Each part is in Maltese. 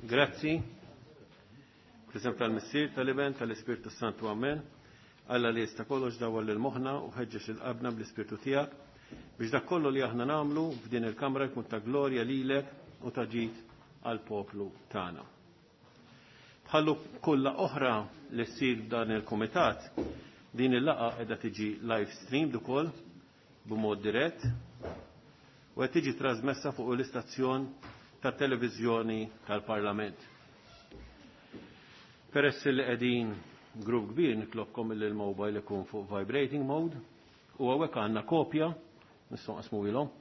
Grazzi. Fl-isem tal-Missier, tal-Iben, tal-Ispirtu Santu, Amen. Alla li jista' kollox dawwal lil moħħna u ħeġġeġ lil qalbna bl-Ispirtu tiegħek biex dak kollu li aħna nagħmlu f'din il-kamra jkun ta' glorja lilek u ta' ġid għall-poplu tagħna. Bħallu kulla oħra li ssir f'dan il-kumitat, din il-laqgħa qiegħda tiġi live streamed ukoll b'mod dirett u qed tiġi trasmessa fuq l-istazzjon tat-televiżjoni tal-Parlament. Peress li qegħdin grupp kbir nitlobkom li l-mobile ikun fuq vibrating mode u hawnhekk għandna kopja nistgħu nqasmu ilhom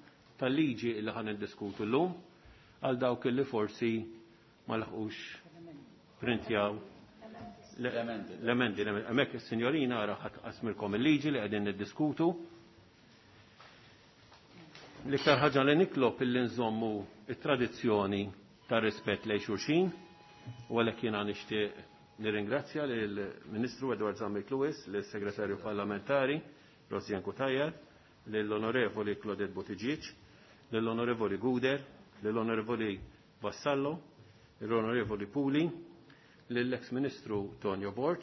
tal-liġi li ħan niddiskutu llum għal dawk li forsi ma laħqux printjaw l-emendi. Hemmhekk is-sinjorina ara ħadd qasmilkom il-liġi li qegħdin niddiskutu. L-iktar ħaġa li nitlob illi nżommu it-tradizzjoni ta' rispett lejn xulxin u għalhekk jiena nixtieq nirringrazzja lill-Ministru Edward Zammit Lewis, lill-Segretarju Parlamentari Rosianne Cutajar, lill-Onorevoli Claudette Buttigieg, lill-Onorevoli Guder, lill-Onorevoli Vassallo, l-Onorevoli Puli, lill-ex Ministru Tonio Borg,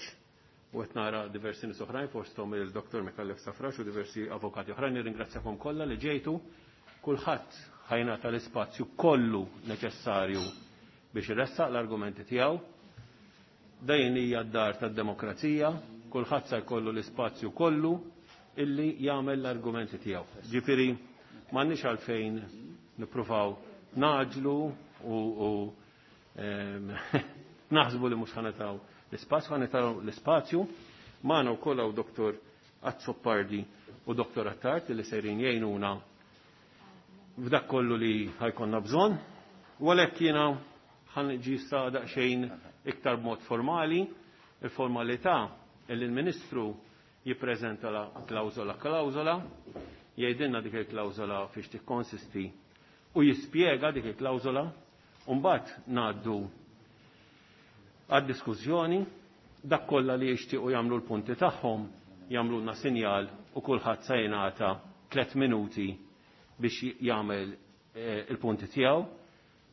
u qed nara diversi nies oħrajn fosthom il-Dr. Micallef Stafrace u diversi avukati oħrajn. Nirringrazzjakom kollha li ġejtu. Kulħadd ħa jingħata l-ispazju kollu neċessarju biex iressaq l-argumenti tiegħu. Dejn hija d-dar tad-demokrazija, kulħadd se jkollu l-ispazju kollu illi jagħmel l-argumenti tiegħu. Ġifieri m'għandniex għalfejn nippruvaw naġlu u naħsbu li mhux ħa nagħtaw l-ispazju, ħa nagħtaw l-ispazju. Magħna wkoll hawn Dr. Azzopardi u Dr. Attard li sejrin jgħinuna f'dak kollu li ħa jkollna bżonn. U għalhekk jiena ħa niġi sa daqsxejn iktar b'mod formali, il-formalità li l-Ministru jippreżenta la klawżola klawżola, jgħidilna dik il-klawżola fiex tikkonsisti u jispjega dik il-klawżola, u mbagħad ngħaddu għad-diskussjoni, dak kollha li jixtiequ jagħmlu l-punti tagħhom jagħmlulna sinjal u kulħadd se jingħata 3 minuti biex jagħmel il-punti tiegħu.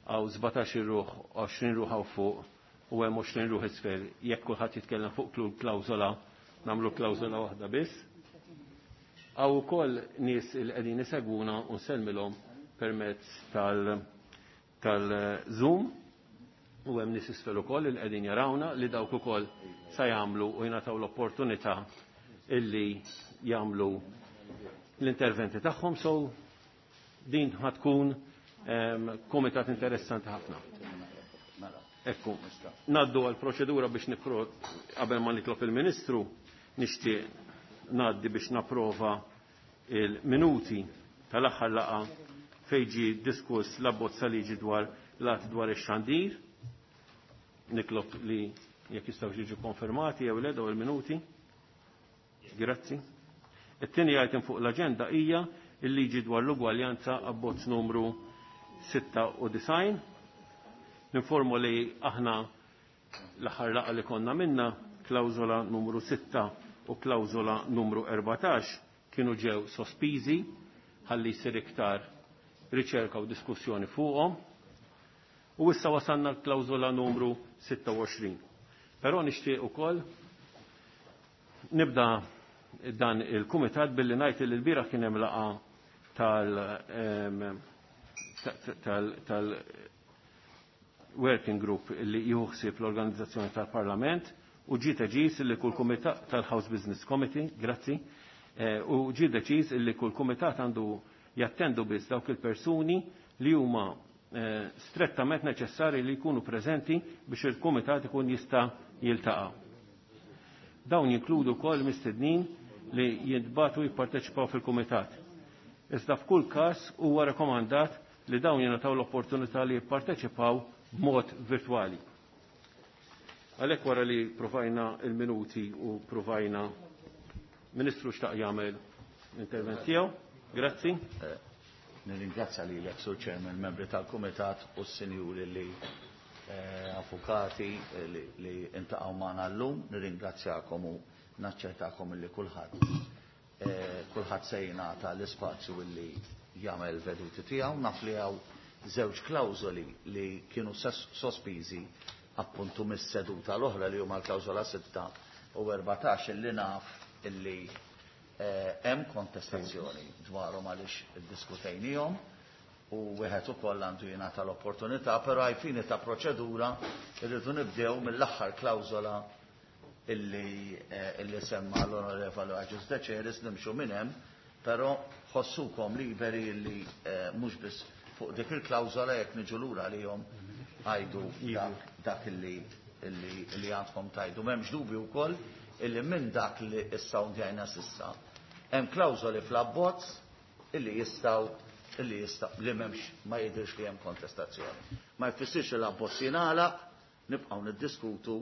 Għaw 17 ruħ, 20 ruħ hawn fuq u hemm 20 ruħ isfel. Jekk kulħadd jitkellem fuq kull klawżola, nagħmlu klawżola waħda biss. Hawn ukoll nies li qegħdin isegwuna u nsellmilhom permezz tal-Zoom u hemm nies isfel ukoll li qegħdin jarawna li dawk ukoll sa jagħmlu u jingħataw l-opportunità illi jagħmlu l-interventi tagħhom. So din ħa tkun komitat interessanti ħafna. Ekku, naddu għal proċedura biex nipro qabel ma nitlob il-Ministru, nixtieq ngħaddi biex napprova il-minuti tal-aħħar laqgħa fejn ġie diskuss l-abbozz ta' liġi dwar l-att dwar ix-xandir. Nitlob li jekk jistgħu jiġu konfermati jew le dawn il-minuti. Grazzi. It-tieni item fuq l-aġenda hija il-liġi dwar l-ugwaljanza abbozz numru 96. Ninformu li aħna l-aħħar laqgħa li konna minna klawżola numru 6 u klawżola numru 14 kienu ġew sospiżi ħalli jsir iktar riċerka u diskussjoni fuqhom. U issa wasalna l-klawżola numru 26. Però nixtieq ukoll nibda dan il-kumitat billi ngħid li l-bieraħ kien hemm laqgħa tal working group li jieħu ħsieb l-organizzazzjoni tal-Parlament u ġie deċiż li kull kumitat tal-House Business Committee, grazzi, u ġie deċiż li kull kumitat għandu jattendu biss dawk il-persuni li huma strettament neċessari li jkunu preżenti biex il-kumitat ikun jista' jiltaqa'. Dawn jinkludu wkoll mistednin li jintbagħtu jipparteċipaw fil-kumitat. Iżda f'kull każ huwa rekomandat li dawn jingħataw l-opportunità li jipparteċipaw b'mod virtwali. Għalhekk wara li provajna il-minuti u provajna Ministru xtaq jagħmel l-intervent tiegħu. Grazzi. Nirringrazzja lilek, Sur Chairman, membri tal-Kumitat u s-sinjuri li avukati li intaqgħu magħna llum. Nirringrazzjakom u naċċertakom li kulħadd se jingħata l-ispazju li jagħmel veduti tiegħu. Naf li hawn żewġ klawżoli li kienu sospiżi appuntu mis-seduta l-oħra li huma l-klawżola 6 u 14 illi naf illi hemm kontestazzjoni dwarhom għaliex iddiskutejnihom u wieħed ukoll għandu jingħata l-opportunità, però ai fini ta' proċedura irridu nibdew mill-aħħar klawżola illi semma l-Onorevoli Agius Deceris, nimxu minn hemm, però ħossukom liberi illi mhux biss fuq dik il-klawżola jekk niġu lura għalihom għajdu dak illi għandkom tajdu. M'hemmx dubju wkoll illi minn dak li issa undjajna s'issa hemm klawżoli fl-abbozz illi jistgħu illi jista' li m'hemmx ma jidhirx li hemm kontestazzjoni. Ma jfissirx li l-abbozz jingħalaq, nibqgħu niddiskutu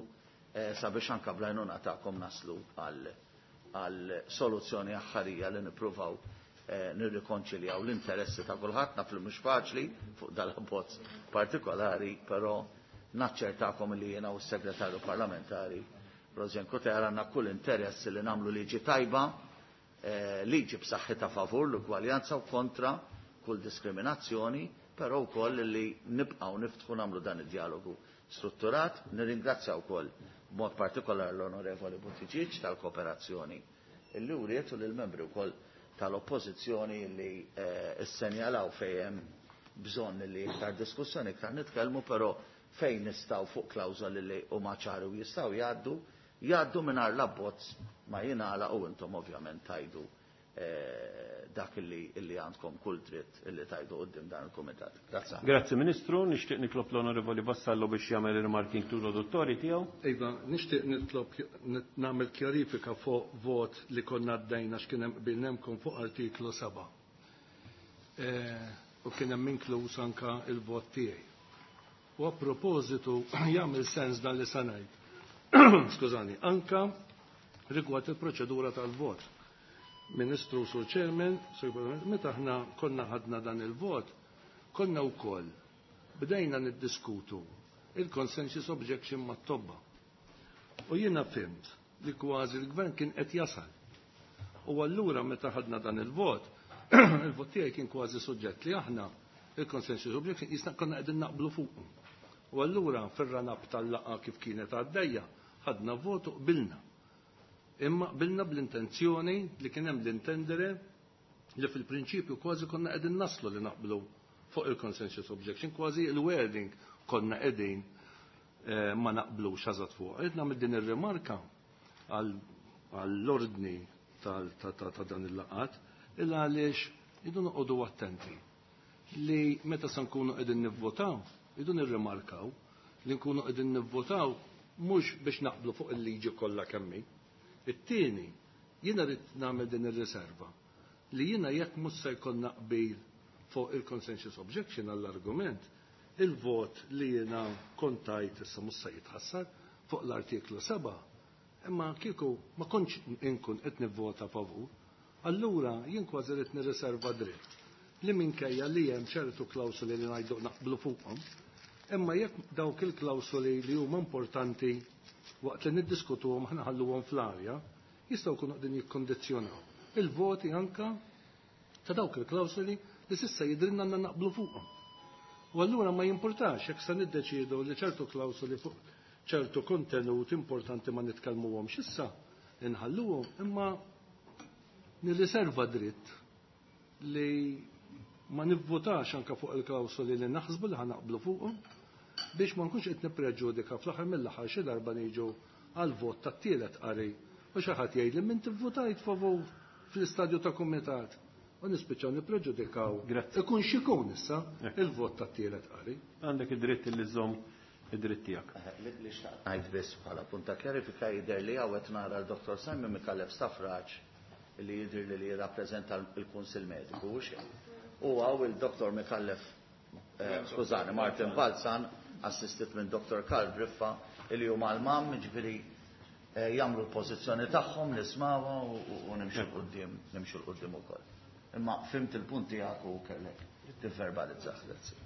sabiex anke bl-għajnuna tagħkom naslu għal soluzzjoni aħħarija li nippruvaw nirrikonċiljaw l-interessi ta' kulħadd. Naf li mhux faċli fuq dal-abbozz partikolari, però naċċertakom li jiena u s-segretarju parlamentari Rosianne Cutajar għandna kull interess li nagħmlu liġi tajba, liġi b'saħħitha favur l-ugwaljanza u kontra kull diskriminazzjoni, però wkoll li nibqgħu niftħu nagħmlu dan id-dialogu strutturat. Nirringrazzja wkoll b'mod partikolari l-Onorevoli Buttigieg tal-kooperazzjoni illi wriet u lill-membri wkoll tal-oppożizzjoni li issenjalaw fejn hemm bżonn li iktar diskussjoni, iktar nitkellmu, però fejn nistgħu fuq klawżoli li huma ċari u jistgħu jgħaddu, jgħaddu mingħajr l-abbozz ma jingħalaq u intom ovvjament tajdu dak illi għandkom kull dritt illi tajdu quddiem dan il-kumitat. Grazzi. Grazzi Ministru, nixtieq nitlob l-Onorevoli Vassallo biex jagħmel ir-rimarki introduttorji tiegħu. Iva, nixtieq nitlob nagħmel kjarifika fuq vot li konna għaddejna x'kien hemm qbilnemkom fuq artiklu 7. U kien hemm inkluż anka il-vot tiegħi. U a propositu jagħmel sens dan li se ngħid. Skużani, anka rigward il-proċedura tal-vot. Ministru, Sur Chairman, Sur President, meta aħna konna ħadna dan il-vot, konna wkoll bdejna niddiskutu il-consensus objection mat-tobba. U jiena fimt li kważi l-gvern kien qed jasal. U allura meta ħadna dan il-vot, il-vot tiegħi kien kważi suġġett li aħna il-consensus objection jisna konna qegħdin naqblu fuq. U allura fir-ranab tal-laqgħa kif kienet għaddejja, ħadna vot u qbilna. Imma qbilna bl-intenzjoni li kien hemm l-intendere li fil-prinċipju kważi konna qegħdin naslu li naqblu fuq il-consensus objection, kważi il-wording konna qegħdin ma naqblux eżatt fuq. Qed nagħmel din ir-rimarka għall-ordni ta' dan il-laqat, illa għaliex idu noqogħdu attenti li meta se nkunu qegħdin nivvotaw, idu nirrimarkaw li nkunu qegħdin nivvotaw mhux biex naqblu fuq il-liġi kollha kemm hi. It-tieni, jiena rrid nagħmel din ir-riserva li jiena jekk mhux se jkollna qbil fuq il-consensus objection għall-argument, il-vot li jiena kontajt issa mhux se jitħassar fuq l-artiklu 7, imma kieku ma kontx inkun qed nivvota favur, allura jien kważi rrid nirriserva dritt li minkejja li hemm ċertu klawsoli li ngħidu naqblu fuqhom, imma jekk dawk il-klawsoli li huma importanti waqt li niddiskutuhom aħna ħalluhom fl-arja, jistgħu jkunu qegħdin jikkondizzjonaw il-voti anka ta' dawk il-klawsoli li s'issa jidrinna għandna naqblu fuqhom. U allura ma jimpurtax jekk se niddeċiedu li ċertu klawsoli fuq ċertu kontenut importanti ma nitkellmuhomx issa, inħalluhom, imma nirriserva dritt li ma nivvotax anka fuq il-klawsoli li naħsbu li ħanaqblu fuqhom biex ma nkunx qed nippreġudika fl-aħħar mill-aħħar xi darba niġu għal vot tat-tielet qari u xi ħadd jgħid li min tivvutajt favur fl-istadju ta' kumitat u nispiċċaw nippreġudikaw. Grazzi. Ikun x'ikun issa il-vot tat-tielet qari. Għandek id-dritt li żżomm id-dritt tiegħek. Li xtaqt ngħid biss bħala punta kjarifika jidher li hawn qed nara l-Dottor Simon Micallef Stafrace li jidher li jirrappreżenta l-Kunsill Mediku u xejn. U hawn il-Dottor Micallef, skużani, Martin Balzan, assistit minn Dottor Karl Briffa, li huma l-mam, ġifieri jagħmlu l-pożizzjoni tagħhom, nismawha u nimxu l-qudiem, nimxu l-qudiem ukoll. Imma fimt il-punt tiegħek u kellek tivverbalizzah, grazzi.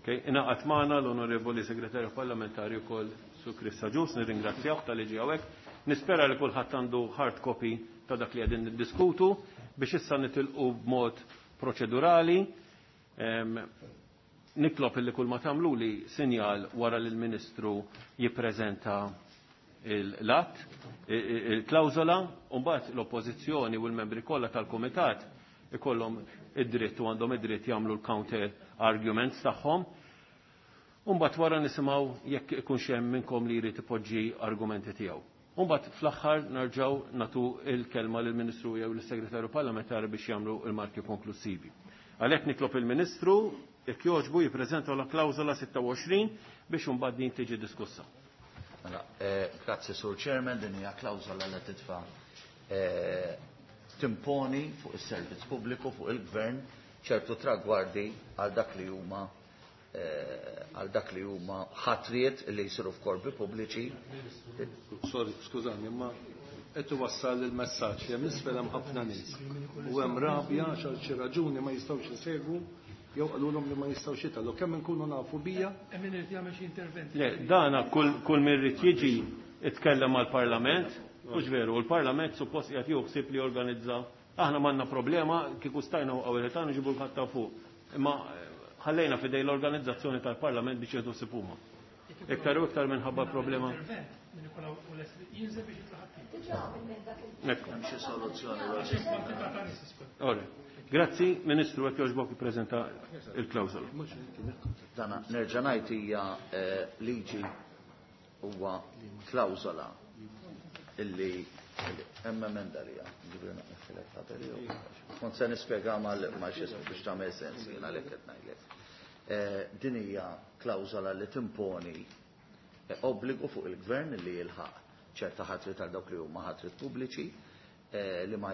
Okay, ingħaqad magħna l-Onorevoli Segretarju Parlamentari wkoll Sur Chris Agius, nirringrazzjah tal-li ġie hawnhekk. Nispera li kulħadd għandu hard copy ta' dak li qegħdin niddiskutu biex issa nitilqu b'mod proċedurali. Nitlob illi kull ma tagħmlu li sinjal wara li l-Ministru jippreżenta l-att, il-klawżola, u mbagħad l-Oppożizzjoni u l-membri kollha tal-Kumitat ikollhom id-dritt u għandhom id-dritt jagħmlu l-counter arguments tagħhom. U mbagħad wara nisimgħu jekk ikunx hemm minnkom li jrid ipoġġi argumenti tiegħu. U mbagħad fl-aħħar nerġgħu nagħtu l-kelma lill-Ministru jew lis-Segretarju Parlamentari biex jagħmlu l-marki konklusivi. Għalhekk nitlob il-Ministru jekk jogħġbu jippreżenta l-klawżola 26 biex imbagħad din tiġi diskussa. Mela, grazzi Sur Chairman, din hija klawżola li titfa' timponi fuq is-servizz pubbliku, fuq il-gvern, ċertu tragwardi għal dak li huma għal dak li huma ħatriet li jsiru f'korpi pubbliċi. Sorry, skużani, imma qed iwassal il-messaġġ li hemm isfel hemm ħafna nies u hemm rabja għax għal xi raġuni ma jistgħux isegwu jew qalulhom li ma jistgħux jitgħallu. Kemm inkunu nafu bija? Hemm min irid jagħmel xi intervent. Le, dana kull min irid jiġi itkellem mal-Parlament, mhux veru, l-Parlament suppost qiegħed jieħu ħsieb li jorganizza. Aħna m'għandna problema kieku stajna waqgħu il-ħitan nġibu l-ħadd ta' fuq. Imma ħallejna f'idej l-organizzazzjoni tal-Parlament biex jieħdu ħsieb huma. Iktar u iktar minħabba problema. Ekku. Hemm xi soluzzjoni loġistika. Ora. Grazzi, Ministru, jekk jogħġbok ippreżenta il-klawżola. Dana nerġa' ngħid hija liġi huwa klawżola illi hemm emenda li hija, ġifieri naqfilek qabel jew. Kont se nispjega ma' xi biex tagħmel sens jien għalhekk qed ngħidlek. Din hija klawżola li timponi obbligu fuq il-gvern li jilħaq ċerta ħatri tal dawk li huma ħatri pubbliċi li ma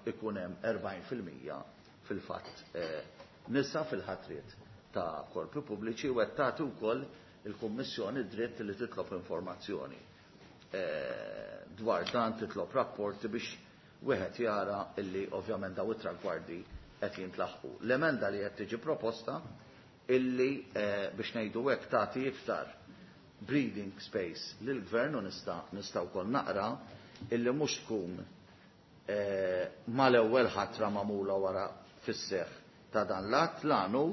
jkun hemm 40% fil-fatt nisa fil-ħatriet ta' korpi pubbliċi u qed tagħti wkoll il-Kummissjoni dritt li titlob informazzjoni dwar dan, titlob rapporti biex wieħed jara illi ovvjament daw it-tragwardi qed jintlaħqu. L-emenda li qed tiġi proposta illi biex ngħidu hekk tagħti iktar breathing space lill-gvern u nista' wkoll naqra illi mhux tkun mal-ewwel ħatra magħmula wara fis-seħħ ta' dan l-att l-għanu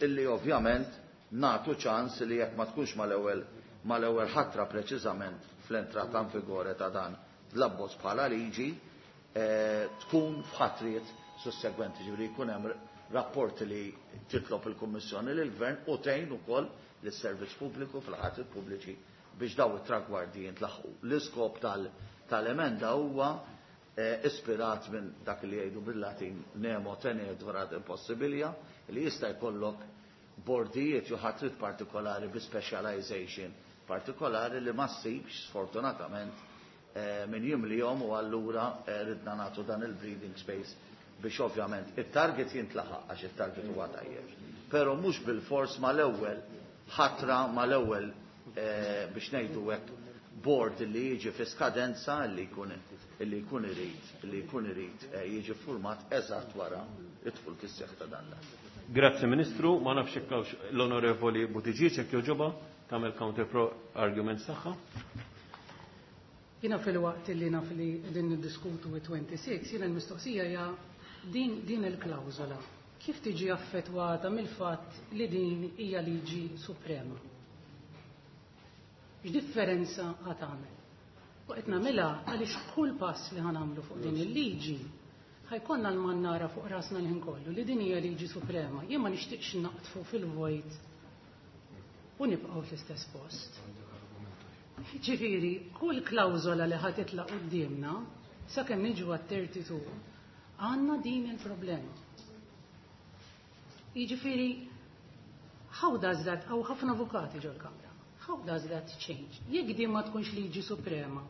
illi ovvjament nagħtu ċans li jekk ma tkunx mal-ewwel ħatra preċiżament fl-entrata in vigore ta' dan l-abbozz bħala liġi tkun f'ħatriet sussegwenti, ġifieri jkun hemm rapporti li titlob il-Kummissjoni lill-Gvern u tgħin ukoll lis-servizz pubbliku fil-ħatriet pubbliċi biex daw it-tragwardi jintlaħqu. L-iskop tal-emenda huwa ispirat minn dak li jgħidu bil-Latin nemo tenetur ad impossibilia, li jista' jkollok bordijiet jew ħatrit partikolari bi specialization partikolari li ma ssibx sfortunatament min jimlihom u allura ridna nagħtu dan il-breathing space biex ovvjament it-target jintlaħaq għax it-target huwa tajjeb. Però mhux bil-fors mal-ewwel ħatra mal-ewwel biex ngħidu hekk board li jiġi fi skadenza li jkun illi jkun irid li jkun irid jiġi format eżatt wara id-dħul fis-seħħ ta' dan l-att. Grazzi Ministru, ma nafx hekk hawnx l-Onorevoli Buttigieg jekk jogħġobha tagħmel counter pro arguments tagħha. Jiena fil-waqt li naf li qegħdin niddiskutu 26, jiena l-mistoqsija hija din il-klawżola kif tiġi affettwata mill-fatt li din hija liġi suprema? X'differenza ħa tagħmel? U qed nagħmilha għaliex kull pass li ħa nagħmlu fuq din il-liġi ħajkonna l-mannara fuq rasna l-ħin kollu li din hija liġi suprema. Jien ma nixtieqx naqtfu fil-vojt u nibqgħu fl-istess post. Ġifieri, kull klawżola li ħa titla' quddiemna sakemm niġu għat-32 għandna din il-problema. Jiġifieri, how does that, hawn ħafna avukati ġol-kamra, how does that change? Jekk din ma tkunx liġi suprema,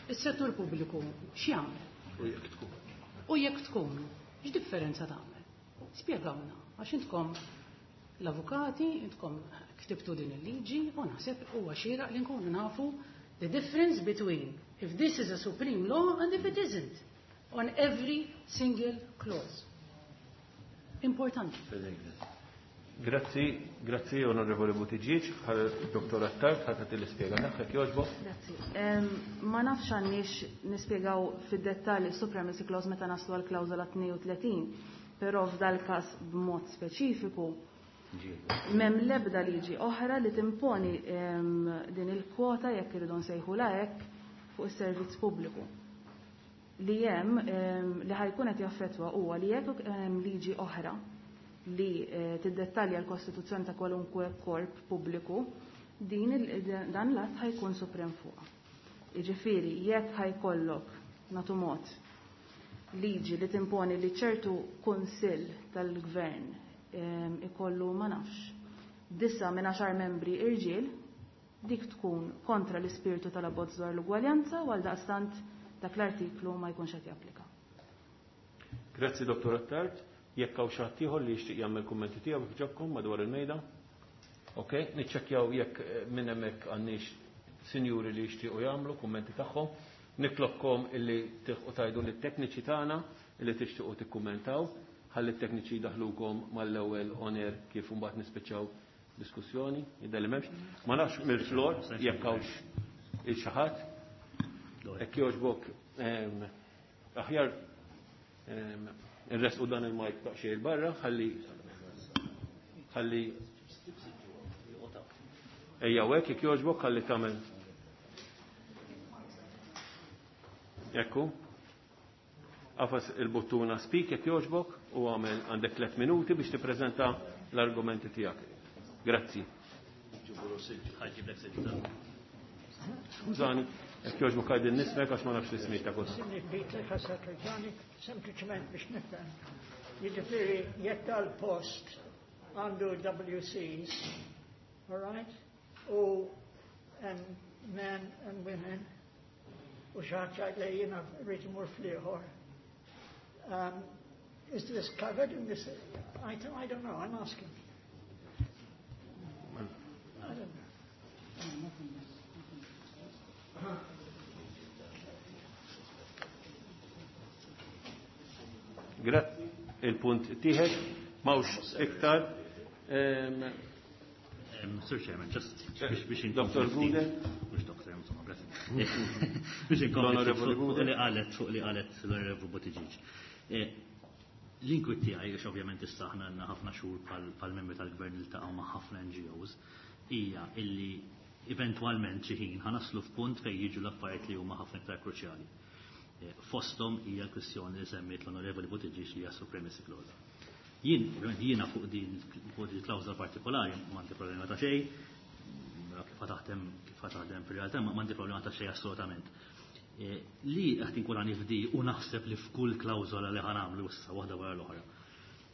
is-settur pubbliku x'jagħmel? U jekk tkun. U jekk tkun, x'differenza tagħmel? Spjegawna, għax intkom l-avukati, intkom ktibtu din il-liġi, u naħseb huwa xieraq li nkunu nafu the difference between if this is a supreme law and if it isn't, on every single clause. Importanti. Grazzi, grazzi Onorevoli Buttigieg, Dr. Attard, ħatat l-ispjega tagħek jogħġbok. Grazzi. Ma nafx għandniex nispjegaw fid-dettall is-supremacy clause meta naslu għal klawżola 32. Però f'dal-każ b'mod speċifiku m'hemm l-ebda liġi oħra li timponi din il-kwota jekk irridu nsejħulha hekk fuq is-servizz pubbliku. Li hemm li ħajkun qed jaffettwa huwa li jekk hemm liġi oħra li tiddettalja l-kostituzzjoni ta' kwalunkwe korp pubbliku, din dan l-att ħajkun suprem fuqha. Jiġifieri jekk ħajkollok nagħtu mod liġi li timponi li ċertu kunsill tal-gvern ikollu ma nafx 9 minn 10 membri irġiel, dik tkun kontra l-ispirtu tal-abbozz dwar l-ugwaljanza u għaldaqstant dak l-artiklu ma jkunx qed japplika. Grazzi Dottor Attard. Jekk hawn xi ħadd ieħor li jixtieq jagħmel kummenti tiegħu kif ġobkom madwar il-mejda. Ok, niċċekkjaw jekk minn hemmhekk għandniex sinjuri li jixtiequ jagħmlu kummenti tagħhom. Nitlobkom illi tilħqu tajdu lit-tekniċi tagħna illi tixtiequ tikkummentaw, ħalli t-tekniċi jdaħlukom mal-ewwel on air kif imbagħad nispiċċaw diskussjoni, jidher li m'hemmx. Ma nafx mill-flor jekk hawnx il xi ħadd. Hekk jogħġbok aħjar irresqu dan il-mic daqsxejn 'il barra ħalli ħalli ejja hekk jekk jogħġbok ħalli tagħmel. Ekku. Għafas il-buttuna speak jekk jogħġbok u għamel għandek 3 minuti biex tippreżenta l-argumenti tiegħek. Grazzi. Skużani, jekk jogħġbok għajdin nismek għax ma nafx l-ismijiet ta' kulħadd. Sinni Peter Ħassatrġani, sempliċement biex nifhem. Jiġifieri jekk tal-post għandu WCs, all right? U and men and women, u xi ħadd jgħid li jiena rrid imur fl-ieħor. Is this covered in this item? I don't know, I'm asking. I don't know. Grazzi, il-punt tieħed, mawx iktar. Sir Chairman, just biex Dr. Gude. Mhux Dr. insomma, grazzi. Biex inkompli L-Onorevoli fuq Gude. li qalet, fuq li qalet l-Onorevoli Buttigieg. L-inkwit tiegħi, għax ovvjament issa aħna għandna ħafna xhur bħal membri tal-gvern li ltaqgħu ma' ħafna N G Os, hija illi eventwalment xi ħin ħanaslu f'punt fejn jiġu l-affarijiet li huma ħafna iktar kruċjali. Fosthom hija l-kwistjoni li semmiet l-Onorevoli Buttigieg li hija supremacy clause. Jien, ovvjament, jiena fuq din fuq din klawżola partikolari m'għandi problema ta' xejn, kif taħdem, kif taħdem fir-realtà m'għandi problema ta' xejn assolutament. Li qed inkun nifdi u naħseb li f'kull klawżola li ħanamlu issa waħda wara l-oħra.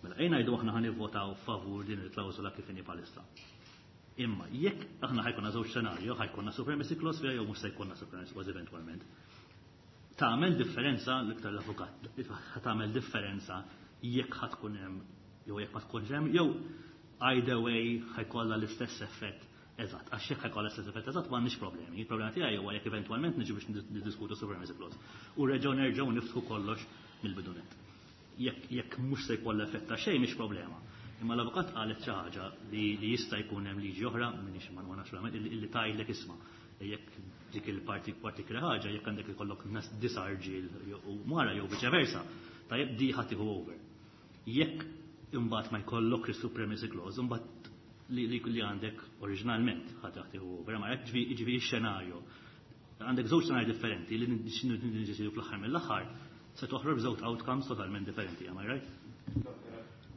Mela ejja ngħidu aħna ħanivvotaw favur din il-klawżola kif inhi bħalissa. Imma jekk aħna ħajkonna żewġ xenarju, ħajkonna supremacy clause fiha jew mhux se jkollna supremacy clause eventwalment. Tagħmel differenza l-iktar l-avukat, tagħmel differenza jekk ħa tkun hemm jew jekk ma tkunx hemm, jew either way ħajkollha l-istess effett eżatt. Għax jekk ħajkollha l-istess effett eżatt m'għandniex problemi. Il-problema tiegħi huwa jekk eventwalment niġu biex niddiskutu supremacy clause. U reġgħu nerġgħu niftħu kollox mill-bidunet. Jekk mhux se jkollha effett ta' xejn mhix problema. Imma l-avukat qalet xi ħaġa li jista' jkun hemm liġi oħra, m'iniex ma nafx verament, illi tgħidlek isma' jekk dik il-parti partikolari ħaġa, jekk għandek ikollok nas disa' rġiel u mara jew viċe versa, tajjeb di ħadd tieħu over. Jekk imbagħad ma jkollok is-supremacy clause, imbagħad li għandek oriġinalment ħadd tieħu over, ma jekk ġifieri x-xenarju. Għandek żewġ xenarji differenti li niddeċidu fl-aħħar mill-aħħar se toħroġ żewġ outcomes totalment differenti, am I right?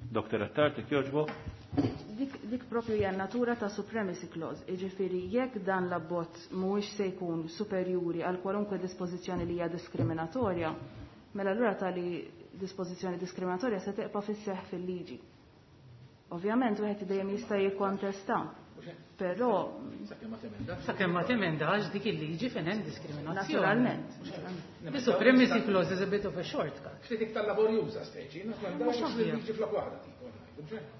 Doktor Attard, jekk jogħġbok? Dik propju hija natura ta' supremacy clause, jiġifieri jekk dan l-abbozz mhuwiex se jkun superjuri għal kwalunkwe dispożizzjoni li hija diskriminatorja, mela allura tali dispożizzjoni diskriminatorja se teqpa' fis-seħħ fil-liġi. Ovvjament wieħed dejjem jista' jikkontesta, però Sakemm ma temendax dik il-liġi fejn hemm diskriminazzjoni. Naturalment. The supremacy clause is a bit of a shortcut. Ftit iktar laborjuża speċi, naturalment, Mhux ovvja. il-liġi flok waħda tipo, ngħidu, mhux hekk?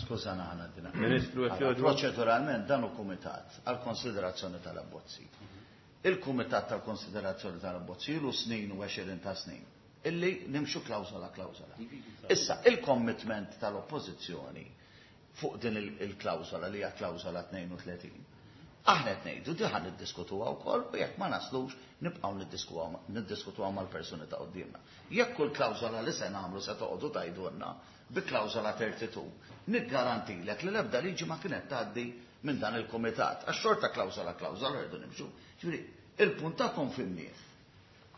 Skuża naħna dina. Ministru, jekk Allora, jogħġbok. proċeduralment dan hu kumitat għal konsiderazzjoni tal-abbozzi. Il-kumitat tal-konsiderazzjoni tal-abbozzi ilu snin u 20 ta' snin illi nimxu klawżola klawżola. Issa, il-commitment tal-oppożizzjoni fuq din il-klawżola li hija klawżola 32 Aħna qed ngħidu di ħa niddiskutuha wkoll u jekk ma naslux nibqgħu niddiskutuha mal-persuni ta' quddiemna. Jekk kull klawżola li se nagħmlu se toqgħodu tgħidulna bi klawżola 32, niggarantilek li l-ebda liġi ma kienet tgħaddi minn dan il-kumitat. Għax xorta klawżola klawżola rridu nimxu. Ġifieri, il-punt tagħkom fimnieh.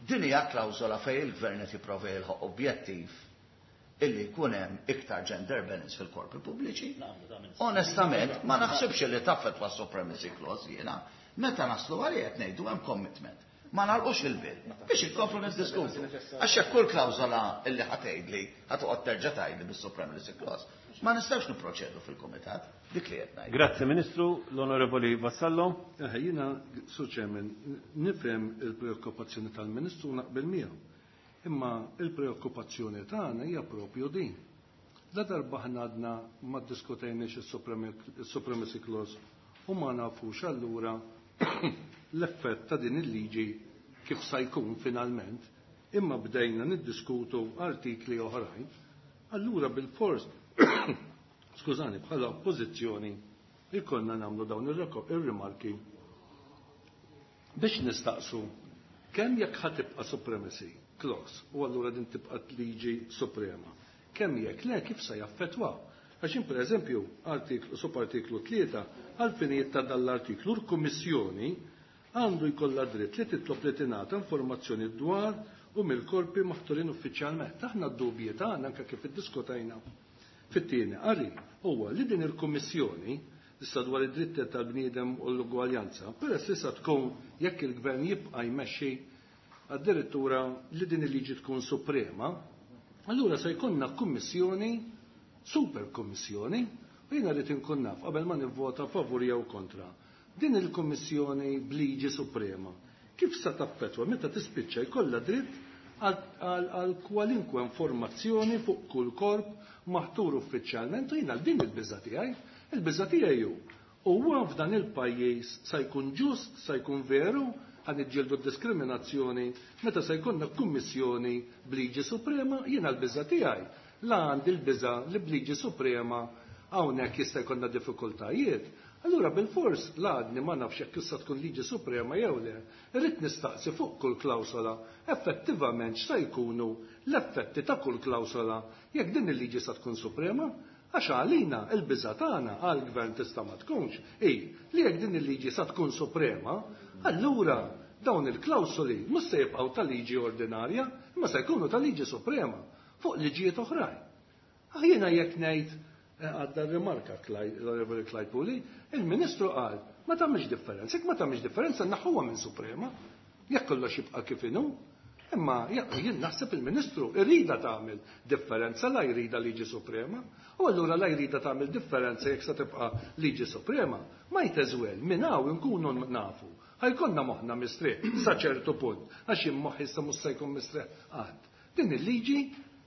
Din hija klawżola fejn il-gvern qed jipprova jilħaq objettiv illi jkun hemm iktar gender balance fil-korpi pubbliċi. Onestament, ma naħsibx li taffettwa supremacy clause jiena. Meta naslu għalih qed ngħidu hemm commitment. Ma nagħlqux il-bill biex inkomplu niddiskutu. Għax jekk kull klawżola illi ħa tgħidli ħa toqgħod terġa' tgħidli bis-supremacy clause, ma nistgħux nipproċedu fil-kumitat dik li qed ngħid. Grazzi Ministru, l-Onorevoli Vassallo. Jiena, Sur Chairman, nifhem il-preokkupazzjoni tal-Ministru naqbel miegħu. Imma il-preokkupazzjoni tagħna hija propju din. La darba aħna għadna ma ddiskutejniex is-supremacy clause u ma nafux allura l-effett ta' din il-liġi kif sa jkun finalment, imma bdejna niddiskutu artikli oħrajn, allura bil-fors, skużani, bħala oppożizzjoni ikollna nagħmlu dawn ir-rimarki biex nistaqsu kemm jekk ħa tibqa' supremacy clause u allura din tibqa' liġi suprema. Kemm jekk le kif se jaffettwaw. Għax per eżempju, artiklu subartiklu 3 għal-finijiet ta' dal-artiklu l-Kummissjoni għandu jkollha dritt li titlob li tingħata informazzjoni dwar u mill-korpi maħturin uffiċjalment. Aħna d-dubji tagħna anke kif iddiskutajna fit-tieni qari huwa li din il-Kummissjoni issa dwar id-dritti tal-bniedem u l-ugwaljanza, peress li sa tkun jekk il-gvern jibqa' jmexxi addirittura li din il-liġi tkun suprema, allura se jkollna kummissjoni, super kummissjoni, u jiena rrid inkun naf qabel ma nivvota favur jew kontra. Din il-kummissjoni b'liġi suprema, kif sa taffettwa meta tispiċċa jkollha dritt għal kwalinkwe informazzjoni fuq kull korp maħtur uffiċjalment u jiena din il-biża' tiegħi. Il-biża' tiegħi hu huwa f'dan il-pajjiż sa jkun ġust, sa jkun veru, ħa niġġieldu diskriminazzjoni meta se jkollna kummissjoni b'liġi suprema, jiena l-biża' tiegħi. La għandi l-biża' li b'liġi suprema hawnhekk jista' jkollna diffikultajiet. Allura bil-fors la għadni ma nafx jekk issa tkun liġi suprema jew le, irrid nistaqsi fuq kull klawsola effettivament x'sa jkunu l-effetti ta' kull klawsola jekk din il-liġi sa tkun suprema. Għax għalina il-biża' tagħna għall-gvern tista' ma tkunx hi li jekk din il-liġi sa tkun suprema, allura dawn il-klawsoli mhux se jibqgħu ta' liġi ordinarja, imma se jkunu ta' liġi suprema fuq liġijiet oħrajn. Jiena jekk ngħid għadda rimarka l-Onorevoli Clyde Puli, il-Ministru qal ma tagħmilx differenza, jekk ma tagħmilx differenza naħuha minn suprema, jekk kollox jibqa' kif inhu. Imma jien naħseb il-Ministru irida tagħmel differenza la jrida liġi suprema, u allura la jrida tagħmel differenza jekk se tibqa' liġi suprema, might as well minn hawn inkunu nafu. Ħa jkollna moħħna mistrieħ sa ċertu punt, għax jien moħħi issa mhux se jkun mistrieħ qatt. Din il-liġi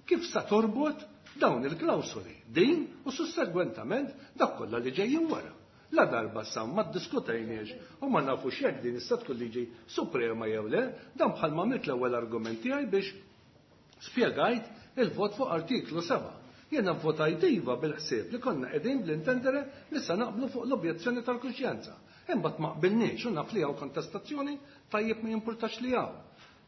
kif sa torbot dawn il-klawsoli, din u sussegwentament dak kollha li ġejjin wara. La darba sa ma ddiskutejniex u ma nafux jekk din issa tkun liġi suprema jew le, dan bħalma għamilt l-ewwel argument tiegħi biex spjegajt il-vot fuq artiklu 7. Jiena votajt iva bil-ħsieb li konna qegħdin bl-intendere li sa naqblu fuq l-objezzjoni tal-kuxjenza. Imbagħad ma qbilniex u naf li hawn kontestazzjoni tajjeb ma jimpurtax li hawn.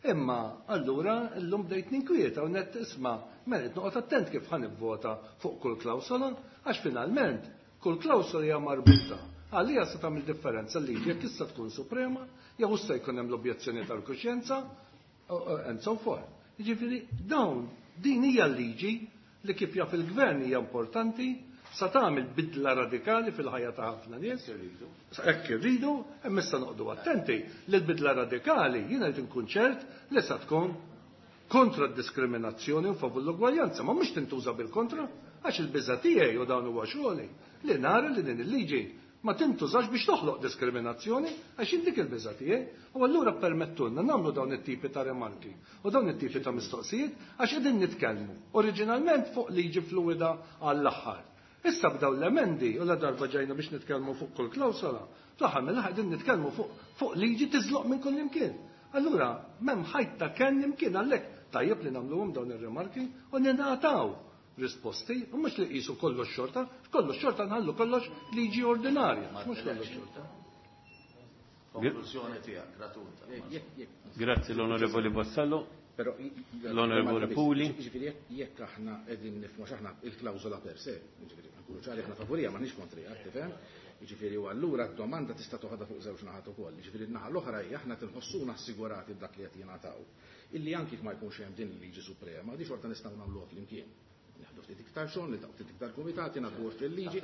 Imma allura llum bdejt ninkwieta u net isma' mela noqgħod attent kif ħa nivvota fuq kull klawsola għax finalment kull klawsola hija marbuta. Għalija se tagħmel differenza li jekk issa tkun suprema jew issa jkun hemm l-objezzjoni tal-kuxjenza and so forth. Jiġifieri dawn din hija l-liġi li kif jaf il-gvern hija importanti sa tagħmel bidla radikali fil-ħajja ta' ħafna nies. Hekk irridu, imma issa noqogħdu attenti li l-bidla radikali jiena qed inkun ċert li sa tkun kontra d-diskriminazzjoni u favur l-ugwaljanza, ma mhux tintuża bil-kontra, għax il-biża' tiegħi u dawn huwa xogħli li nara li din il-liġi ma tintużax biex toħloq diskriminazzjoni għax dik il-biża' tiegħi. U allura permettulna nagħmlu dawn it-tipi ta' remarki u dawn it-tipi ta' mistoqsijiet għax qegħdin nitkellmu oriġinalment fuq liġi fluida għall-aħħar. Issa bdaw l-emendi u la darba ġejna biex nitkellmu fuq kull klawsola, fl-aħħar mill-aħħar qegħdin nitkellmu fuq liġi tiżloq minn kull imkien. Allura m'hemm ħajt ta' kenn imkien għalhekk tajjeb li nagħmluhom dawn ir-rimarki u ningħataw risposti, u mhux li qisu kollox xorta, kollox xorta nħallu kollox liġi ordinarja, mhux kollox xorta. Konklużjoni tiegħek gratuita. Grazzi l-Onorevoli Vassallo. Però L-Onorevoli Puli. Jiġifieri jekk aħna qegħdin nifhmu għax aħna il-klawżola per se, jiġifieri nkunu ċari aħna favurija m'aħniex kontriha, tifhem? Jiġifieri u allura d-domanda tista' toħodha fuq żewġ naħat ukoll. Jiġifieri n-naħa l-oħra hija aħna tinħossuna assigurati b'dak li qed jingħataw. Illi anki jekk ma jkunx hemm din il-liġi suprema, di xorta nistgħu nagħmluha flimkien. Nieħdu ftit iktar xogħol, niltaqgħu ftit iktar kumitati, nagħtu fil-liġi,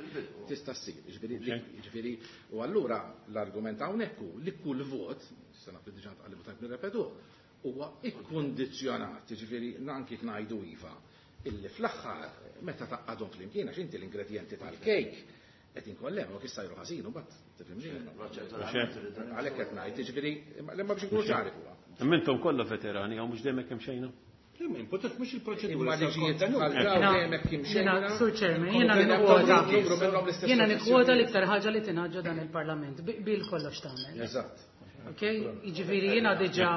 tista' ssir. Jiġifieri u allura l-argument hawnhekk hu li kull vot, issa naf li diġà ntqal li tajb nirrepetuh, huwa ikkundizzjonat, jiġifieri anki jekk ngħidu iva, illi fl-aħħar meta tgħaqqadhom flimkien għax inti l-ingredjenti tal-kejk qed inkollem, u kif sajru ħażin u mbagħad tifhimni. Għalhekk qed ngħid, jiġifieri imma biex inkunu ċari fuqha. Imma intom kollha veterani hawn mhux dejjem hekk xejna? Imma importanti mhux il-proċedura. Imma liġijiet bħal dawn dejjem hekk imxejna. Sur Chairman, jiena nikkwota jiena nikkwota l-iktar ħaġa li tingħaġġa dan il-Parlament bil kollox tagħmel. Eżatt. Ok, jiġifieri jiena diġà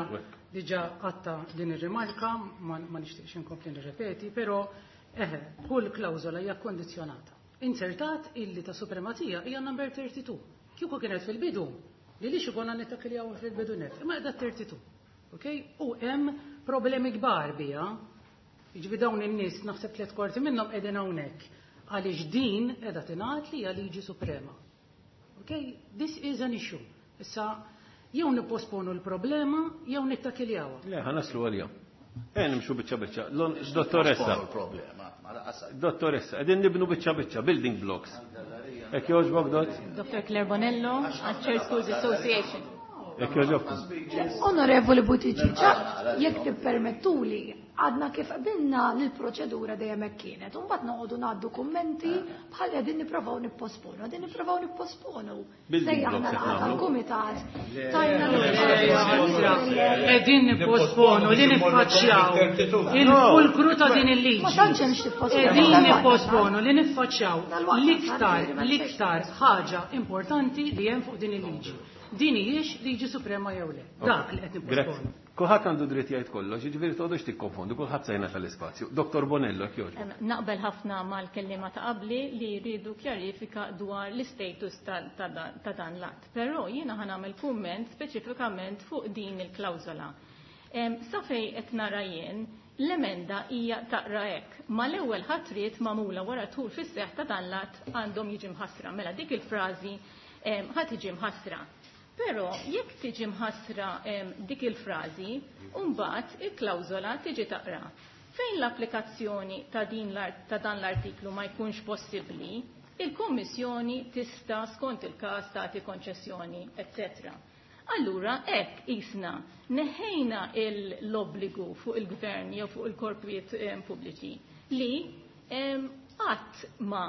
diġà għatta din ir-rimarka, ma nixtieqx inkompli nirrepeti, però eħe, kull klawżola hija kondizzjonata. Inzertat illi ta' supremazija hija number 32. Kieku kienet fil-bidu, li li xikonna nittakiljaw fil-bidu net, imma qiegħda 32. Ok? U hemm problemi kbar biha. Jiġifieri dawn in-nies naħseb 3/4 minnhom qegħdin hawnhekk għaliex din qiegħda tingħad li hija liġi suprema. Ok? This is an issue. Issa jew nipposponu l-problema jew nittakiljawa. Le, ħa naslu għalija. Nimxu biċċa biċċa. Dottoressa. Dottoressa, qegħdin nibnu biċċa biċċa, building blocks. Hekk jogħġbok, dott? Dr. Claire Bonello, Church Schools Association. Hekk jogħġobkom. Onorevoli Buttigieg, jekk tippermettuli, għadna kif qbilna li l-proċedura dejjem hekk kienet. U mbagħad noqogħdu ngħaddu kummenti bħal qegħdin nipprovaw nipposponu, qegħdin nipprovaw nipposponu. Sejjaħna laqgħa tal-kumitat. Tajna Qegħdin nipposponu li niffaċċjaw il-fulkru ta' din il-liġi. Ma tantx hemm x'tipposponu. Qegħdin nipposponu li niffaċċjaw l-iktar l-iktar ħaġa importanti li hemm fuq din il-liġi. Din hijiex liġi suprema jew le. Dak li qed nipposponu. Kulħadd għandu dritt jgħid kollox, jiġifieri toqgħodux tikkonfondu, kulħadd se jingħata l-ispazju. Dottor Bonello, jekk jogħġbok. Naqbel ħafna mal-kelliema ta' qabli li jridu kjarifika dwar l-istatus ta' dan l-att. Però jiena ħa nagħmel kumment speċifikament fuq din il-klawżola. Sa fejn qed nara jien, l-emenda hija taqra hekk. Mal-ewwel ħatriet magħmula wara tul fis-seħħ ta' dan l-att għandhom jiġi mħassra. Mela dik il-frażi ħa tiġi mħassra. Però jekk tiġi mħassra dik il-frażi, mbagħad il-klawżola tiġi taqra. Fejn l-applikazzjoni ta' din ta' dan l-artiklu ma jkunx possibbli, il-Kummissjoni tista' skont il-każ tagħti konċessjoni, eccetera. Allura hekk isna neħejna l-obbligu fuq il-gvern jew fuq il-korpijiet pubbliċi li qatt ma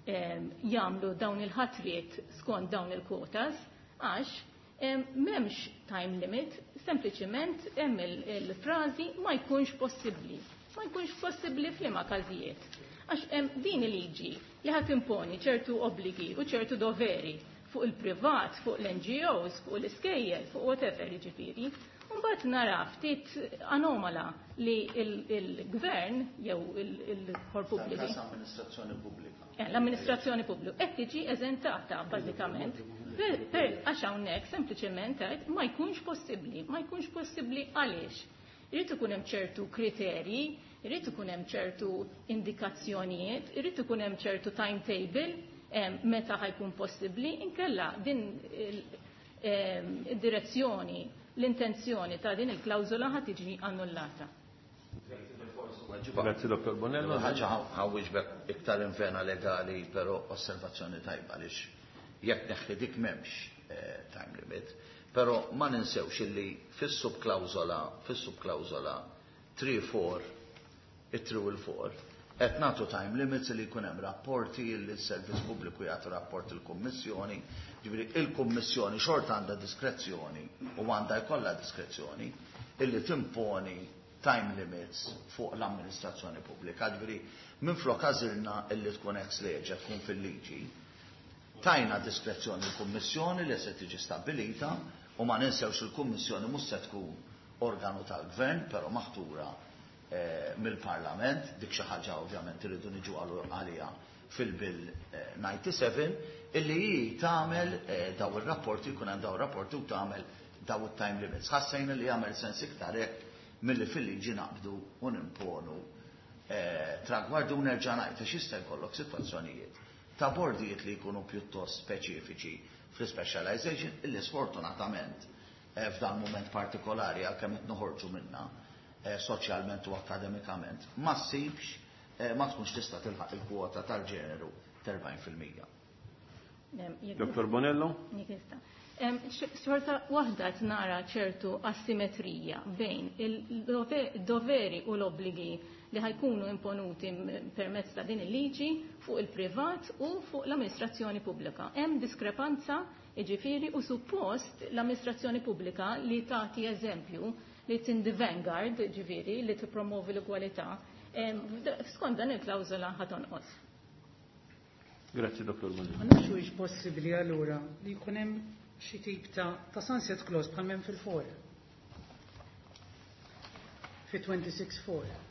jagħmlu dawn il-ħatriet skont dawn il-kwotas għax m'hemmx time limit, sempliċiment hemm il-frażi ma jkunx possibbli. Ma jkunx possibbli f'liema każijiet. Għax hemm din il-liġi li ħadd imponi ċertu obbligi u ċertu doveri fuq il-privat, fuq l-NGOs, fuq l-iskejjel, fuq whatever jiġifieri. Mbagħad nara ftit anomala li il-gvern jew il-korp pubbliku. L-amministrazzjoni pubblika. L-amministrazzjoni pubblika qed tiġi eżentata bażikament. Għax hawnhekk sempliċement qed ma jkunx possibbli, ma jkunx possibbli għaliex. Irid ikun hemm ċertu kriterji, irid ikun hemm ċertu indikazzjonijiet, irid ikun hemm ċertu timetable meta ħajkun possibbli, inkella din id-direzzjoni, l-intenzjoni ta' din il-klawżola ħa tiġi annullata. Grazzi, Dottor Bonello. Ħaġa ħawwiġbek iktar infena legali, però osservazzjoni tajba għaliex jekk neħħi dik m'hemmx time limit, però ma ninsewx illi fis-subklawżola, fis-subklawżola 3-4, it-3 u l-4, qed nagħtu time limits li jkun hemm rapporti li s-servizz pubbliku jagħtu rapport il-Kummissjoni, ġifieri il-Kummissjoni xorta għandha diskrezzjoni u għandha jkollha diskrezzjoni illi timponi time limits fuq l-amministrazzjoni pubblika. Ġifieri minflok għażilna illi tkun ex lege tkun fil-liġi, tajna diskrezzjoni l-Kummissjoni li se tiġi stabbilita u ma ninsewx il-Kummissjoni mhux se tkun organu tal-Gvern, però maħtura mill-Parlament, dik xi ħaġa ovvjament irridu niġu għalija fil-Bill 97 illi hi tagħmel daw ir-rapporti, jkun hemm daw ir-rapporti u tagħmel daw it-time limits. Ħassejna li jagħmel sens iktar hekk milli fil-liġi naqbdu u nimponu tragwardi u nerġa' ngħid għax jista' jkollok sitwazzjonijiet ta' bordijiet li jkunu pjuttost speċifiċi fl-specialization illi sfortunatament f'dan mument partikolari għalkemm qed noħorġu minna soċjalment u akademikament ma ssibx ma tkunx tista' tilħaq il-kwota tal-ġeneru t'40%. Dr. Bonello? Xorta waħda qed nara ċertu asimetrija bejn il-doveri u l-obbligi li ħajkunu imponuti permezz ta' din il-liġi fuq il-privat u fuq l-amministrazzjoni pubblika. Hemm diskrepanza, jiġifieri, u suppost l-amministrazzjoni pubblika li tagħti eżempju li in the vanguard, ġifieri, li tippromovi l-ugwalità, skont dan il-klawżola ħa tonqos. Grazzi, Dr. Bonello. Ma nafx huwiex possibbli allura li jkun hemm xi tip ta' sunset clause bħal m'hemm fil-4. Fi 26-4.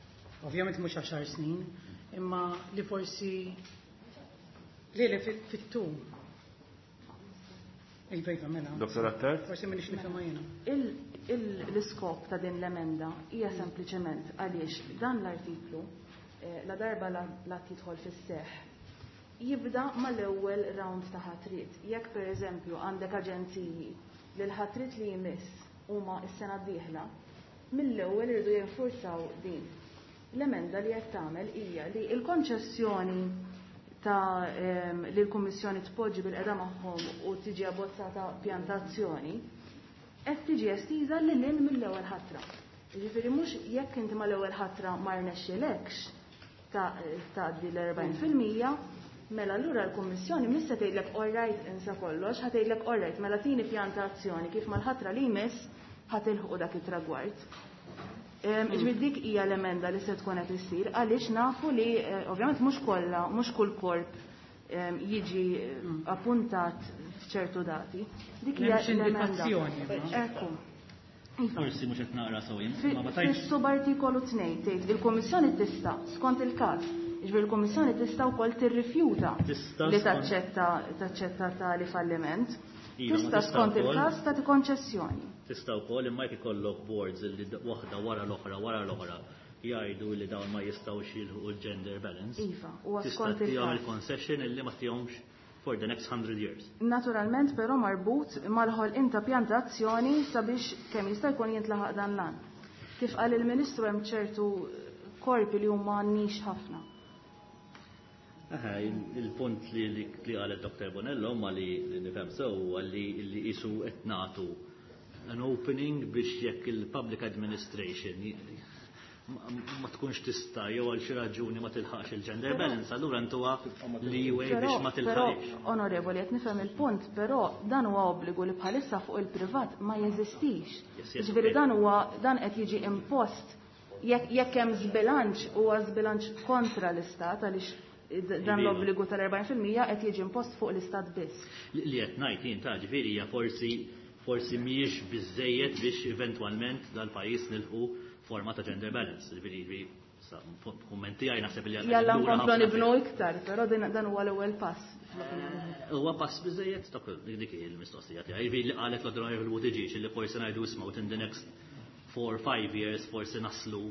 Ovvjament mhux 10 snin, imma li forsi li fit-tul. Il-bejta mela. Dr. Attard? Forsi m'iniex nifhimha jiena. L-iskop ta' din l-emenda hija sempliċement għaliex dan l-artiklu la darba la tidħol fis-seħħ jibda mal-ewwel round ta' ħatriet. Jekk pereżempju għandek aġenziji li l-ħatriet li jmiss huma s-sena d-dieħla, mill-ewwel iridu jinfurzaw din. L-emenda li qed tagħmel hija li l-konċessjoni ta' li l-Kummissjoni tpoġġi bil-qeda magħhom u tiġi abbozzata pjantazzjoni qed tiġi estiża lil hinn mill-ewwel ħatra. Jiġifieri mhux jekk inti mal-ewwel ħatra ma rnexxilekx tgħaddi l-40%, mela allura l-Kummissjoni mhix se tgħidlek all right insa kollox, ħa tgħidlek all right mela tini pjantazzjoni kif mal-ħatra li jmiss ħa tilħqu dak it-tragward. Ġifieri dik hija l-emenda li se tkun qed issir għaliex nafu li ovvjament mhux kollha, mhux kull korp jiġi appuntat f'ċertu dati. Dik hija l-emenda. Ekku. Forsi mhux qed naqra sew jien, ma ma tajtx. Fis-subartikolu 2 tgħid il-Kummissjoni tista' skont il-każ, jiġifieri l-Kummissjoni tista' wkoll tirrifjuta li taċċetta taċċetta tali falliment. Tista' skont il-każ tagħti konċessjoni. Tista' wkoll imma jekk ikollok boards li waħda wara l-oħra wara l-oħra jgħidu li dawn ma jistgħux jilħqu l-gender balance. Iva, huwa skont il-każ. Il-concession illi ma tihomx for the next 100 years. Naturalment però marbut mal-ħolqien ta' pjan ta' azzjoni sabiex kemm jista' jkun jintlaħaq dan l-għan. Kif qal il-Ministru hemm ċertu korpi li huma nix ħafna. Aha, il-punt li qalet Dr. Bonello ma li nifhem sew huwa li qisu qed nagħtu an opening biex jekk il-public administration ma tkunx tista' jew għal xi raġuni ma tilħaqx il-gender balance, allura ntuha leeway biex ma tilħaqx. Onorevoli, qed nifhem il-punt, però dan huwa obbligu li bħalissa fuq il-privat ma jeżistix. Ġifieri dan huwa dan qed jiġi impost jekk hemm żbilanċ huwa żbilanċ kontra l-istat għaliex dan l-obbligu tal-40% qed jiġi impost fuq l-istat biss. Li qed ngħid jien ta' ġifieri hija forsi mhijiex biżejjed biex eventwalment dal-pajjiż nilħu forma ta' gender balance. Ġifieri, kummenti għaj naħseb li għal. Jalla nkomplu nibnu iktar, però dan huwa l-ewwel pass. Huwa pass biżejjed dak dik il-mistoqsija tiegħi. Ġifieri li qalet l-Onorevole Buttigieg li forsi ngħidu isma' within the next 4-5 years forsi naslu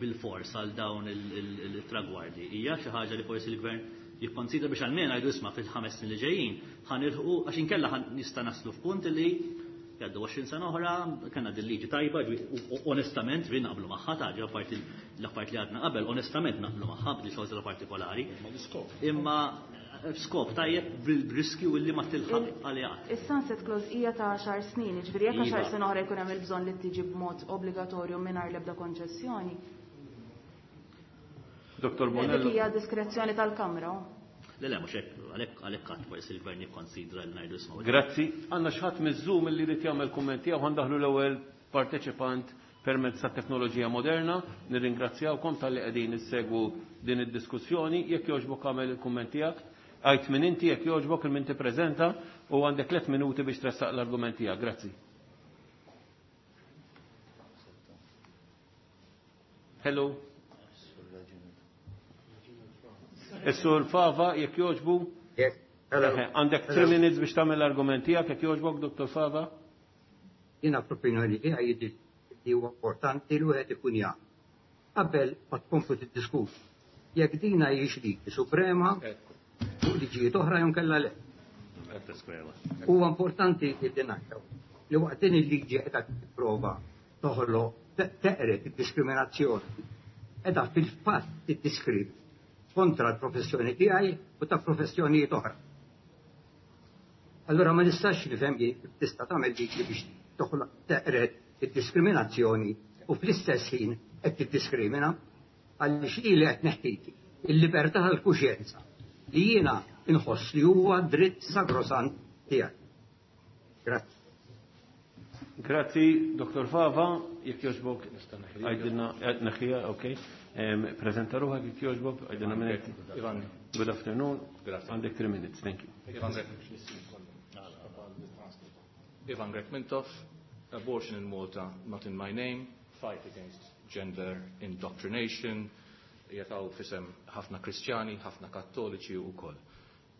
bil-fors għal dawn il-tragwardi. Hija xi ħaġa li forsi l-gvern jikkonsidra biex għalmenu ngħidu isma' fil-5 snin li ġejjin ħa nilħqu għax inkella nista' naslu f'punt li jgħaddu 20 sena oħra, kellna din liġi tajba, onestament, ġifieri naqblu magħha, ta' ġi apparti l-affarijiet li għadna qabel, onestament naqblu magħha b'di klawżola partikolari. Imma skop tajjeb bil-riskju li ma tilħaq għaliha. Is-sunset clause hija ta' 10 snin, jiġifieri jekk 10 sena oħra jkun hemm il-bżonn li tiġi b'mod obbligatorju mingħajr l-ebda konċessjoni. Dr. Bonello. Dik hija diskrezzjoni tal-Kamra. Le, le, mhux hekk, għalhekk qatt forsi l-gvern jikkonsidra li ngħidu isma'. Grazzi. Għandna xi ħadd miż-Zoom li jrid jagħmel kumment tiegħu, ħandaħlu l-ewwel parteċipant permezz ta' teknoloġija moderna. Nirringrazzjawkom talli qegħdin issegwu din id-diskussjoni. Jekk jogħġbok agħmel il-kumment tiegħek. Għid min inti jekk jogħġbok il-min tippreżenta u għandek 3 minuti biex tressaq l-argument tiegħek. Grazzi. Hello. Is-Sur Fava, jekk jogħġbu. Għandek 3 minutes biex tagħmel l-argument tiegħek, jekk jogħġbok, Dr. Fava. Jiena fl-opinjoni tiegħi jidhirli li huwa importanti li wieħed ikun jaf qabel ma tkomplu tiddiskutu jekk din hijiex liġi suprema fuq liġijiet oħra jew inkella le. Huwa importanti li ngħidu li waqt din il-liġi qiegħda tipprova toħloq teqred id-diskriminazzjoni, qiegħda fil-fatt tiddiskrimina kontra l-professjoni tiegħi u ta' professjonijiet oħra. Allura ma nistax nifhem kif tista' tagħmel liġi biex toħloq teqred id-diskriminazzjoni u fl-istess ħin qed tiddiskrimina għaliex ili qed neħtiti il-libertà tal-kuxjenza li jiena inħoss li huwa dritt sagrosant tiegħi. Grazzi. Grazzi, Dr. Fava, jekk jogħġbok, għajdilna, neħħija, ok. Prezenta ruħak jekk jogħġbok, għajdilna minnet. Ivan. Good afternoon. Grazie. Għandek 3 minutes, thank you. Ivan Grech. Ivan Grech Mintoff, abortion in Malta, not in my name, fight against gender indoctrination, jataw fisem ħafna Kristjani, ħafna Kattoliċi u koll.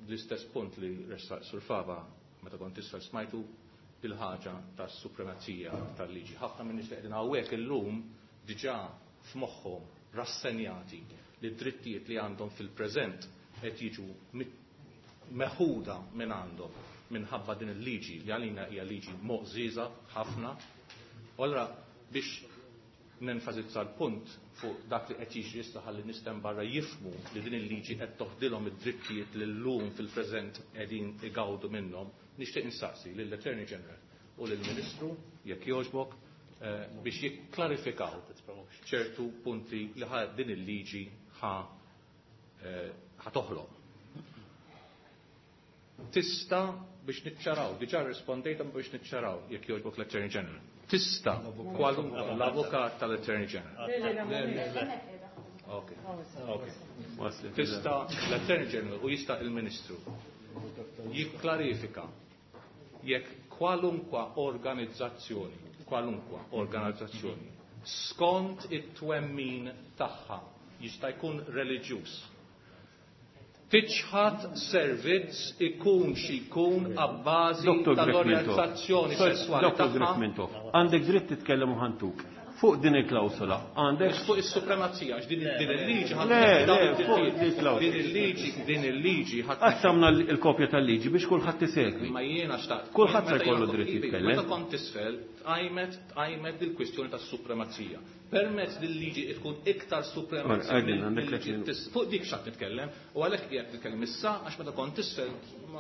L-istess punt li ressaq Sur Fava, meta kont isfel smajtu, il-ħaġa tas supremazija tal-liġi. Ħafna minn nies li qegħdin hawnhekk illum diġà f'moħħhom rassenjati li d-drittijiet li għandhom fil-preżent qed jiġu meħuda minn għandhom minħabba din il-liġi li għalina hija liġi moqżiża ħafna. U allura biex nenfasizza l-punt fuq dak li qed jiġri issa ħalli nistem barra jifhmu li din il-liġi qed toħdilhom id-drittijiet li llum fil-preżent qegħdin igawdu minnhom, nixtieq insaqsi lill-Attorney General u lill-Ministru jekk jogħġbok biex jikklarifikaw ċertu punti li din il-liġi ħa toħloq. Tista' biex niċċaraw, diġà rispondejt biex niċċaraw jekk jogħġbok l-Attorney General. Tista' kwalunkwe l-avukat tal-Attorney General. Ok, ok. Tista' l-Attorney General u jista' il-Ministru jikklarifika jekk kwalunkwa organizzazzjoni, kwalunkwa organizzazzjoni skont it-twemmin tagħha jista' jkun reliġjuż, tiċħat servizz ikun xi jkun abbażi tal-orjentazzjoni sesswali Dr. Grech Mintoff, għandek dritt titkellem u ħantuk. Fuq din il-klawsola, għandek. Fuq is-supremazija, għax din il-liġi ħadd Le, le, fuq il-klawsola. Din il-liġi, din il-liġi ħadd Qassamna l-kopja tal-liġi biex kulħadd isegwi. Ma jiena xtaqt. Kulħadd se jkollu dritt jitkellem. Meta kont isfel, tqajmet tqajmet dil-kwistjoni tas-supremazija. Permezz dil-liġi tkun iktar supremazija. Fuq dik x'qed nitkellem, u għalhekk qiegħed nitkellem issa għax meta kont isfel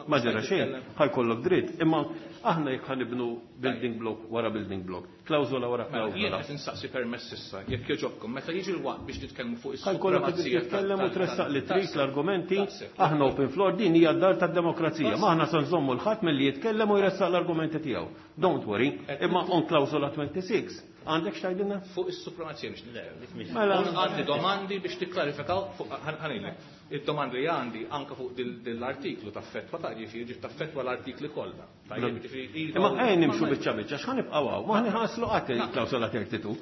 ma ġara xejn, ħajkollok dritt. Imma aħna jekk ħanibnu building block wara building block, klawżola wara Mela, klawżola. Jien qed insaqsi permess issa, jekk jogħġobkom, meta jiġi l-waqt biex nitkellmu fuq Ħajkollok is-supremazija. titkellem u tressaq li trid l-argumenti, aħna open floor din hija d-dar tad-demokrazija. Ma aħna se nżommu l-ħadd milli jitkellem u jressaq l-argumenti tiegħu. Don't worry, imma on klawżola 26 għandek x'tgħidilna? Fuq is-supremazija biex nitkellem. Mela. Għandi domandi biex tiklarifikaw fuq ħanilek. Id-domandi li għandi anka fuq dil-artiklu taffettwa ta' ġifieri ġif taffettwa l-artikli kollha. Tajjeb, ġifieri, iva, Imma ejja nimxu biċċa biċċa x'ħa nibqgħu hawn, ma ħanħaslu qatt il-klawsola 32.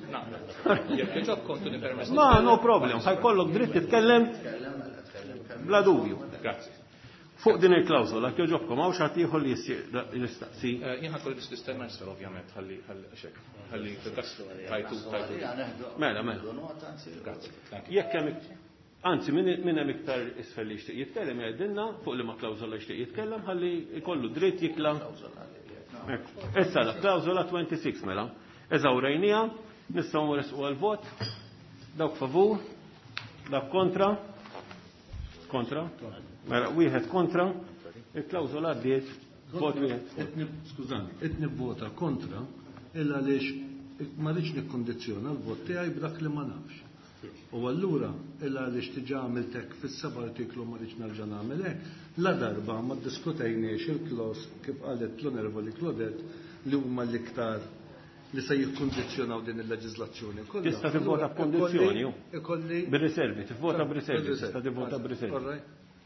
Jekk jogħġobkom tuni permess. Ma no problem, ħajkollok dritt titkellem bla dubju. Grazzi. Fuq din il-klawsola jogħġobkom hawn xi ħadd ieħor li jistaqsi. Jien ħakolli biss nistenna isfel ovvjament ħalli ħalli xek. Ħalli tajtu tajtu. Mela, mela. Grazzi. Jekk hemm Anzi, min hemm iktar isfel li jixtieq jitkellem jgħidilna fuq liema klawżola jixtieq jitkellem ħalli jkollu dritt jikla. Issa la klawżola 26 mela. Eżawrejnija, nistgħu nresqu għal-vot. Dawk favur, dawk kontra. Kontra. Mela wieħed kontra. Il-klawżola għaddiet vot wieħed. Skużani, qed nivvota kontra illa għaliex ma rridx nikkondizzjona l-vot tiegħi b'dak li ma nafx. U allura illa għaliex diġà għamilt hekk fis-seba' artiklu ma rridx nerġa' nagħmel hekk, la darba ma ddiskutejniex il-clause kif qalet l-Onorevoli Claudette li huma l-iktar li se jikkondizzjonaw din il-leġiżlazzjoni kollha. Tista' tivvota b'kondizzjoni, ju. Ikolli Bir-riservi, tivvota b'riservi, tista' tivvota b'riservi.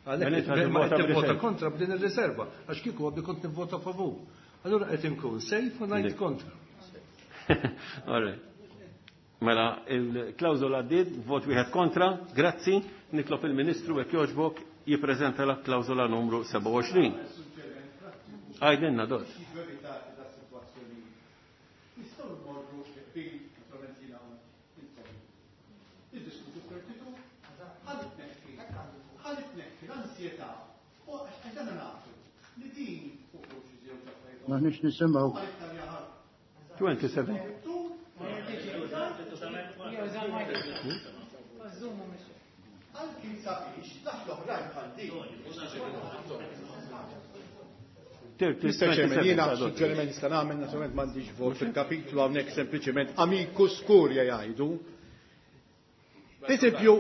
Għalhekk ma qed nivvota kontra b'din ir-riserva, għax kieku għabbi kont nivvota favur. Allura qed inkun sejf u ngħid kontra. All right. Mela, il-klawżola għaddiet, vot wieħed kontra, grazzi, nitlob il-Ministru jekk jogħġbok jippreżenta la klawżola numru 27. Għajdinna dot. Nistgħu nmorru bil naturalment jiena intom. Niddiskutu 32 ħalli tneħħi ħalli tneħħi l-ansjetà u għax dan nafu li din fuq xi żewġ affarijiet. M'aħniex nisimgħu. 27. Anki sabiex taħt l-oħrajn bħal din. Mr. Chairman, jiena suġġeriment nista' nagħmel naturalment m'għandix vot fil-kapitlu hawnhekk sempliċement amicus curia jgħidu. Eżempju,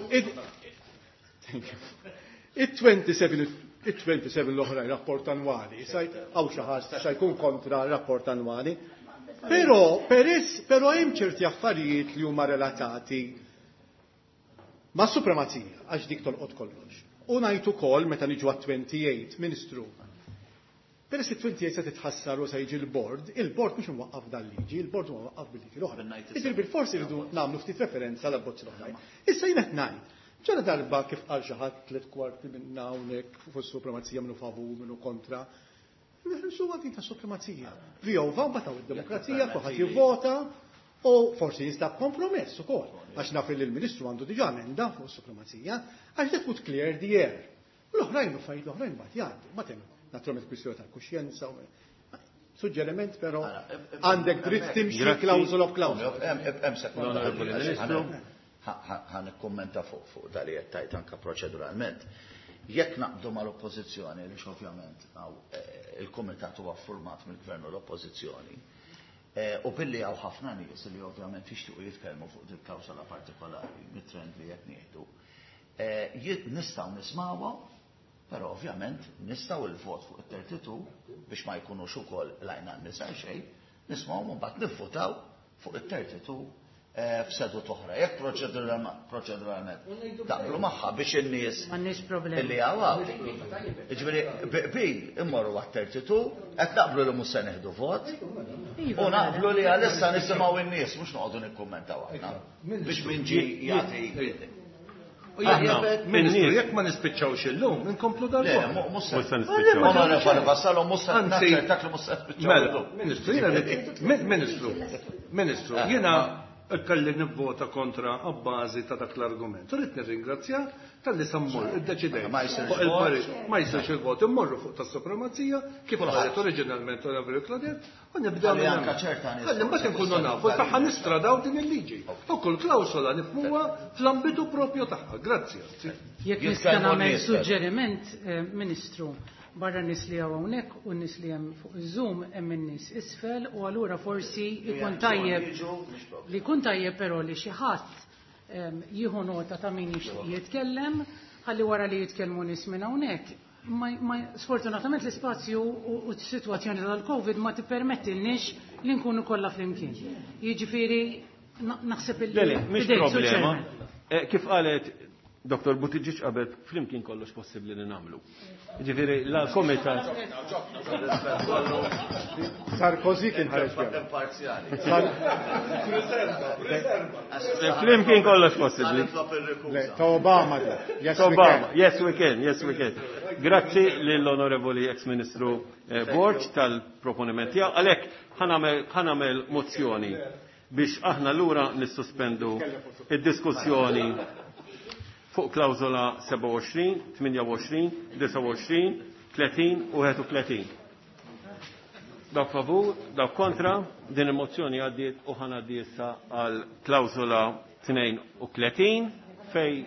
it-27 it-27 l-oħrajn rapport annwali, hawn xi ħadd sa jkun kontra rapport annwali. Però peress però hemm ċerti affarijiet li huma relatati ma' supremazija għax dik tolqot kollox. U ngħid ukoll meta niġu għat-28, Ministru, Peress li 28 se titħassar u se jiġi l-bord, il-bord mhux imwaqqaf dal-liġi, il-bord huwa mwaqqaf bil-liġi l-oħra. Jiġifieri bilfors irridu nagħmlu ftit referenza l abbozz l-oħrajn. Issa jien qed ngħid, ġara darba kif qal xi ħadd tliet kwarti minna hawnhekk fuq is-supremazija minnu favur minnu kontra. Nħarsu din ta' supremazija. Vjova mbagħad hawn id-demokrazija kulħadd jivvota u forsi jinstab kompromess ukoll. Għax naf li l-Ministru għandu diġà emenda fuq is-supremazija, għax that would clear the air. L-oħrajn u fajt l-oħrajn mbagħad jgħaddu, ma temm naturalment kwistjoni tal-kuxjenza. Suġġeriment però għandek dritt timxi klawżola b'klawżola. Hemm sekonda. Ħa nikkummenta fuq dak li qed tajt anke proċeduralment. Jekk naqbdu mal-oppożizzjoni, li ovvjament il-kumitat huwa format mill-gvern u l-oppożizzjoni, u billi hawn ħafna nies li ovvjament jixtiequ jitkellmu fuq din klawsola partikolari mit-trend li qed nieħdu, nistgħu nismawha. Però ovvjament nistgħu il-vot fuq it-32 biex ma jkunux ukoll lajna nisa xejn, nismgħu mbagħad nivvotaw fuq it-32 f'sedut oħra. Jekk proċeduralment taqblu magħha biex in-nies M'għandniex problemi. illi hawn. Jiġifieri bil immorru għat-32, qed naqblu li mhux se nieħdu vot, u naqblu li għalissa nisimgħu in-nies mhux noqogħdu nikkummentaw aħna. Biex min ġie jagħti. Ministru, jekk ma nispiċċawx illum, inkomplu Le, dal mhux se Mhux se nispiċċaw. Onorevoli Vassallo, mhux se Anzi, naċċertak li mhux se nispiċċaw Mela, illum. Ministru, jiena Ministru, Ministru, jiena kelli nivvota kontra abbażi ta' dak l-argument. Rrid nirringrazzja talli sammur iddeċidejt. Ma jsirx Fuq il-parir, ma jsirx il-vot, immorru fuq tas-supremazija kif qalet oriġinalment Onorevoli Claudette u nibdew Ħalli minn anka hemmhekk. ċerta nies Ħalli mbagħad inkunu nafu sa ħa nistradaw din il-liġi. U kull klawsola nifhmuha fl-ambitu propju tagħha. Grazzi. Jekk nista' nagħmel suġġeriment, Ministru, barra n-nies li hawn hawnhekk u n-nies li hemm fuq iż-Zoom hemm in-nies isfel u allura forsi jkun tajjeb li jkun tajjeb però li xi ħadd jieħu nota ta' min jixtieq jitkellem ħalli wara li jitkellmu nies minn hawnhekk. Sfortunatament l-ispazju u s-sitwazzjoni tal-Covid ma tippermettilniex li nkunu kollha flimkien. Jiġifieri naħseb il Le, le, mhix fidejk, Sur problema. Chairman. Kif qalet Dr. Buttigieg qabel flimkien kollox possibbli li nagħmlu. Jiġifieri la komitat. Sarkozy kien ħareġ bih. Imparzjali. Flimkien kollox possibbli. Le, ta' Obama dik. Yes, we Obama, can. yes we can, yes we can. Grazzi lill-Onorevoli ex-Ministru Borg tal-proponiment tiegħu. Għalhekk ħa nagħmel mozzjoni biex aħna lura nissospendu id-diskussjoni fuq klawżola 27, 28, 29, 30 u 31. Dawk favur, dawk kontra, din il-mozzjoni għaddiet u ħa ngħaddi issa għal klawżola 32 fej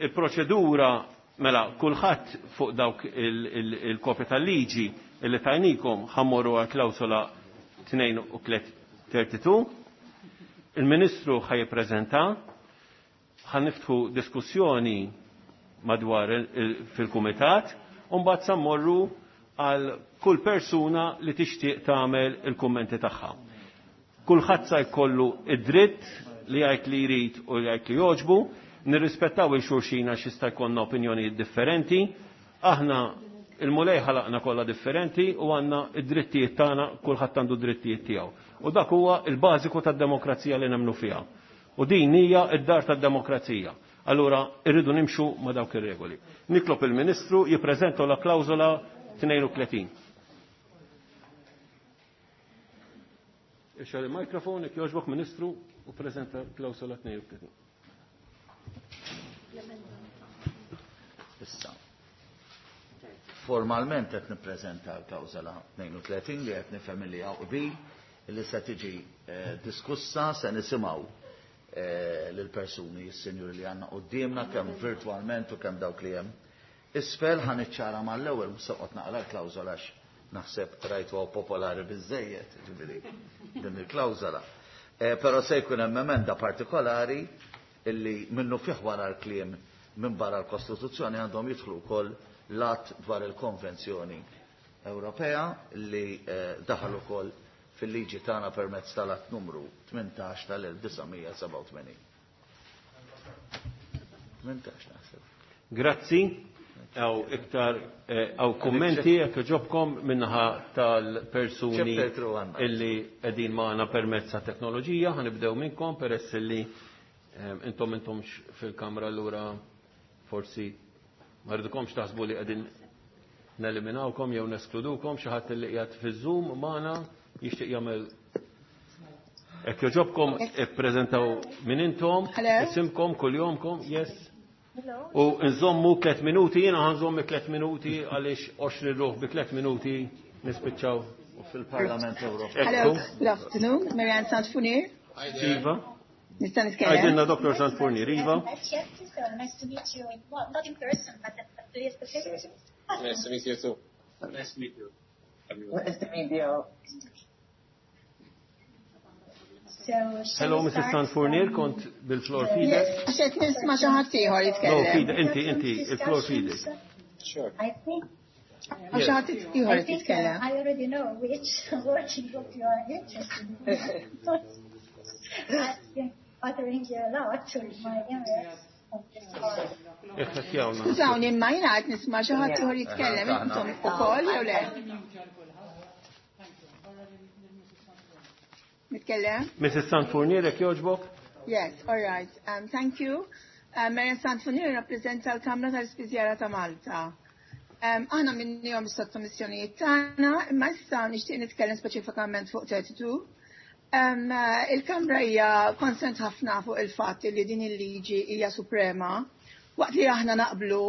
il-proċedura mela kulħadd fuq dawk il-kopja tal-liġi illi tajnikom ħa mmorru għal klawżola 32. Il-Ministru ħa jippreżenta, ħa niftħu diskussjoni madwar fil-kumitat, u mbagħad sa mmorru għal kull persuna li tixtieq tagħmel il-kummenti tagħha. Kulħadd sa jkollu id-dritt li jgħid li jrid u li jgħid li jogħġbu, nirrispettaw il-xulxin għax jista' jkollna opinjonijiet differenti, aħna il-Mulej ħalaqna kollha differenti u għandna id-drittijiet tagħna, kulħadd għandu d-drittijiet tiegħu. U dak huwa il-bażiku tad-demokrazija li nemmnu fiha. U din hija d-dar tad-demokrazija. Allura irridu nimxu ma' dawk ir-regoli. Nitlob il-Ministru jippreżenta la klawżola 32. Ixxar il-mikrofon, jekk jogħġbok Ministru, u preżenta klawsola 32. Issa. Formalment qed nippreżenta l-klawsola 32 li qed nifhem li hawn qbil li se tiġi eh, diskussa se nisimgħu eh, lill-persuni s-sinjuri li għandna quddiemna kemm virtwalment u kemm dawk li hemm. Isfel ħa niċċara mal-ewwel mhux se noqgħod naqra l-klawżola għax naħseb rajtuha popolari biżżejjed, jiġifieri din il-klawżola. Eh, però se jkun hemm emenda partikolari illi minnufih wara l-kliem minn barra l-Kostituzzjoni għandhom jidħlu wkoll l-att dwar il-Konvenzjoni Ewropea li eh, daħal ukoll fil-liġi tagħna permezz tal-att numru 18 tal-1987. 18 naħseb. Grazzi. Għaw iktar għaw eh, kummenti jekk ġobkom minnaħa tal-persuni illi qegħdin magħna permezz ta' teknoloġija, ħanibdew minnkom peress illi eh, intom intomx fil-kamra allura forsi ma rridukomx taħsbu li qegħdin neliminawkom jew neskludukom xi ħadd li qiegħed fiż-Zoom magħna jixtieq jagħmel Hekk joġobkom ippreżentaw min intom, isimkom, kuljomkom, yes. U nżommu tlet minuti, jiena ħanżommi tlet minuti għaliex 20 ruħ bi tlet minuti nispiċċaw. Fil-Parlament Ewropew. Hello, good afternoon, Marianne Santfunier. Iva. Nista' nitkellem. Għajdilna Dr. Santfunier, Iva. Nice to meet you. Well, not in person, but at least the Nice to meet you too. Nice to meet you. Nice to meet you. Hello, Mrs. Sanfurnier, kont bil-flor fidek. Għax qed nisma' xi ħadd ieħor jitkellem. No, fidek, inti, inti, il-flor fidek. Sure. I think Għax xi ħadd ieħor jitkellem. I already know which working group you are interested in. I've been bothering you a lot with my emails. Skużawni, imma jiena qed nisma' xi ħadd ieħor jitkellem intom ukoll jew le? Nitkellem? Mrs. Sanfurnier, jekk jogħġbok? Yes, all right. Um, thank you. Um, Marian Sanfurnier rappreżenta l-Kamra tal-Ispiżjara ta' Malta. Um, aħna minnihom is-sottomissjonijiet tagħna, imma issa nixtieq nitkellem speċifikament fuq 32. Um, il-Kamra hija konsent ħafna fuq il-fatt li din il-liġi hija suprema. Waqt li aħna naqblu,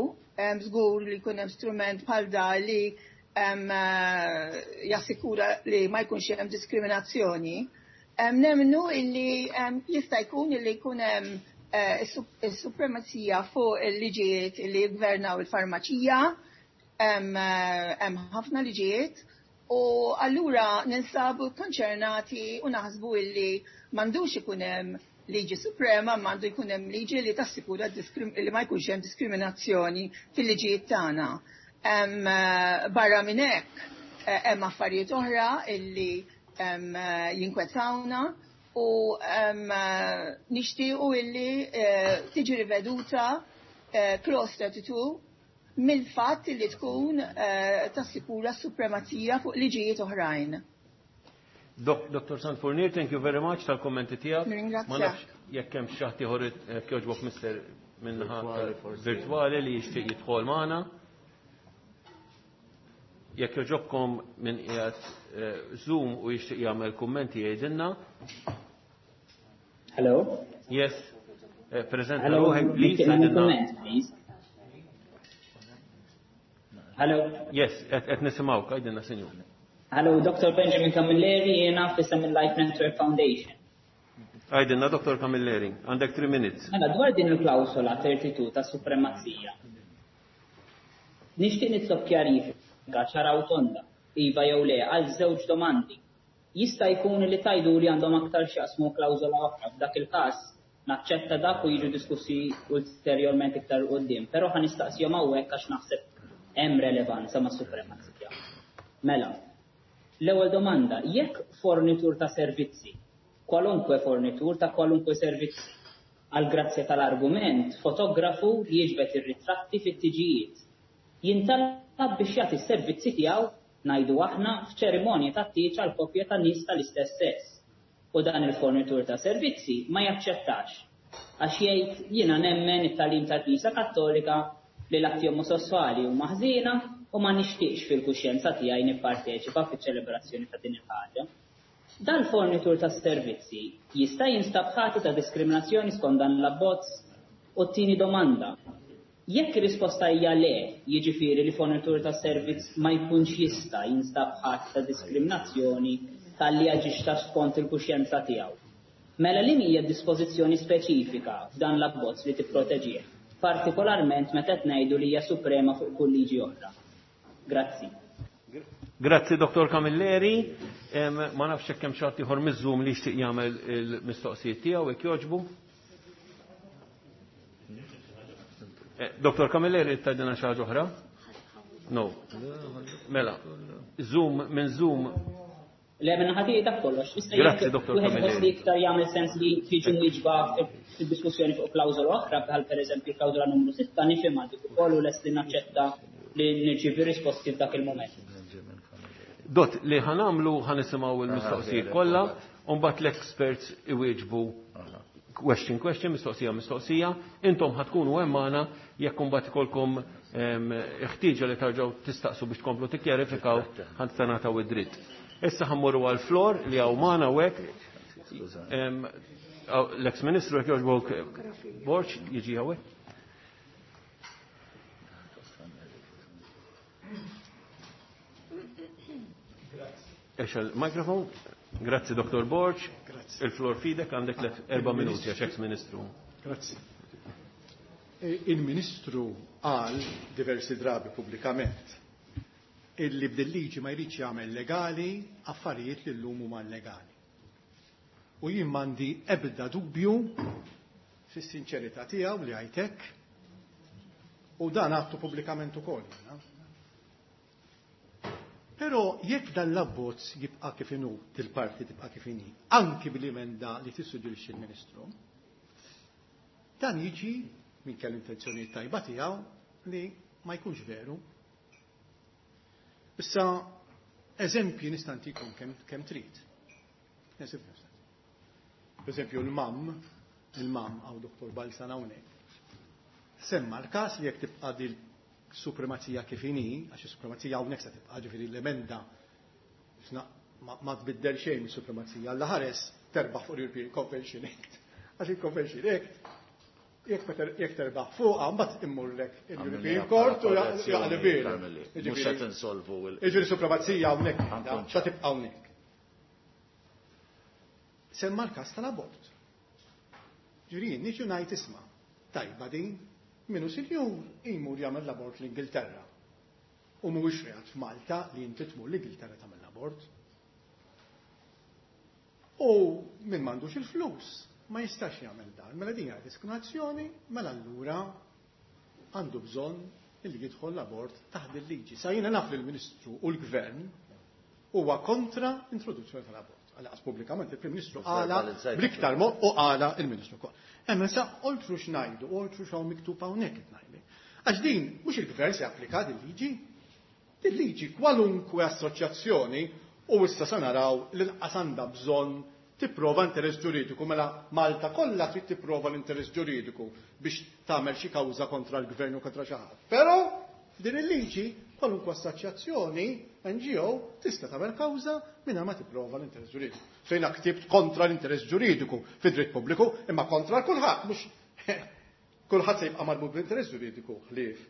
um, żgur li jkun hemm strument bħal da li um, jassikura li ma jkunx hemm diskriminazzjoni. Nemmnu illi jista' jkun illi jkun hemm eh, is-supremazija fuq il-liġijiet li jgvernaw il-farmaċija, hemm eh, ħafna liġijiet, u allura ninsabu konċernati u naħsbu illi m'għandux ikun hemm liġi suprema, m'għandu jkun hemm liġi li tassikura li ma jkunx hemm diskriminazzjoni fil-liġijiet tagħna. Eh, barra minn hekk hemm affarijiet oħra illi Eh, jinkwetawna u eh, nixtiequ illi eh, tiġi riveduta clause 32 mill-fatt illi tkun tassikura s-supremazija fuq liġijiet oħrajn. Dr. Sanfurnier, thank you very much tal-kommenti tiegħek. Ma nafx jekk hemm xi ħadd ieħor jogħġbok mister minnaħa virtwali li jixtieq jidħol magħna. Jekk jogħġobkom min qiegħed eh, Zoom u jixtieq jagħmel kummenti jgħidilna. Hello. Yes. Eh, Preżenta ruħek please. Please. Hello. Yes, qed nisimgħuk, għidilna sinjur. Hello, Dr. Benjamin Camilleri, jiena f'isem il-Life Network Foundation. Għidilna, Dr. Camilleri, għandek 3 minutes. Mela, dwar din il-klawsola 32 ta' supremazija. Nixtieq nitlob kjarifika ċara u tonda, iva jew le, għal żewġ domandi. Jista' jkun li tgħidu li għandhom aktar x'jaqsmu klawżola oħra, f'dak il-każ naċċetta dak u jiġu diskussi ulterjorment iktar quddiem, però ħa nistaqsihom hawnhekk għax naħseb hemm relevanza mas-supremazija. Mela, l-ewwel domanda, jekk fornitur ta' servizzi, kwalunkwe fornitur ta' kwalunkwe servizzi, għall-grazzja tal-argument, fotografu li jiġbed ir-ritratti fit-tiġijiet, jintalab biex jagħti s-servizzi tiegħu, ngħidu aħna, f'ċerimonja tat-tieġ għal koppja ta' nies tal-istess sess, u dan il-fornitur ta' servizzi ma jaċċettax. Għax jgħid jiena nemmen it-tagħlim tal-Knisja Kattolika li l-atti omosesswali huma ħżiena u ma nixtieqx fil-kuxjenza tiegħi nipparteċipa fiċ-ċelebrazzjoni ta' din il-ħaġa. Dal-fornitur tas-servizzi jista' jinstab ħati ta' diskriminazzjoni skont dan l-abbozz? U t-tieni domanda, jekk ir-risposta hija le, jiġifieri li fornitur ta' servizz ma jkunx jista' jinstab ħati ta' diskriminazzjoni talli aġixxa skont il-kuxjenza tiegħu, mela liem hija d-dispożizzjoni speċifika f'dan l-abbozz li tipproteġih, partikolarment meta qed ngħidu li hija suprema fuq kull liġi oħra? Grazzi. Grazzi Dottor Camilleri. Ma nafx hekk hemm xi ħadd ieħor miż-Zoom li jixtieq jagħmel il-mistoqsijiet tiegħu jekk jogħġbu. Eh, Dottor Camilleri tgħidilna xi ħaġa oħra? No. Mela, Zoom minn Zoom Le, minn ħati dak kollox. Issa Grazzi, jekk Dottor wieħed Camilleri. iħoss li iktar jagħmel sens li tiġi mwieġba fid-diskussjoni fuq klawżola oħra, bħal pereżempju klawżola numru 6, nifhimha dik ukoll u lest li naċċetta li nirċievi risposti f'dak il-mument. Dott, li ħa nagħmlu ħa nisimgħu l-mistoqsijiet kollha, u mbagħad l-experts iwieġbu question question, mistoqsija mistoqsija, intom ħa tkunu hemm magħna jekk imbagħad ikolkom ħtieġa li tarġgħu tistaqsu biex tkomplu tikkjarifikaw ħa tingħataw id-dritt. Issa ħa mmorru għal Flor li hawn magħna hawnhekk. L-ex-Ministru jekk jogħġbok Borg jiġi hawnhekk. Ex il-mikrofon. Grazzi, Dottor Borg. Grazzi. Il-flor fidek għandek let 4 minuti għax ex-ministru. Grazzi. E, il-ministru qal diversi drabi pubblikament illi b'dil-liġi ma jridx jagħmel legali affarijiet li llum huma illegali. U jien m'għandi ebda dubju fis-sinċerità tiegħu li għajtek u dan għattu pubblikament ukoll. Però jekk dan l-abbozz jibqa' kif inhu, dil-parti tibqa' kif inhi, anki bil-emenda li tissuġġerixxi l-Ministru, dan jiġi minn kell intenzjoni tajba tiegħu li ma jkunx veru. Issa eżempji nista' ntikom kemm trid. Eżempju nista' ntikom. Per eżempju l-mam, il-mam għaw Doktor Balzan hawnhekk, semma l-każ li jekk tibqa' dil supremazija kif inhi, għax is-supremazija hawnhekk se tibqa', ġifieri l-emenda ma tbiddel xejn mis-supremazija, alla ħares terbaħ fuq l-European Convention Act. Għax il-Convention Act jekk terbaħ fuqha mbagħad immurlek il-European Court u jaqleb Mhux qed insolvu il- Jiġifieri supremazija hawnhekk sa tibqa' hawnhekk. Semma l-każ tal-abort. Ġifieri jien niġu ngħid isma' tajba din minnu sinjur imur jagħmel l-abort l-Ingilterra. U mhuwiex reat f'Malta li inti tmur l-Ingilterra tagħmel l-abort. U min m'għandux il-flus ma jistax jagħmel dan. Mela din hija diskriminazzjoni, mela allura għandu bżonn li jidħol l-abort taħt il-liġi. Sa jiena naf li l-Ministru u l-Gvern huwa kontra introduzzjoni tal-abort. Għalaqas pubblikament il-Prim Ministru qala bl-iktar mod u qala il-Ministru wkoll. Hemm sa oltru x'ngħidu, oltru x'hawn miktub hawnhekk qed ngħidu. Għax din mhux il-Gvern se japplika din liġi. Din liġi kwalunkwe assoċjazzjoni u issa sa naraw li l-qas għandha bżonn tipprova interess ġuridiku, mela Malta kollha trid tipprova l-interess ġuridiku biex tagħmel xi kawża kontra l-gvern u kontra xi ħadd. Però din il-liġi kwalunkwe assoċjazzjoni NGO tista' tagħmel kawża mingħajr ma tipprova l-interess ġuridiku. Fejn ktibt kontra l-interess ġuridiku fid-dritt pubbliku, imma kontra kulħadd, mhux kulħadd se jibqa' marbut bl-interess ġuridiku ħlief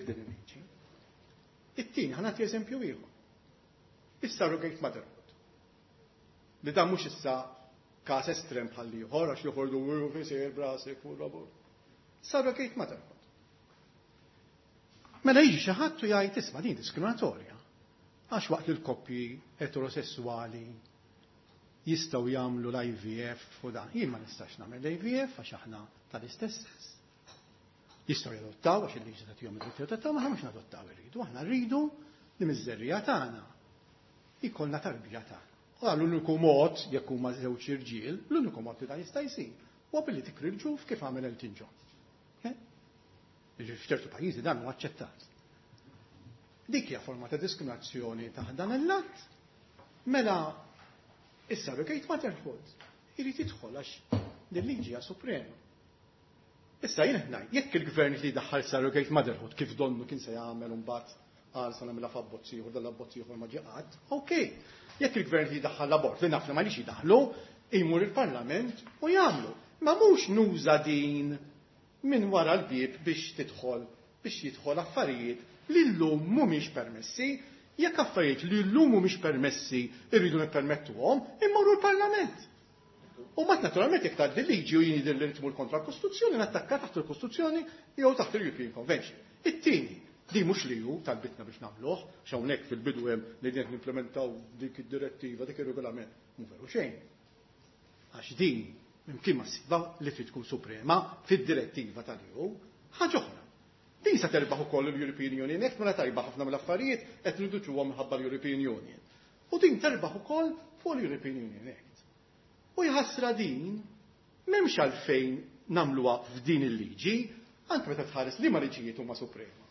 din il-liġi. It-tieni ħa nagħti eżempju ieħor. Is-surrogate motherhood. Li dan mhux issa każ estrem bħal ieħor għax joħordu u fisir brasek u l-abort. Surrogate motherhood. Mela jiġi xi ħadd u jgħid isma' din diskriminatorja. Għax waqt li l-koppji eterosessuali jistgħu jagħmlu l-IVF u dan. Jien ma nistax nagħmel l-IVF għax aħna tal-istess sess. Jistgħu jadottaw għax il-liġi tagħtihom id-dritt jadottaw, ma aħna mhux nadottaw irridu, aħna rridu li miż-żerriegħa tagħna jkollna tarbija tagħna. U dan l-uniku mod, jekk huma żewġ irġiel, l-uniku mod li dan jista' jsir huwa billi tikri l-ġuf kif għamel Elton John. Jiġifieri f'ċertu pajjiżi dan huwa aċċettat. Dik hija forma ta' diskriminazzjoni taħt dan il-lat. Mela issa surrogate motherhood irid jidħol għax Din liġi hija suprema. Issa jien ngħid, jekk il-gvern li daħħal surrogate motherhood kif donnu kien se jagħmel imbagħad qal se nagħmilha f'abbozz ieħor dan l-abbozz ieħor ma ġie qatt, okej. Jekk il-gvern li daħħal l-abort li naf li ma nix jidaħlu, imur il-Parlament u jagħmlu. Ma mhux nuża din minn wara l-bieb biex tidħol biex jidħol affarijiet li llum mhumiex permessi. Jekk affarijiet li llum mhumiex permessi irridu nippermettuhom, immorru l-Parlament. U mat naturalment jekk tgħaddi liġi u jien jidher li tmur kontra l-Kostituzzjoni, nattakka taħt il-Kostituzzjoni jew taħt il-European Convention. It-tieni, di mhux li hu talbitna biex nagħmluh, hawnhekk fil-bidu hemm li qed nimplementaw dik id-direttiva, dik ir-regolament, mhu veru xejn. Għax din imkien ma ssibha li trid tkun suprema fid-direttiva tal-EU, ħaġa oħra. Din se terbaħ ukoll l-European Union Act mela tajba ħafna mill-affarijiet qed nintroduċuhom minħabba l-European Union. U din terbaħ ukoll fuq l-European Union Act. U jħassra din m'hemmx għalfejn nagħmluha f'din il-liġi, anke meta tħares li ma liġijiet huma suprema.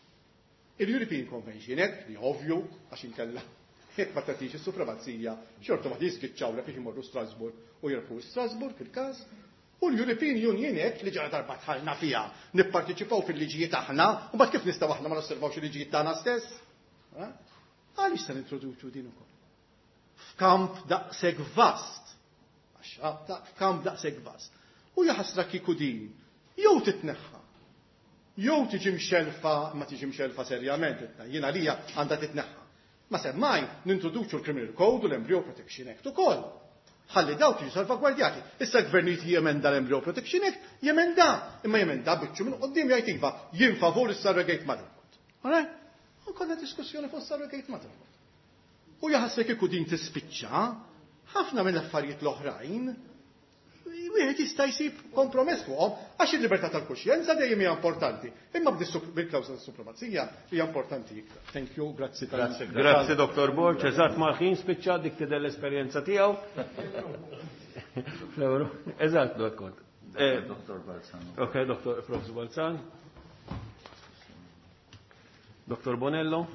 Il-European Convention Act, li ovvju, għax inkella jekk ma tagħtix is-supremazija, xorta ma jiżgiċċawlek biex imorru Strasburg u jirbħu Strasburg il-każ, u l-European Union Act li ġara darba dħalna fiha, nipparteċipaw fil-liġijiet aħna, u mbagħad kif nistgħu aħna ma nosservawx il-liġijiet tagħna stess? Għaliex se nintroduċu din ukoll? F'kamp daqshekk vast. F'kamp daqshekk vast. U jaħasra kieku din jew titneħħa jew tiġi mxelfa, ma tiġi mxelfa serjament, jiena lija għandha titneħħa. Ma semmaj nintroduċu l-Criminal Code u l-Embryo Protection Act ukoll. Ħalli dawk jiġu salvagwardjati. Issa l-gvernijiet jemenda l-Embryo Protection Act, jemenda, imma jemenda biċċu minn qoddim jgħid iva, jien favur is-surrogate motherhood. Alright? U kollha diskussjoni fuq surrogate motherhood. U jaħasra kieku din tispiċċa, ħafna mill-affarijiet l-oħrajn wieħed jista' jsib kompromess fuqhom għax il-libertà tal-kuxjenza dejjem hija importanti. Imma bil-klawżola tas-supremazija hija importanti iktar. Thank you, grazzi tal Grazzi Dr. Borg, eżatt mal-ħin spiċċa dik tidher l-esperjenza tiegħu. Eżatt, kont. Dr. Balzan. Ok, Dr. Prof. Balzan. Dr. Bonello.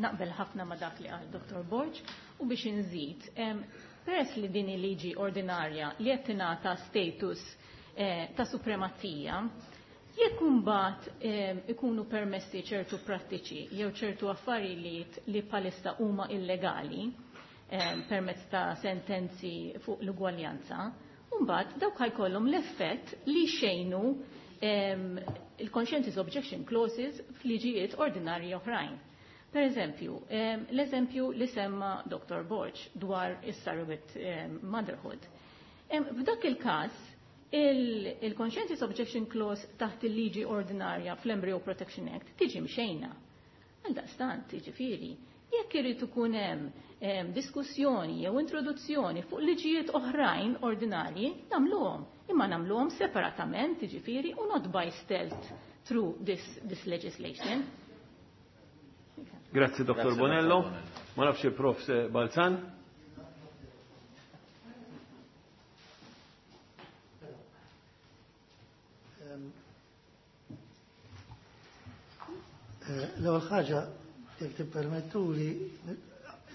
Naqbel ħafna ma dak li qal Dr. Borg u biex inżid, peress li din il-liġi ordinarja li qed tingħata status ta' supremazija, jekk imbagħad ikunu permessi ċertu prattiċi jew ċertu affarijiet li bħalissa huma illegali permezz ta' sentenzi fuq l-ugwaljanza, mbagħad dawk ħajkollhom l-effett li xejnu il-conscientious objection clauses f'liġijiet ordinarji oħrajn. Per eżempju, l-eżempju li semma Dr. Borg dwar is-surrogate motherhood. F'dak il-każ, il-conscientious objection clause taħt il-liġi ordinarja fl-Embryo Protection Act tiġi mxejna. Għaldaqstant, jiġifieri, jekk irid ikun hemm diskussjoni jew introduzzjoni fuq liġijiet oħrajn ordinarji, nagħmluhom. Imma nagħmluhom separatament, jiġifieri, u not by stealth through this legislation. Grazzi, Dr. Bonello. Ma nafx il-Prof. Balzan. L-ewwel ħaġa, jekk tippermettuli,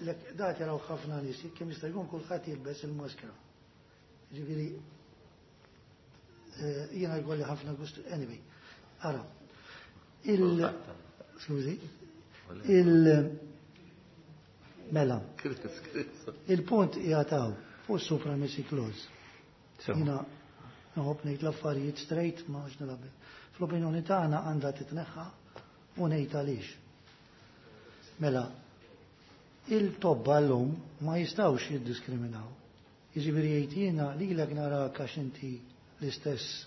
dak jaraw ħafna nies, kemm jista' jkun kulħadd jilbes il-maskra. Ġifieri jiena jkolli ħafna gust anyway. Ara. Il Skużi. Il Mela. Il-punt jgħataw fuq supremacy clause. Jiena nħobb ngħid l-affarijiet straight ma għax nilgħab. Fl-opinjoni tagħna għandha titneħħa u ngħid għaliex. Mela, il-tobba llum ma jistgħux jiddiskriminaw. Jiġifieri jgħid jiena lilek narak għax inti l-istess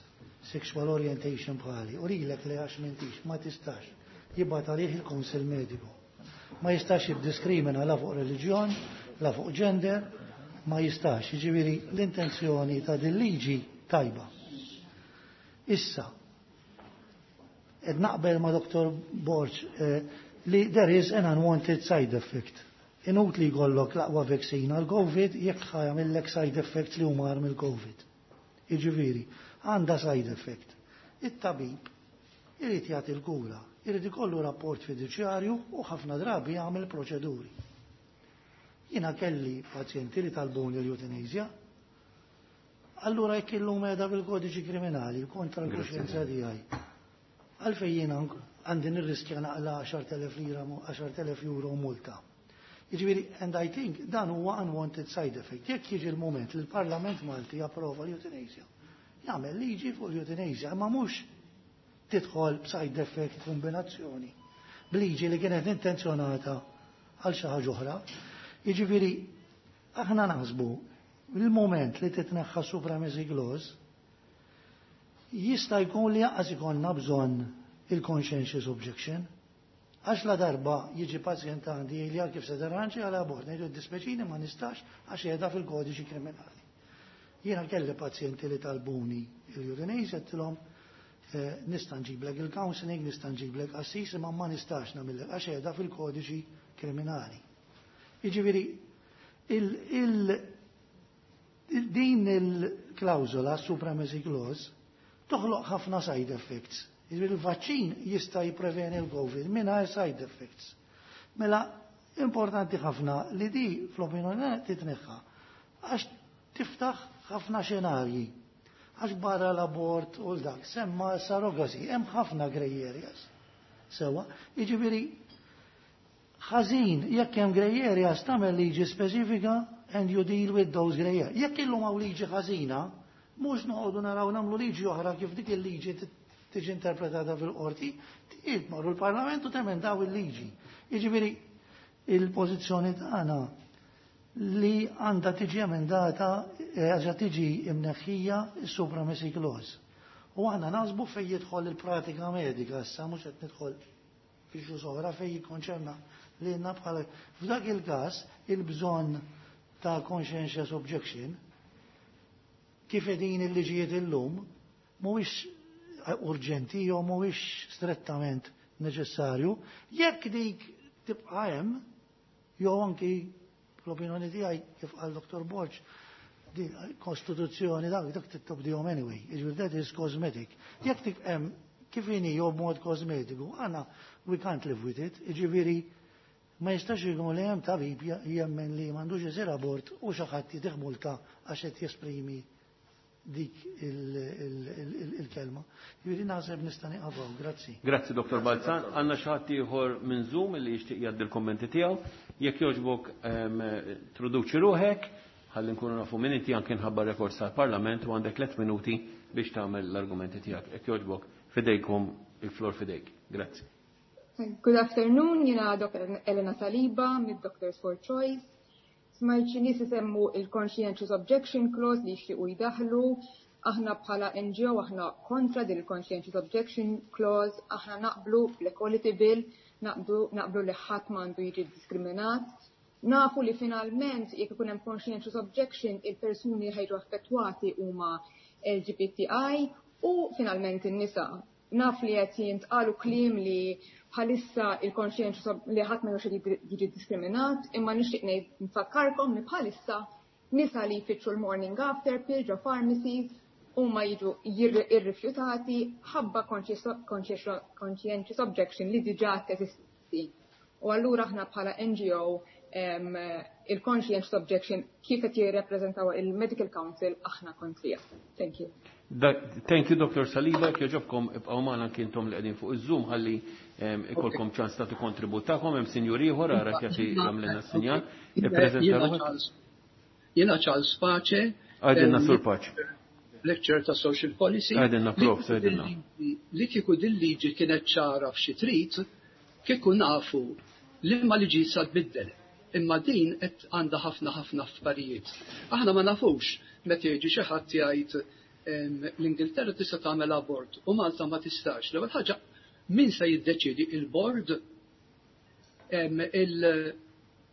sexual orientation bħali u lilek li għax m'intix ma tistax. Jibgħat għalih il-Kunsill Mediku. Ma jistax jiddiskrimina la fuq reliġjon, la fuq gender, ma jistax. Jiġifieri l-intenzjoni ta' din liġi tajba. Issa, qed naqbel ma' Dr. Borg li there is an unwanted side effect. Inutli jkollok l-aqwa vaccine għal COVID jekk ħa jagħmillek side effects li huma mill-COVID. Jiġifieri, għandha side effect. It-tabib irid jagħti l-kura, irid ikollu rapport fiduċjarju u ħafna drabi jagħmel proċeduri. Jiena kelli pazjenti li talbuni l-eutanasja. Allura jekk illum qiegħda fil-kodiċi kriminali kontra l-kuxjenza tiegħi. Għalfejn jiena għandi nirriskja naqla 10,000 lira, 10,000 euro multa. Jiġifieri, and I think dan huwa unwanted side effect. Jekk jiġi l-moment li l-Parlament Malti japprova l-euthanasia, jagħmel liġi fuq l-euthanasia, imma mhux tidħol b'side effect kombinazzjoni b'liġi li kienet intenzjonata għal xi ħaġa oħra. Jiġifieri, aħna naħsbu il-moment li titneħħa supremacy clause jista' jkun li lanqas ikollna bżonn il-conscientious objection. Għax la darba jiġi pazjent għandi li għal kif se tarranġa għal abort, ngħidu dispjaċini ma nistax għax qiegħda fil-kodiċi kriminali. Jiena kelli pazjenti li talbuni il-euthanasia għedtilhom nista' nġiblek il-counseling, nista' nġiblek qassis, imma ma nistax nagħmillek għax qiegħda fil-kodiċi kriminali. Jiġifieri din il-klawżola supremacy clause toħloq ħafna side effects. Jiġifieri il-vaċċin jista' jippreveni l-COVID mingħajr side effects. Mela importanti ħafna li di fl-opinjoni titneħħa għax tiftaħ ħafna xenarji. Għax barra l-abort u l-dak, semma surrogacy, hemm ħafna grey areas. Sewa, jiġifieri ħażin jekk hemm grey areas tagħmel liġi speċifika and you deal with those grey areas. Jekk illum hawn liġi ħażina, mhux noqogħdu naraw nagħmlu liġi oħra kif dik il-liġi tiġi interpretata fil-qorti, tmorru l-Parlament u temendaw il-liġi. Jiġifieri il-pożizzjoni tagħna li għandha tiġi emendata, għaxa tiġi imneħħija s-supremacy clause. U aħna naħsbu fej jidħol il-pratika medika, issa mhux qed nidħol fi xi oħra fej jikkonċerna li bħala f'dak il-każ il-bżonn ta' conscientious objection kif qegħdin il-liġijiet illum mhuwiex urġenti jew mhuwiex strettament neċessarju, jekk dik tibqa' hemm jew anki l-opinjoni tiegħi kif qal Dr. Borg, di kostituzzjoni dak tibdihom anyway, jiġifieri that is cosmetic. Jekk tibqa' hemm kif inhi jew b'mod kosmetiku, għandna we can't live with it, jiġifieri ma jistax ikun li hemm tabib jemmen li m'għandux isir abort u xi ħadd jtih multa għax qed jesprimi dik il-kelma. Jiġifieri naħseb nista' nieqaf hawn, grazzi. Grazzi Dr. Balzan. Għandna xi ħadd ieħor minn Zoom li jixtieq jgħaddi l-kommenti tiegħu. Jekk jogħġbok introduċi ruħek, ħalli nkunu nafu min inti anke nħabba rekords tal-Parlament u għandek 3 minuti biex tagħmel l-argumenti tiegħek. Jekk jogħġbok fidejkom il-flor fidejk. Grazzi. Good afternoon, jiena Dr. Elena Saliba mid Doctors for Choice. Smajt xi nies isemmu il-Conscientious Objection Clause li jixtiequ jdaħlu. Aħna bħala NGO aħna kontra din il-Conscientious Objection Clause, aħna naqblu bl-Equality Bill, naqblu li ħadd m'għandu jiġi diskriminat. Nafu li finalment jekk ikun hemm conscientious objection il-persuni li ħa jiġu affettwati huma LGBTI u finalment in-nisa. Naf li qed jintqalu kliem li bħalissa il-conscientious li ħadd ma jiġi diskriminat, imma nixtieq ngħid nfakkarkom li bħalissa nisa li jfittxu l-morning after pill ġo pharmacies huma jiġu irrifjutati ħabba conscientious objection li diġà teżisti. U allura aħna bħala NGO il-conscientious objection kif qed jirrepreżentaw il-Medical Council aħna kontrija. Thank you. Thank you, Dr. Saliba, jogħġobkom ibqgħu magħna anke intom li qegħdin fuq iż-Zoom ħalli ikolkom ċans tagħtu kontribut tagħkom hemm sinjur ieħor ara kif jagħmlilna sinjal. Ippreżenta ruħek. Jiena Charles Pace. Għidilna Sur Pace. Lecturer ta' Social Policy. Għidilna prof, għidilna. Li kieku din liġi kienet ċara f'xi trid, kieku nafu li ma liġi sa tbiddel. Imma din qed għandha ħafna ħafna affarijiet. Aħna ma nafux meta jiġi xi ħadd jgħid l-Ingilterra tista' tagħmel abort u Malta ma tistax. L-ewwel ħaġa min se jiddeċidi il-bord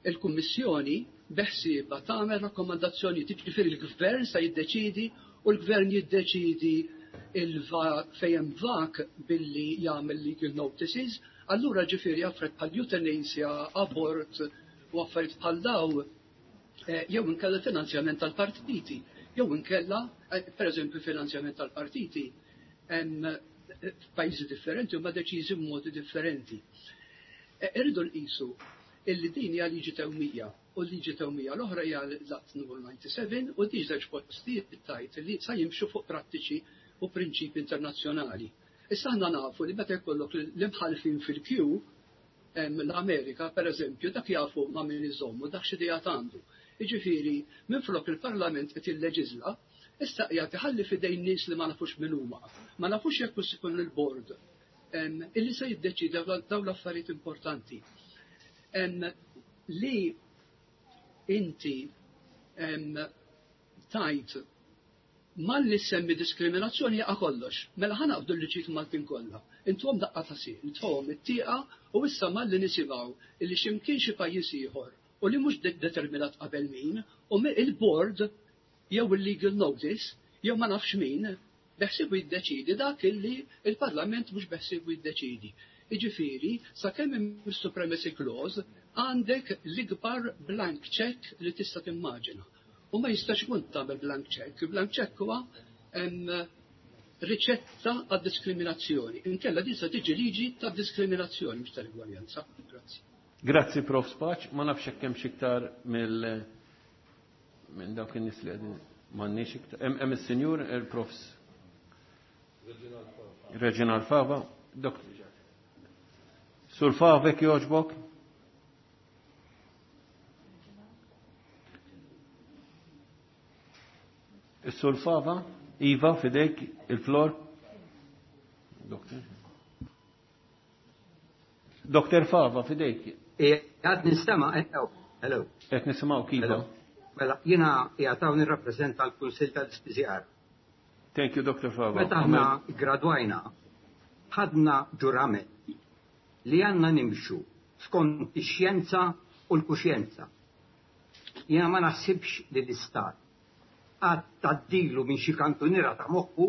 il-Kummissjoni beħsieba tagħmel rakkomandazzjoni, jiġifieri l-Gvern se jiddeċidi u l-Gvern jiddeċidi fejn vak billi jagħmel legal notices, allura ġifieri affarijiet bħal euthanasia, abort u affarijiet bħal daw jew inkella finanzjament tal-partiti, jew inkella pereżempju finanzjament tal-partiti f'pajjiżi differenti huma deċiżi b'modi differenti. Irridu nqisu illi din hija liġi tewmija u l-liġi tewmija l-oħra hija l-Att numru 97 u di żewġ postijiet tajt li sa jimxu fuq prattiċi u prinċipi internazzjonali. Issa aħna nafu li meta jkollok l-imħallfin fil-kju l-Amerika, per eżempju, dak jafu ma' min iżommu, dak x'idejat għandu. Jiġifieri, minflok il-Parlament qed jilleġiżla, issa qiegħed iħalli f'idejn nies li ma nafux min huma. Ma nafux jekk hux ikun il-bord illi se jiddeċiedi dawn l-affarijiet importanti. Li inti tajt Malli ssemmi diskriminazzjoni jaqa' kollox. Mela ħa naqbdu l-liġijiet Maltin kollha. Intuhom daqqa ta' sieq, nitfgħuhom it-tieqa u issa malli nisimgħu illi xi mkien xi pajjiż ieħor u li mhux determinat qabel min u il-board jew il-legal notice jew ma nafx min beħsiebu jiddeċiedi dak illi l-Parlament mhux beħsiebu jiddeċiedi. Jiġifieri, sakemm hemm is-supremacy clause għandek l-ikbar blank cheque li tista' timmaġina. U ma jistax ikun tagħmel blank check. Blank check huwa riċetta għad-diskriminazzjoni. Inkella din se tiġi liġi ta' diskriminazzjoni mhux tal-igwaljanza. Grazzi. Grazzi Prof Spaċ, ma nafx hekk hemm iktar mill minn dawk in-nies li qegħdin m'għandniex iktar. Hemm is-sinjur il-Profs Reginald Fava. Dok Sur Favek jogħġbok? Is-Sur Fava, Iva, fidejk, il-flor. Doktor. Doktor Fava, fidejk. Għad nistema, hello. Qed nisimgħu kiva. Mela, jiena qiegħed hawn nirrappreżenta l-Kunsill tal-Ispiżjar. Thank you, Dr. Fava. Meta aħna gradwajna, ħadna ġurament li għandna nimxu skont ix-xjenza u l-kuxjenza. Jiena ma naħsibx li l-Istat qatt tgħaddilu minn xi kantuniera ta' moħħu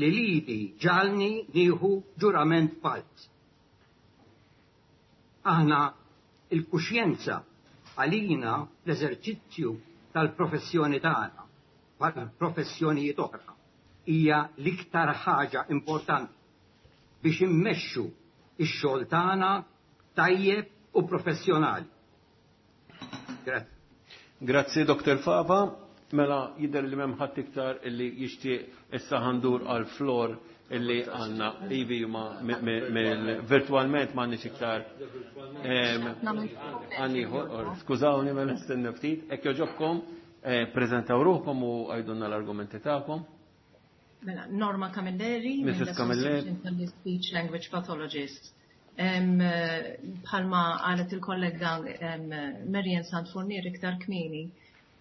li lili ġagħalni nieħu ġurament falz. Aħna l-kuxjenza għalina fl-eżerċizzju tal-professjoni tagħna, bħal professjonijiet oħra, hija l-iktar ħaġa importanti biex immexxu x-xogħol tagħna tajjeb u professjonali. Grazzi. Grazzi Dr. Fava. Mela jidher li m'hemm ħadd iktar illi jixtieq issa ħandur għal flor illi għandna ivi ma virtualment m'għandniex iktar għanniħor. Skużawni mela nistenna ftit. Hekk jogħġobkom eh, preżentaw ruħkom u għajdunna l-argumenti tagħkom. Mela, Norma Camilleri, Mrs. Camilleri, speech language pathologist. Bħalma qalet il-kollega Marian Santfornier iktar kmieni,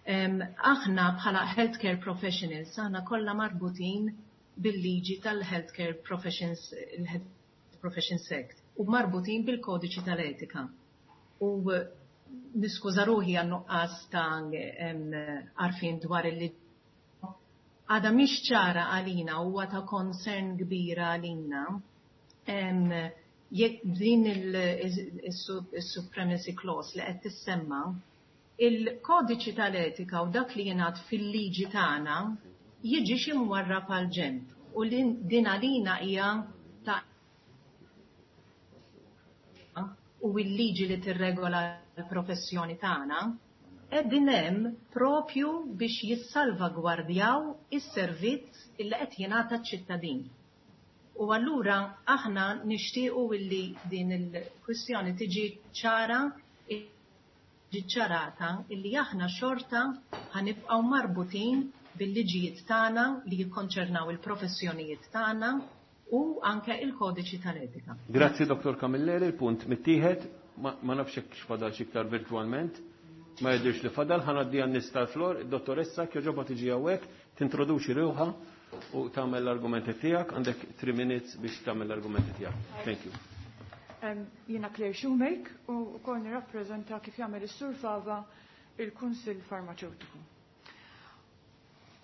aħna bħala healthcare professionals, aħna kollha marbutin bil-liġi tal-Healthcare Professions, il-Health Professions Act, u marbutin bil-kodiċi tal-etika. U niskuża ruħi għan-nuqqas ta' għarfien dwar il-liġi għadha mhix ċara għalina huwa ta' concern kbira għalina jekk din il-supremacy clause li qed tissemma, il-kodiċi tal-etika u dak li jingħad fil-liġi tagħna jiġix imwarrab għal ġenb u li din għalina hija ta' u l-liġi li tirregola l-professjoni tagħna qegħdin hemm propju biex jissalvagwardjaw is-servizz illi qed jingħata ċ-ċittadin. U allura aħna nixtiequ illi din il-kwistjoni tiġi ċara ċarata illi aħna xorta ħanibqgħu marbutin bil-liġijiet tagħna li jikkonċernaw il-professjonijiet tagħna u anke il-kodiċi tal-etika. Grazzi Dr. Camilleri, il-punt mittieħed, ma nafx hekk x'fadal xi iktar virtualment. Ma jidhirx li fadal, ħa ngħaddi għan-nies tal-flor, id-dottoressa kjoġoba tiġi hawnhekk, tintroduċi ruħha u tagħmel l-argumenti tiegħek, għandek 3 minutes biex tagħmel l-argumenti tiegħek. Thank you. Jiena Claire Shoemake u wkoll nirrappreżenta kif jagħmel is-Sur Fava il-Kunsill Farmaceutiku.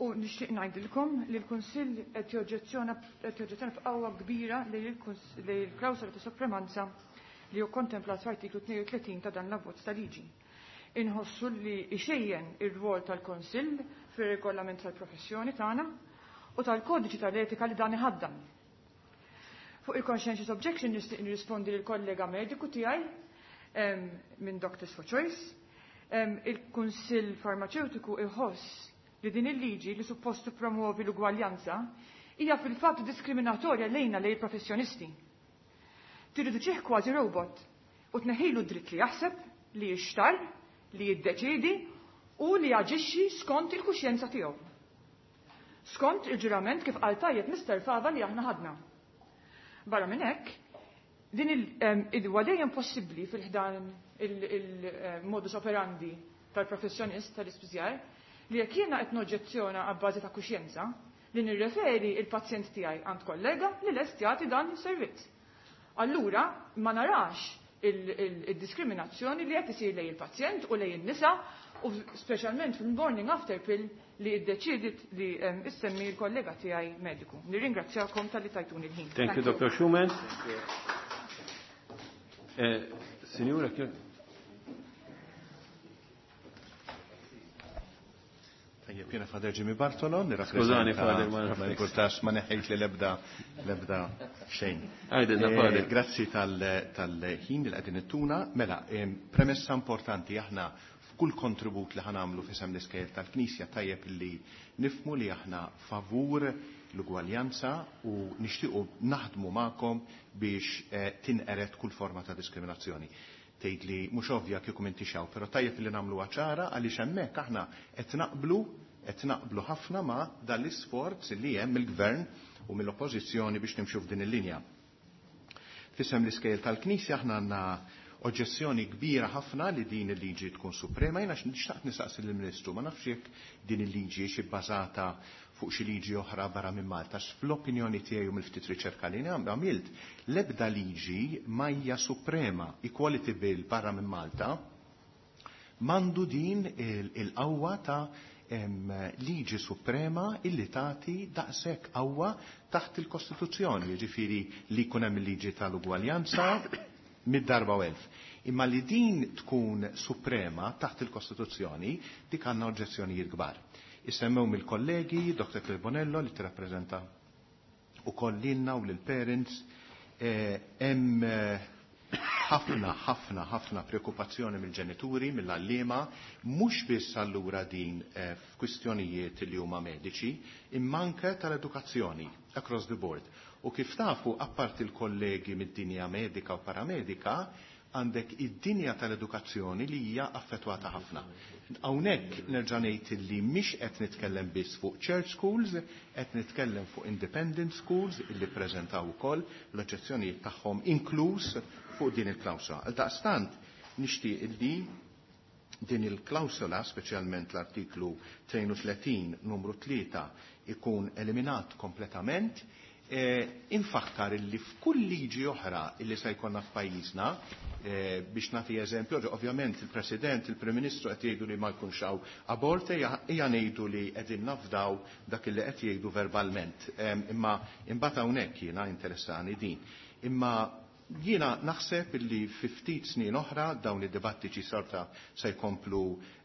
U nixtieq ngħidilkom li l-Kunsill qed joġġezzjona qed joġġezzjona f'qawwa kbira li l-klawsola ta' supremanza li hu kontemplat f'artiklu 32 ta' dan l-abbozz ta' liġi. Inħossu li ixejjen ir-rwol tal-Kunsill fir-regolament tal-professjoni tagħna u tal-kodiċi tal-etika li dan iħaddan. Fuq il-conscientious objection nixtieq nirrispondi lill kollega mediku tiegħi. minn Doctors for Choice. Il-Kunsill Farmaceutiku iħoss li din il-liġi li suppost tippromuovi l-ugwaljanza hija fil-fatt diskriminatorja lejna lejn professjonisti. Tirriduċih kważi robot u tneħħilu dritt li jaħseb, li jixtar, li jiddeċiedi u li jaġixxi skont il-kuxjenza tiegħu. Skont il-ġurament kif qal tajjeb Mr. Fava li aħna ħadna. Barra minn hekk, din il huwa dejjem possibbli fil-ħdan il-modus operandi tal-professjonist tal-ispiżjar li jekk jiena qed noġġezzjona għabbażi ta' kuxjenza li nirreferi il-pazjent tiegħi għand kollega li lest jagħti dan is-servizz. Allura ma narax il-diskriminazzjoni li qed isir lejn il-pazjent u lejn in-nisa u speċjalment fil-morning after pill li iddeċidiet li issemmi l-kollega tiegħi mediku. Nirringrazzjakom talli tajtuni l-ħin. Thank you, Dr. Schumann. Signora, Tajjeb, jiena Father Jimmy Bartolo, Skużani, Father, ma ma nifurtax ma neħejt li lebda lebda xejn. Għajdilna, Father. Grazzi tal-ħin li qegħdin ittuna. Mela, premessa importanti aħna f'kull kontribut li ħanamlu f'isem l-iskejjel tal-Knisja tajjeb li nifmu li aħna favur l-ugwaljanza u nixtiequ naħdmu magħkom biex tinqered kull forma ta' diskriminazzjoni. Tgħid li mhux ovvja kieku m'intix hawn, però tajjeb li nagħmluha ċara għaliex hemmhekk aħna qed naqblu ħafna ma' dan l-isforz li hemm mill-Gvern u mill-Oppożizzjoni biex nimxu f'din il-linja. F'isem l-iskejjel tal-Knisja aħna għandna oġġezzjoni kbira ħafna li din il-liġi tkun suprema. Jiena xtaqt nistaqsi lill-Ministru, ma nafx jekk din il-liġi hix ibbażata fuq xi liġi oħra barra minn Malta, għax fl-opinjoni tiegħi u mill-ftit riċerka li għamilt, l-ebda liġi ma hija suprema. Equality Bill barra minn Malta m'għandu din il-qawwa ta' liġi suprema illi tagħti daqshekk qawwa taħt il-Kostituzzjoni, jiġifieri li jkun hemm il-liġi tal-ugwaljanza mid-darba u elf. Imma li din tkun suprema taħt il-Kostituzzjoni, dik għandna oġġezzjonijiet kbar. Issemmew mill-kollegi, Dr. Claire Bonello li tirrappreżenta ukoll lilna u lill-parents, hemm ħafna, ħafna, ħafna preokkupazzjoni mill-ġenituri, mill-għalliema, mhux biss allura din f'kwistjonijiet li huma mediċi, imma anke tal-edukazzjoni across the board. U kif tafu, apparti l-kollegi mid-dinja medika u paramedika, għandek id-dinja tal-edukazzjoni li hija affettwata ħafna. Hawnhekk nerġa' ngħid li mhix qed nitkellem biss fuq church schools, qed nitkellem fuq independent schools illi ppreżentaw ukoll l-oġġezzjonijiet tagħhom inkluż fuq din il-klawsola. Għaldaqstant nixtieq illi din il-klawsola, speċjalment l-artiklu 32 numru 3, ikun eliminat kompletament. Infakkar illi f'kull liġi oħra illi se jkollna f'pajjiżna, biex nagħti eżempju, ovvjament il-President, il-Prim Ministru qed jgħidu li ma jkunx hawn abort, hija ngħidu li qegħdin nafdaw dak illi qed jgħidu verbalment. Imma imbagħad hawnhekk jiena interessani din. Imma jiena naħseb illi fi ftit snin oħra dawn id-dibattiċi sorta se jkomplu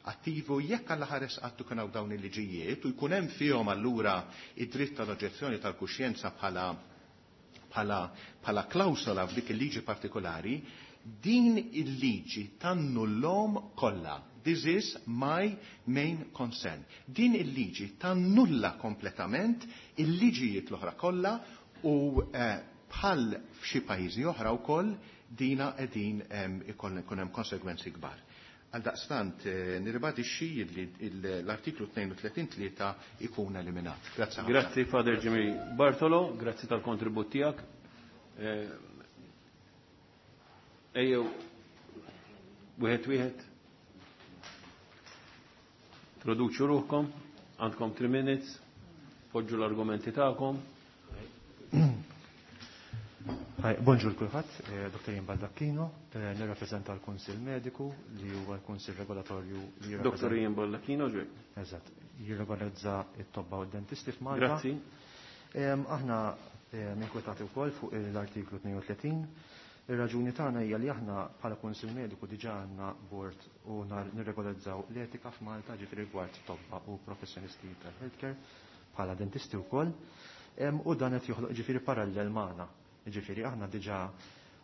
attivu jekk alla ħares qatt ikun hawn dawn il-liġijiet u jkun hemm fihom allura id-dritt tal-oġġezzjoni tal-kuxjenza bħala klawsola f'dik il-liġi partikolari, din il-liġi tannullhom kollha. This is my main concern. Din il-liġi tannulla kompletament il-liġijiet l-oħra kollha u bħal f'xi pajjiżi oħra wkoll dina qegħdin ikun hemm konsegwenzi kbar. Għaldaqstant nirribadixxi li l-artiklu 32.3 ikun eliminat. Grazzi ħafna. Grazzi Father Jimmy Bartolo, grazzi tal-kontribut tiegħek. Ejjew wieħed wieħed. Introduċu ruħkom, għandkom 3 minutes, poġġu l-argumenti tagħkom. Hi, bonġur kulħadd, Dr. Ian Baldacchino, nirrappreżenta l-Kunsill Mediku li huwa l-Kunsill Regolatorju li jirrappreżenta Dr. Ian Baldacchino, ġej. Eżatt, jirregolarizza t-tobba u d-dentisti f'Malta. Grazzi. Aħna inkwetati wkoll fuq l-artiklu 32. Ir-raġuni tagħna hija li aħna bħala Kunsill Mediku diġà għandna bord u nirregolarizzaw l-etika f'Malta, ġifieri rigward tobba u professjonisti tal-healthcare bħala dentisti wkoll. U dan qed joħloq ġifieri parallel magħna. Ġifieri aħna diġà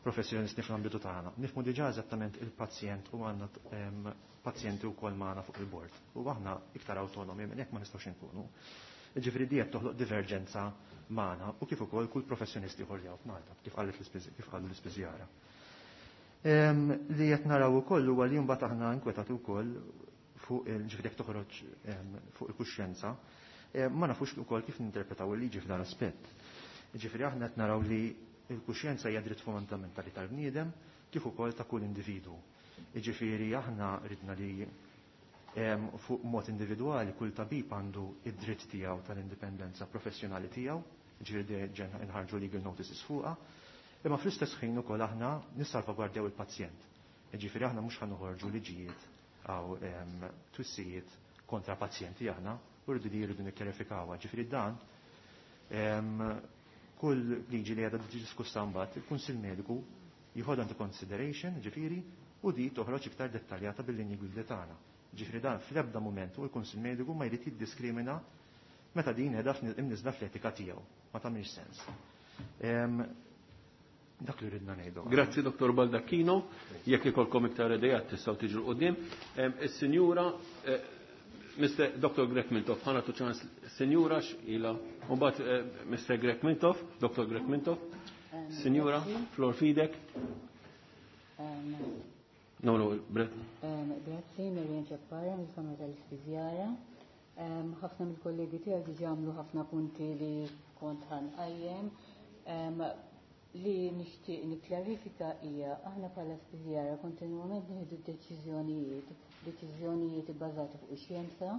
professjonisti fl-ambitu tagħna. Nifhmu diġà eżattament il-pazjent u għandna pazjenti wkoll magħna fuq il-bord. U aħna iktar awtonomi minn hekk ma nistgħux inkunu. Ġifieri di qed toħloq diverġenza magħna u kif ukoll kull professjonisti ieħor li hawn f'Malta, kif qalet kif qalu l-ispiżjara. Li qed naraw ukoll huwa li mbagħad aħna inkwetati wkoll fuq il-ġifieri jekk toħroġ fuq il-kuxjenza, ma nafux ukoll kif ninterpretaw il-liġi f'dan aspett. Ġifieri aħna qed naraw li il-kuxjenza hija dritt fundamentali tal-bniedem kif ukoll ta' kull individwu. Jiġifieri aħna ridna li fuq mod individwali kull tabib għandu id-dritt tiegħu tal-indipendenza professjonali tiegħu, jiġifieri ġenna inħarġu legal notices fuqha, imma fl-istess ħin ukoll aħna nissalvagwardjaw il-pazjent. Jiġifieri aħna mhux ħanoħorġu liġijiet għaw twissijiet kontra pazjenti aħna, u rridu li jridu nikkjarifikawha. Ġifieri dan kull liġi li għadha diskussa mbagħad, il-Kunsill Mediku jieħodha into consideration, ġifieri, u di toħroġ iktar dettaljata bil-linji gwida tagħna. Ġifieri dan fl-ebda mument u l-Kunsill Mediku ma jrid jiddiskrimina meta din qiegħda imniżla fl-etika tiegħu. Ma tagħmilx sens. Dak li ridna ngħidu. Grazzi Dr. Baldacchino, jekk ikolkom iktar idejat tistgħu tiġu l-qudiem. Is-sinjura Mr. Dr. Grech Mintoff, ħana tu ċans sinjura x'ila, u mbagħad Mr. Grech Mintoff, Dr. Grech Mintoff, Sinjura, flor fidek. No, no, Brett. Grazzi, Miriam Ċappara, mill-Kamra tal-Ispiżjara. Ħafna mill-kollegi tiegħi diġà għamlu ħafna punti li kont ħanqajjem. Li nixtieq nikklarifika hija aħna bħala spiżjara kontinwament nieħdu deċiżjonijiet, deċiżjonijiet ibbażati fuq ix-xjenza,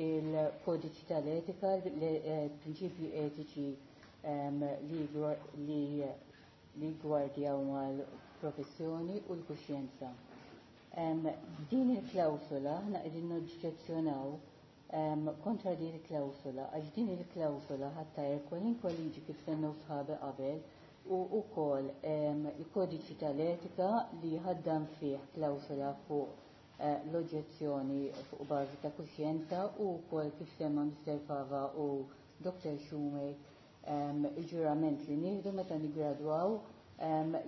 il-kodiċi tal-etika, l-prinċipji etiċi li gwardjaw mal-professjoni u l-kuxjenza. Din il-klawsola aħna qegħdin noġġezzjonaw kontra din il-klawsola għax din il-klawsola ħattajr kwalinkwa liġi kif semmew sħabi qabel u wkoll il-kodiċi tal-etika li ħaddam fih klawsola fuq l-oġġezzjoni fuq bażi ta' kuxjenza u wkoll kif semma Mr. Fava u Dr. Shumey il-ġurament li nieħdu meta niggradwaw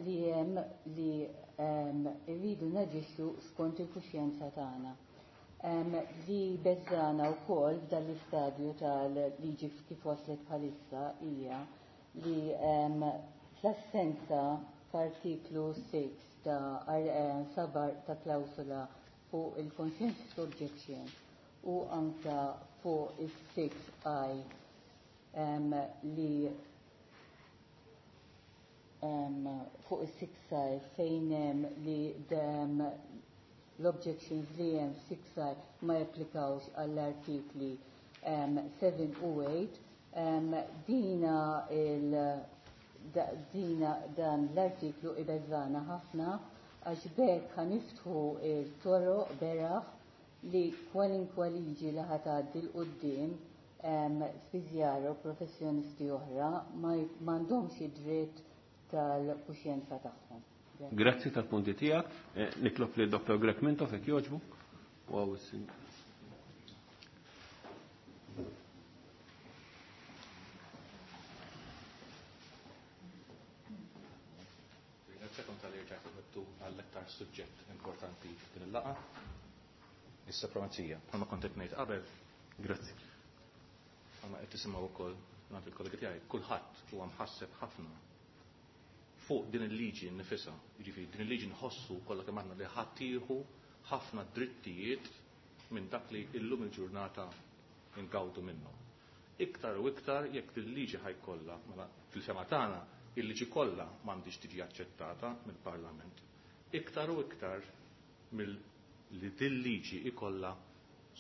li hemm li rridu naġixxu skont il-kuxjenza tagħna. Li beżana wkoll f'dan l-istadju tal-liġi kif waslet bħalissa hija li fl-assenza f'artiklu 6 ta' sabar ta' klawsula fuq il-conscientious objection u anka fuq il-6I li fuq il-6I fejn hemm li l-objections li hemm 6I ma japplikawx għall-artikli 7 u 8, dina il dina dan l-artiklu ibeżana ħafna għax bekk ħaniftħu il-toroq beraħ li kwalinkwa liġi li ħatgħaddi 'l quddiem spiżjara u professjonisti oħra ma m'għandhomx id-dritt tal-kuxjenza tagħhom. Grazzi tal-punti tiegħek. Nitlob li Dr. Grech Mintoff jekk jogħġbu. Wow, Ringrazzjakom tal-li rġajtu ħadtu għall-aktar suġġett importanti f'din il-laqgħa, is-supremazija. Bħalma kont qed ngħid qabel. Grazzi. Bħalma qed tisimgħu wkoll mingħand il-kollegi tiegħi, kulħadd huwa mħasseb ħafna fuq din il-liġi nnifisha. Jiġifieri din il-liġi nħossu kollha kemm aħna li ħadd tieħu ħafna drittijiet minn dak li illum il-ġurnata ingawdu minnhom. Iktar u iktar jekk din il-liġi ħajkollha, mela fil-fema tagħna il-liġi kollha m'għandix tiġi aċċettata mill-Parlament. Iktar u iktar mill li din liġi ikollha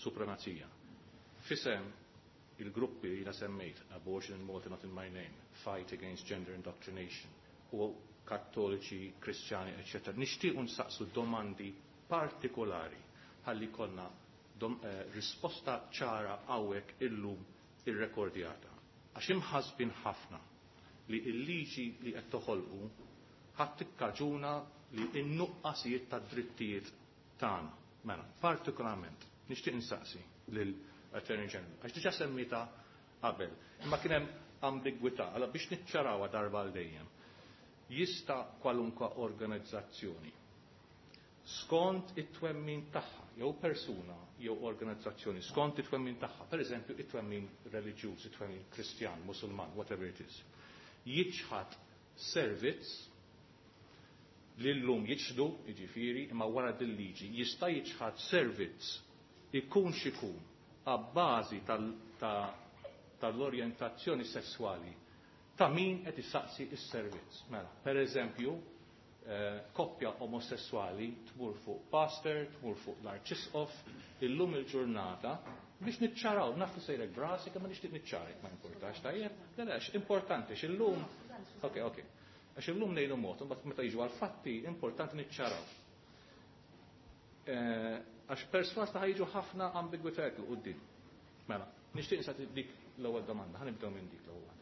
supremazija. Fisem il-gruppi li semmejt, Abortion in Malta Not in My Name, Fight Against Gender Indoctrination, u kattoliċi, kristjani, eccetera. Nixtiequ nsaqsu domandi partikolari ħalli konna risposta ċara hawnhekk illum irrekordjata. Għax imħasbin ħafna li l-liġi li qed toħolqu ħadd tikkaġuna li n-nuqqasijiet tad-drittijiet tagħna. Mela, partikolarment nixtieq insaqsi lil Attorney General, għax diġà semmita qabel, imma kien hemm ambigwità, allora biex niċċarawha darba għal dejjem. Jista' kwalunkwe organizzazzjoni skont it-twemmin tagħha jew persuna jew organizzazzjoni skont it-twemmin tagħha, pereżempju it-twemmin reliġjuż, it-twemmin Kristjan, Musulman, whatever it is, jiċħad servizz li llum jiċħdu, jiġifieri, imma wara dil-liġi jista' jiċħad servizz ikun x'ikun abbażi tal-orjentazzjoni sesswali ta' min qed issaqsi s-servizz. Mela, pereżempju, koppja omosessuali tmur fuq pastor, tmur fuq l-arċisqof, illum il-ġurnata biex niċċaraw, naf li sejrek brasi, kemm nixtieq niċċarek, ma importax, tajjeb? Le, le, importanti, x'illum, ok, ok, għax illum ngħidu mod, imbagħad meta jiġu għal-fatti, importanti niċċaraw. Għax perswas ta' ħajġu ħafna ambigwitajiet 'l quddiem. Mela, nixtieq nsaqsi dik l-ewwel domanda, ħa nibdew minn dik l-ewwel waħda.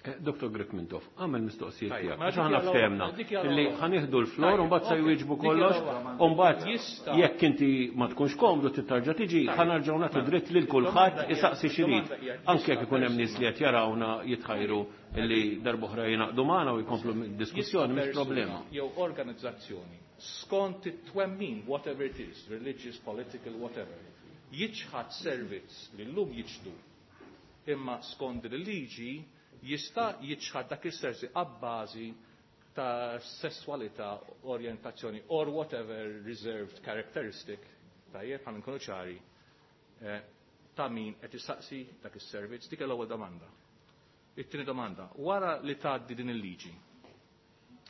Dr. Grech Mintoff, għamel mistoqsijiet Tajjeb, tiegħek. mela Għax dik aħna hija l-ewwel- ftehemna dik hija illi l-ewwel. ħa nieħdu l-flor Tajjeb, u mbagħad se ok, jwieġbu dik hija kollox l-ewwel. u mbagħad Jista' jekk inti ma tkunx komdu tittarġa' tiġi Tajjeb. ħa nerġgħu nagħtu Mela, dritt lil kulħadd id-domanda hija- isaqsi x'irid. id-domanda hija Anke jista' jekk ikun hemm nies li qed jarawna jitħajru illi darb'oħra jingħaqdu magħna u jkomplu d-diskussjoni mhix Jista' problema. persuna jew organizzazzjoni skont it-twemmin, whatever it is, religious, political, whatever, jiċħad servizz li llum jiċħdu imma skont il-liġi jista' jiċħad dak is-servizz abbażi ta' sessualità, orientazzjoni or whatever reserved characteristic, tajjeb ħa nkunu ċari, ta' min qed issaqsi dak is-servizz, dik l-ewwel domanda. It-tieni domanda, wara li tgħaddi din il-liġi,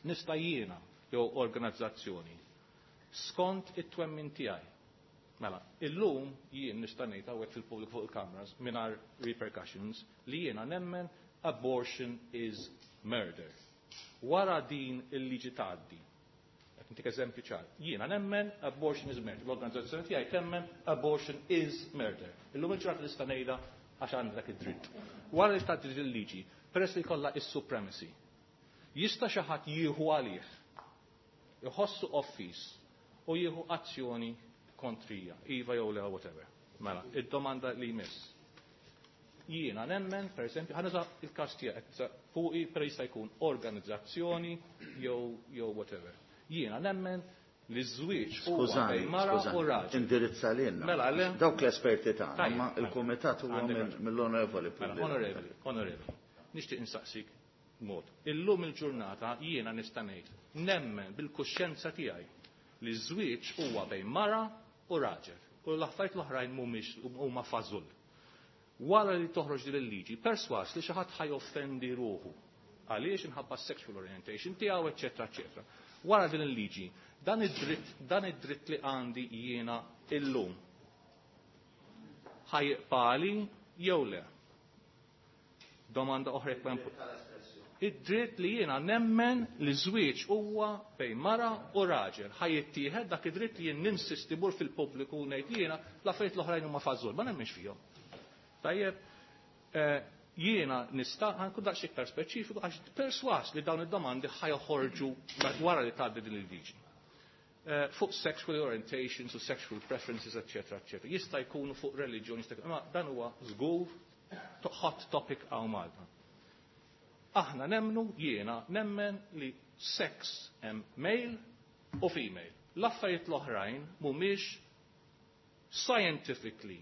nista' jiena jew organizzazzjoni skont it-twemmin tiegħi. Mela, illum jien nista' ngħid hawnhekk fil-pubbliku fuq il-cameras mingħajr repercussions li jiena nemmen abortion is murder. Wara din il-liġi tgħaddi, qed ntik eżempju ċar, jiena nemmen abortion is murder. L-organizzazzjoni tiegħi temmen abortion is murder. Illum il-ġurnata nista' ngħidha għax għandi dak id-dritt. Wara li tgħaddi din il-liġi, peress li jkollha is-supremacy, jista' xi ħadd jieħu għalih, iħossu offiż u jieħu azzjoni kontrija, iva jew le whatever. Mela, id-domanda li jmiss. Jiena nemmen, per esempio, ħa nuża il-każ tiegħek fuqi per jista' jkun organizzazzjoni jew whatever. Jiena nemmen li ż-żwieġ huwa Skużani, bejn mara u skużani, raġel. indirizza lilna. Mela, le. Dawk l-esperti tagħna, Tajjeb, ma mela. il-kumitat huwa Għandek raġun. mill-onorevoli Mela, Pullieri. onorevoli, onorevoli, nixtieq insaqsik mod. Illum il-ġurnata jiena nista' ngħid nemmen bil-kuxjenza tiegħi li ż-żwieġ huwa bejn mara u raġel. U l-affarijiet l-oħrajn mhumiex huma fażul. Wara li toħroġ din il-liġi, perswas li xi ħadd ħa joffendi ruħu. Għaliex inħabba sexual orientation tiegħu, eċetera, eċetera. Wara din il-liġi, dan id-dritt li għandi jiena illum ħa jibqagħli jew le? Domanda oħra jekk ma Id-dritt li jiena nemmen li żwieġ huwa bejn mara u raġel. Ħa jittieħed dak id-dritt li jien ninsisti bur fil-pubbliku u ngħid li jiena l-affarijiet l-oħrajn huma fażul, ma nemmenx fihom. Tajjeb, jiena nista' ħa nkun daqs iktar speċifiku għax perswas li dawn id-domandi ħa joħorġu wara li tgħaddi din il-liġi. Fuq sexual orientations u sexual preferences, eccetera, eccetera. Jista' jkunu fuq reliġjoni, jista' jkunu, imma dan huwa żgur hot topic hawn Malta. Aħna nemnu, jiena nemmen li sex hemm male u female. L-affarijiet l-oħrajn mhumiex scientifically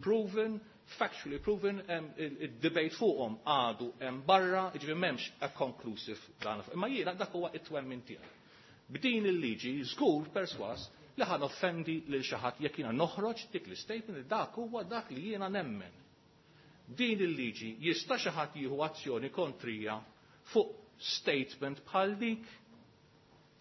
proven, factually proven, il-debate fuqhom għadu hemm barra, jiġifieri m'hemmx a conclusive dan. Imma jiena dak huwa it-twemmin tiegħi. B'din il-liġi żgur perswas li ħa noffendi lil xi ħadd jekk jiena noħroġ dik l-statement li dak huwa dak li jiena nemmen. Din il-liġi jista' xi ħadd jieħu azzjoni kontrija fuq statement bħal dik?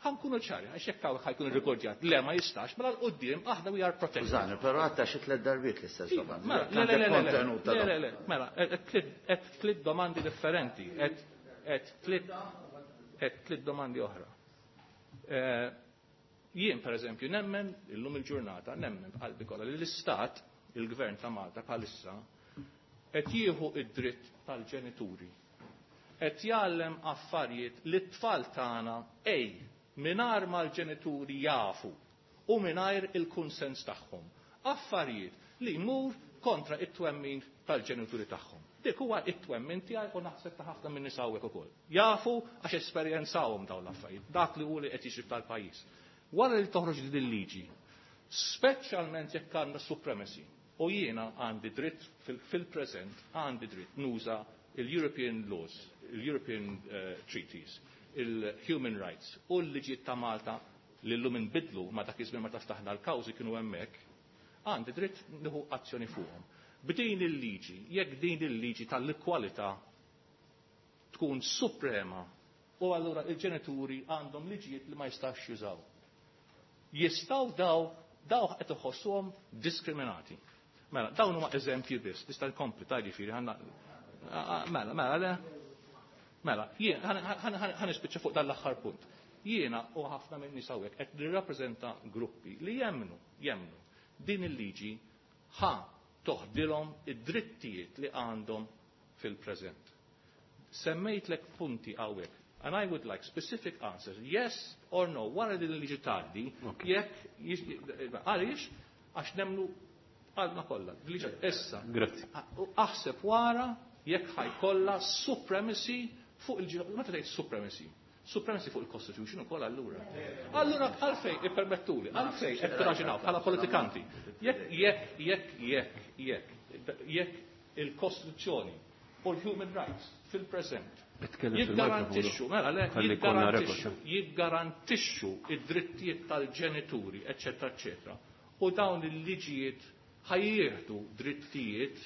Ħa nkunu ċari, għax jekk hawn ħa jkun irrikordjat, le ma jistax, mela 'l quddiem aħna we are protected. Skużani, però għatta xi tliet darbiet l-istess domanda. Mela, le, le, le, le, le, Kontenut ta' le, le, le, mela, qed tliet domandi differenti, qed tliet domandi oħra. Jien, per eżempju, nemmen, illum il-ġurnata, nemmen b'qalbi kollha li l-Istat, il-Gvern ta' Malta bħalissa, qed jieħu id-dritt tal-ġenituri. Qed jgħallem affarijiet li t-tfal tagħna ej mingħajr ma l-ġenituri jafu u mingħajr il-kunsens tagħhom. Affarijiet li jmur kontra it-twemmin tal-ġenituri tagħhom. Dik huwa it-twemmin tiegħi u naħseb ta' ħafna minn nies hawnhekk ukoll. Jafu għax esperjenzawhom dawn l-affarijiet, dak li hu li qed jiġri tal-pajjiż. Wara li toħroġ din il-liġi, speċjalment jekk għandna supremacy, u jiena għandi dritt fil-preżent għandi dritt nuża il-European laws, il-European Treaties, il-Human Rights u l-liġijiet ta' Malta li llum inbidlu ma dak iż-żmien meta ftaħna l-kawżi kienu hemmhekk, għandi dritt nieħu azzjoni fuqhom. B'din il-liġi, jekk din il-liġi tal-kwalità tkun suprema u allura il-ġenituri għandhom liġijiet li ma jistax jużaw. Jistgħu daw qed iħossuhom diskriminati. Mela, dawn huma eżempji biss, nista' nkompli ta' jiġifieri ħanna mela, mela, le. Mela, jien ħa nispiċċa fuq dan l-aħħar punt. Jiena u ħafna minn nies hawnhekk qed nirrappreżenta gruppi li jemmnu, jemmnu din il-liġi ħa toħdilhom id-drittijiet li għandhom fil-preżent. Semmejtlek punti hawnhekk. And I would like specific answers, yes or no, wara din il-liġi tgħaddi, jekk għaliex għax nemmnu għalna kollha. Liġi issa. Grazzi. Aħseb wara jekk ħa jkollha supremacy fuq il Meta tgħid supremacy? Supremacy fuq il-Constitution ukoll allura. Allura għalfejn ippermettuli, għalfejn qed tiraġunaw bħala politikanti. Jekk jekk jekk jekk jekk jekk il-Kostituzzjoni u l-human rights fil-preżent jiggarantixxu, mela le, jiggarantixxu, jiggarantixxu id-drittijiet tal-ġenituri, eċċetera, eċċetera. U dawn il-liġijiet ħa jieħdu drittijiet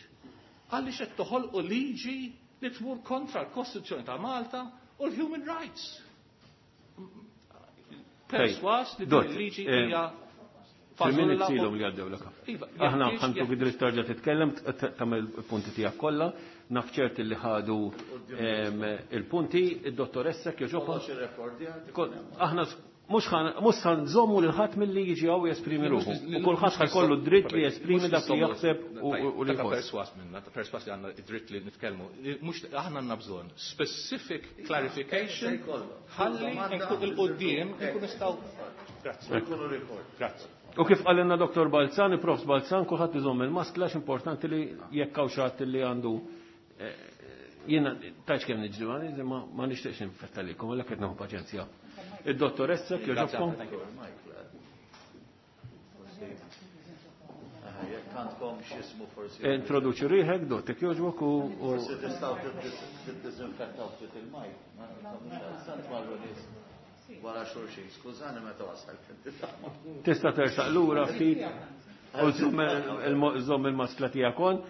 għaliex qed toħolqu liġi li tmur kontra l-Kostituzzjoni ta' Malta u l-human rights. Perswas li din il-liġi hija Fil-minutes ilhom li għaddew l Iva, Aħna ħa ntuk id-dritt tarġa' titkellem, tagħmel il-punti tiegħek kollha, naf ċert li ħadu il-punti, id-dottoressa kjoġopa. Aħna mhux ħa nżommu lil ħadd milli jiġi hawn jesprimi ruħu. U kulħadd ħa jkollu dritt li jesprimi dak li jaħseb u li jħoss. Perswas minna, perswas li għandna id-dritt li nitkellmu. Mhux aħna għandna bżonn specific clarification ħalli 'il quddiem nkun nistgħu. Grazzi. Grazzi. U kif qalilna Dr. Balzan, Prof. Balzan, kulħadd iżomm il-maskla importanti li jekk hawn xi ħadd li għandu jiena tajx kemm niġri ma nixtieqx ninfettalikom, għalhekk qed nieħu paċenzja. Id-dottoressa kjoġobkom. Jekk għandkom x'ismu forsi. Introduċi ruħek, dott, jekk jogħġbok u. Forsi tistgħu tiddiżinfettaw ftit il-mic. Sant marru nies wara xulxin, skużani meta wasal. Tista' tersaq lura ftit u żomm il-maskla tiegħek on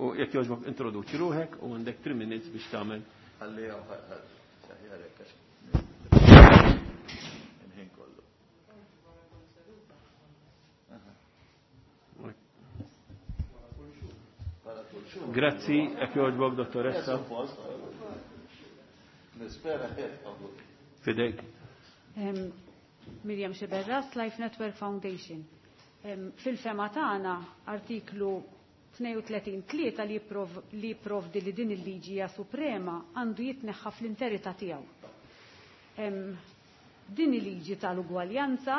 u jekk jogħġbok introduċi ruħek u għandek 3 minutes biex tagħmel. Ħalli saħjarek għax il-ħin kollu. Grazzi, jekk jogħġbok, dottoressa. Nispera Fidejk. Miriam Sciberras, Life Network Foundation. Fil-fehma tagħna artiklu 32.3 li jipprovdi li din il-liġi hija suprema għandu jitneħħa fl-interità tiegħu. Din il-liġi tal-ugwaljanza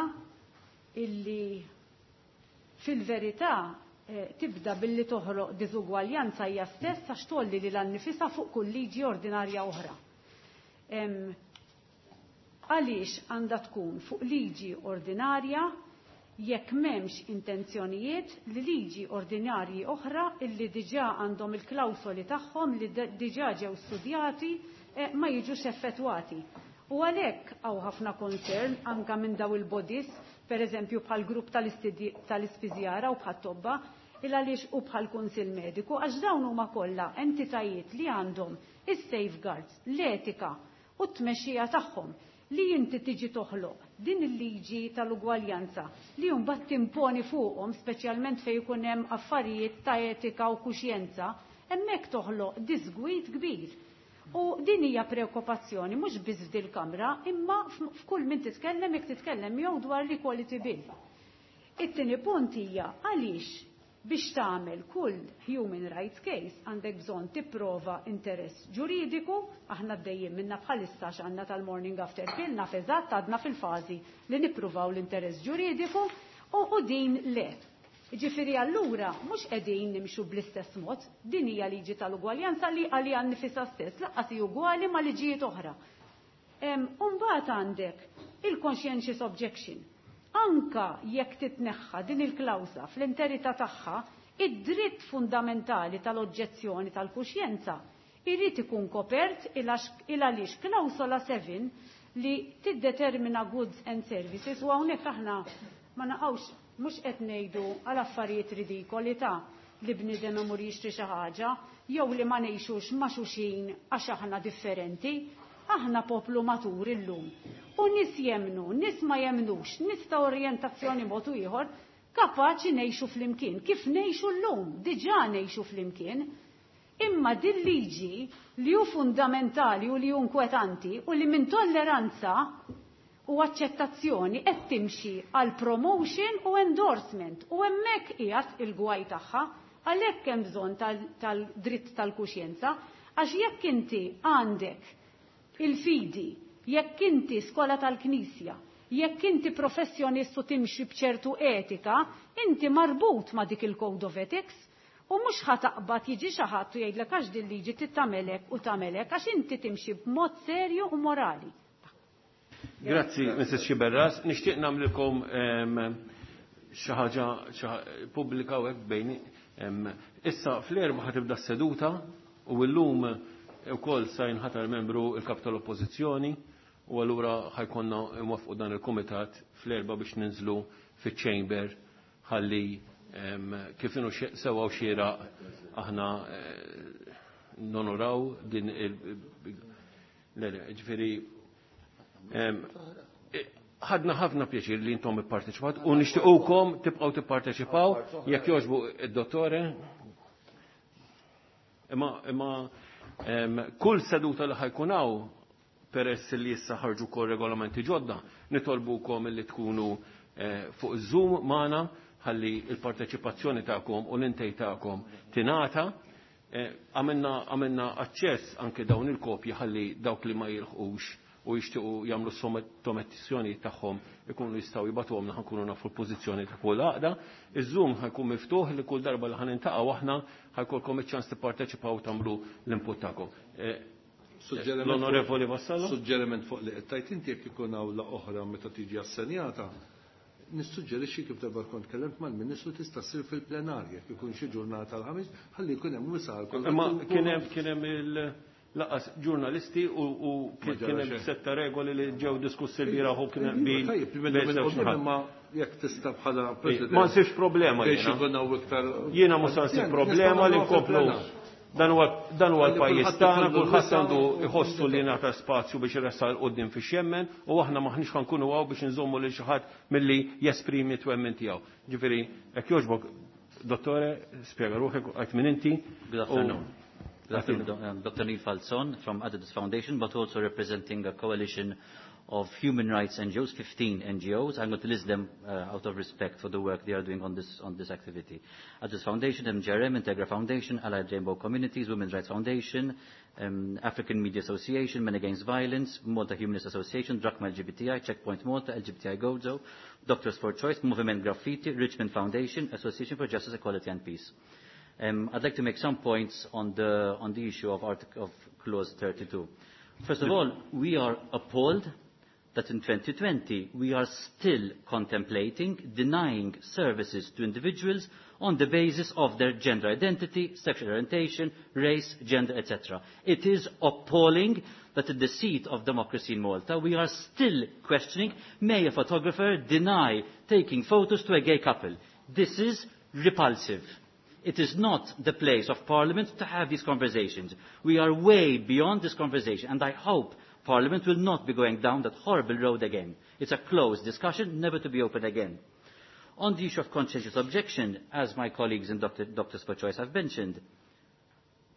illi fil-verità tibda billi toħloq diżugwaljanza hija stess għax tolli lil nifisha fuq kull liġi ordinarja oħra. Għaliex għandha tkun fuq liġi ordinarja jekk m'hemmx intenzjonijiet li liġi ordinarji oħra illi diġà għandhom il-klawsoli tagħhom li diġà ġew studjati ma jiġux effettwati. U għalhekk hawn ħafna concern anka minn daw il-bodies, per eżempju bħal grupp tal-ispiżjara u bħal tobba, il għaliex u bħal kunsill mediku, għax dawn huma kollha entitajiet li għandhom is-safeguards, l-etika u t-tmexxija tagħhom li inti tiġi toħloq din il-liġi tal-ugwaljanza li mbagħad timponi fuqhom speċjalment fejn ikun hemm affarijiet ta' etika u kuxjenza, hemmhekk toħloq disgwid kbir. U din hija preokkupazzjoni mhux biss f'dil kamra, imma f'kull min titkellem jekk titkellem jew dwar l-equality bill. It-tieni punt hija għaliex biex tagħmel kull human rights case għandek bżonn tipprova interess ġuridiku, aħna għaddejjin minna bħalissa x'għandna tal-morning after pill, naf eżatt għadna fil-fażi li nippruvaw l-interess ġuridiku u din le. Jiġifieri allura mhux qegħdin nimxu bl-istess mod, din hija liġi tal-ugwaljanza li għaliha nnifisha stess lanqas hi ugwali ma' liġijiet oħra. U mbagħad għandek il-conscientious objection. Anka jekk titneħħa din il-klawsa fl-interità tagħha, id-dritt fundamentali tal-oġġezzjoni tal-kuxjenza jrid ikun kopert il għaliex klawsola 7 li tiddetermina goods and services u hawnhekk aħna ma naqgħux mhux qed ngħidu għal affarijiet ridikoli ta' li bniedem imur jixtri xi ħaġa jew li ma ngħixux ma' xulxin għax aħna differenti. Aħna poplu matur illum. U nies jemmnu, nies ma jemmnux, nies ta' orjentazzjoni mod u ieħor, kapaċi ngħixu flimkien. Kif ngħixu llum, diġà ngħixu flimkien. Imma din liġi li hu fundamentali u li hu inkwetanti u li minn tolleranza u aċċettazzjoni qed timxi għal promotion u endorsement u hemmhekk qiegħed il-gwaj tagħha għalhekk hemm bżonn tal-dritt tal-kuxjenza għax jekk inti għandek il-fidi, jekk inti skola tal-Knisja, jekk inti professjonist u timxi b'ċertu etika, inti marbut ma' dik il-Code of Ethics u mhux ħa taqbad jiġi xi ħadd u jgħidlek għax din liġi titagħmelek u tagħmelek għax inti timxi b'mod serju u morali. Grazzi, Mrs. Sciberras. Nixtieq nagħmlilkom xi ħaġa pubblika u hekk bejni. Issa fl-4 ħa tibda s-seduta u llum ukoll sa jinħatar membru il-kap tal-Oppożizzjoni u allura ħa jkollna nwaffqu dan il-kumitat fl-4 biex ninżlu fiċ-chamber ħalli kif inhu sewwa u xieraq aħna nonoraw din il le, ġifieri ħadna ħafna pjaċir li intom ipparteċipat u nixtiequkom tibqgħu tipparteċipaw jekk jogħġbu id-dottore. Imma kull seduta li ħa jkun hawn peress li issa ħarġu kol regolamenti ġodda, nitolbukom li tkunu fuq Zoom magħna ħalli il-parteċipazzjoni tagħkom u l-intej tagħkom tingħata. Għamilna aċċess anke dawn il-kopji ħalli dawk li ma jilħqux u jixtiequ jagħmlu sottomissjoni tagħhom ikunu jistgħu jibagħtuhom ħa nkunu nafu l-pożizzjoni ta' kull għaqda. Iż-Zoom ħa jkun miftuħ li kull darba li ħa niltaqgħu aħna ħa jkollkom iċ-ċans tipparteċipaw u tagħmlu l-input tagħkom. L-Onorevoli Vassallo? Suġġeriment fuq li qed tgħid inti jekk ikun awla oħra meta tiġi assenjata, nissuġġerixxi kif darba kont kellemt mal-Ministru tista' ssir fil-plenarja jekk ikun xi ġurnata l-Ħamis ħalli jkun hemm wisa' għal kulħadd. Imma kien hemm il-laqas ġurnalisti u kien hemm setta regoli li ġew diskussi l-bieraħ u kien hemm bil. Tajjeb, imma jekk tista' bħala President. Ma nsibx problema Biex jiena. ikun hawn iktar. Jiena mhux se nsib problema li nkomplu. Dan huwa l-pajjiż tagħna, kulħadd għandu jħossu li ngħata spazju biex iressaq 'il quddiem fiex jemmen u aħna maħniex ħa nkunu hawn biex nżommu lil xi ħadd milli jesprimi twemmin tiegħu. Ġifieri, jekk jogħġbok, dottore, spjega ruħek għedt min inti. Good afternoon. Good afternoon, Dr. Neil Falzon from Aditus Foundation, but also representing a coalition of human rights NGOs, 15 NGOs. I'm going to list them out of respect for the work they are doing on this activity. Aditus Foundation, MGRM, Integra Foundation, Allied Rainbow Communities, Women's Rights Foundation, African Media Association, Men Against Violence, Malta Humanist Association, Drachma LGBTI, Checkpoint Malta, LGBTI Gozo, Doctors for Choice, Movement Graffiti, Richmond Foundation, Association for Justice, Equality and Peace. I'd like to make some points on the issue of Clause 32. First of all, we are appalled that in 2020 we are still contemplating denying services to individuals on the basis of their gender identity, sexual orientation, race, gender, etc. It is appalling that in the seat of democracy in Malta we are still questioning, may a photographer deny taking photos to a gay couple? This is repulsive. It is not the place of Parliament to have these conversations. We are way beyond this conversation, and I hope Parliament will not be going down that horrible road again. It's a closed discussion, never to be opened again. On the issue of conscientious objection, as my colleagues in Doctors for Choice have mentioned,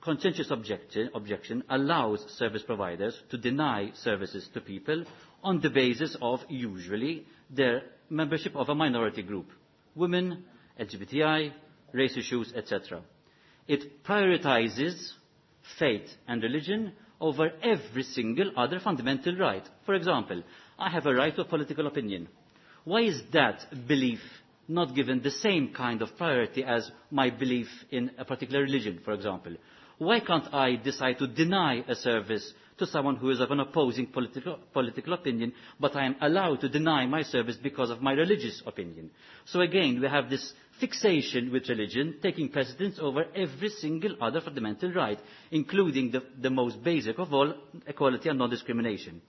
conscientious objection allows service providers to deny services to people on the basis of, usually, their membership of a minority group. Women, LGBTI, race issues, etc. It prioritizes faith and religion over every single other fundamental right. For example, I have a right to a political opinion. Why is that belief not given the same kind of priority as my belief in a particular religion, for example? Why can't I decide to deny a service to someone who is of an opposing political opinion, but I am allowed to deny my service because of my religious opinion? So again, we have this fixation with religion taking precedence over every single other fundamental right, including the most basic of all, equality and non-discrimination.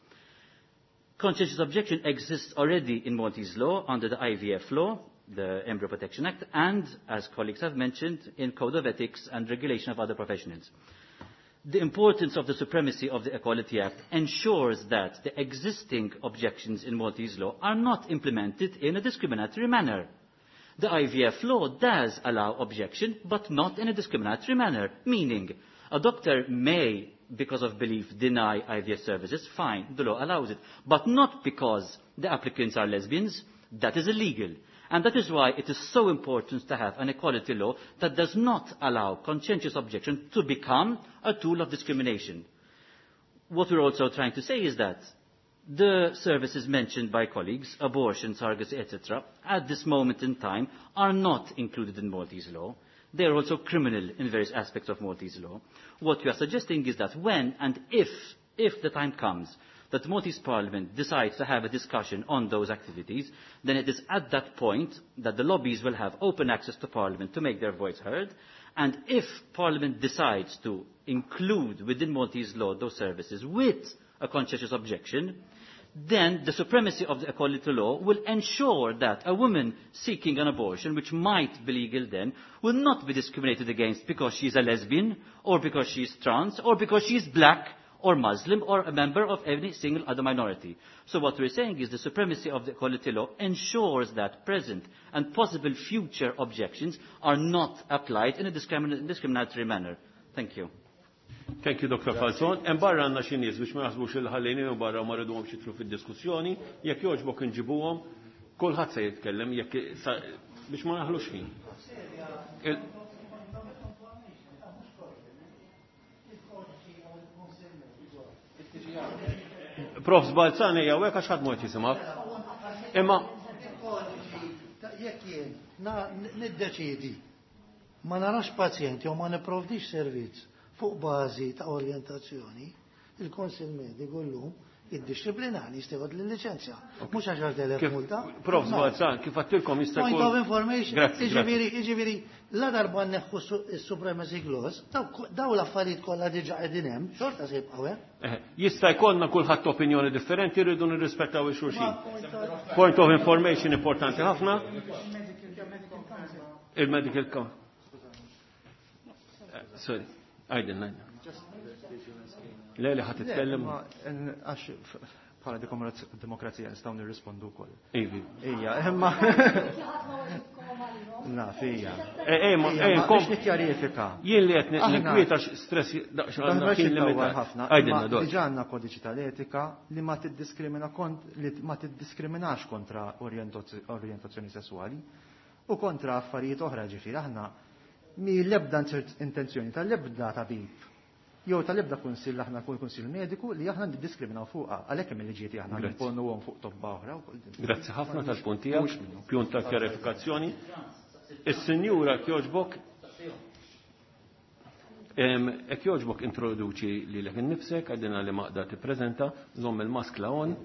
Conscientious objection exists already in Maltese law under the IVF law, the Embryo Protection Act, and, as colleagues have mentioned, in Code of Ethics and regulation of other professionals. The importance of the supremacy of the Equality Act ensures that the existing objections in Maltese law are not implemented in a discriminatory manner. The IVF law does allow objection, but not in a discriminatory manner, meaning a doctor may, because of belief, deny IVF services, fine, the law allows it, but not because the applicants are lesbians, that is illegal. And that is why it is so important to have an equality law that does not allow conscientious objection to become a tool of discrimination. What we're also trying to say is that the services mentioned by colleagues, abortion, surrogacy, etc., at this moment in time are not included in Maltese law. They are also criminal in various aspects of Maltese law. What we are suggesting is that when and if the time comes that the Maltese Parliament decides to have a discussion on those activities, then it is at that point that the lobbies will have open access to Parliament to make their voice heard. And if Parliament decides to include within Maltese law those services with a conscientious objection, then the supremacy of the equality law will ensure that a woman seeking an abortion, which might be legal then, will not be discriminated against because she is a lesbian, or because she is trans, or because she is black, or Muslim, or a member of any single other minority. So what we're saying is the supremacy of the equality law ensures that present and possible future objections are not applied in a discriminatory manner. Thank you. Thank you, Dr. Falzon. Hemm barra għandna xi nies biex ma jaħsbux il ħallejnihom barra u ma rridhomx jidħlu fid-diskussjoni, jekk jogħġbok inġibuhom, kulħadd se jitkellem jekk biex ma naħlux ħin. Prof Balzani jew hekk għax ħadd mod jisimgħek. Imma jekk jien niddeċiedi ma narax pazjenti u ma nipprovdix servizz fuq bażi ta' orjentazzjoni, il-Konsil Mediku llum id-disciplinari jistgħu l-liċenzja. Mhux għaxar telef multa. Prof Balzan, kif għattilkom jista' jkun. Point of information. Jiġifieri, la darba nneħħu s-supremacy clause, daw l-affarijiet kollha diġà qegħdin hemm, xorta se jibqgħu hemm. Jista' jkollna kulħadd opinjoni differenti, rridu nirrispettaw il-xulxin. Point of information importanti ħafna. Il-medical council. Sorry. Għajdin, għajdin. Le, li ħat titkellem. Għax bħala demokrazija nistgħu nirrispondu wkoll. Ivi. Ija, imma. Naf, ija. Ma, biex nikkjarifika. Jien li qed ninkwieta stress daqs għandna kien limitat ħafna. Għajdin, dor. Diġà għandna kodiċi tal-etika li ma tiddiskrimina kont li ma tiddiskriminax kontra orjentazzjoni sesswali u kontra affarijiet oħra, ġifieri aħna mi l-ebda intenzjoni tal-ebda tabib jew tal-ebda kunsill aħna kull kunsill mediku li aħna niddiskriminaw fuqha, għalhekk hemm il-liġijiet aħna nimponuhom fuq tobba oħra wkoll. Grazzi ħafna tal-punt tiegħek, pjun ta' kjarifikazzjoni. Is-sinjura jogħġbok hekk jogħġbok introduċi lilek innifsek, għadina li maqda tippreżenta, żomm il-maskla on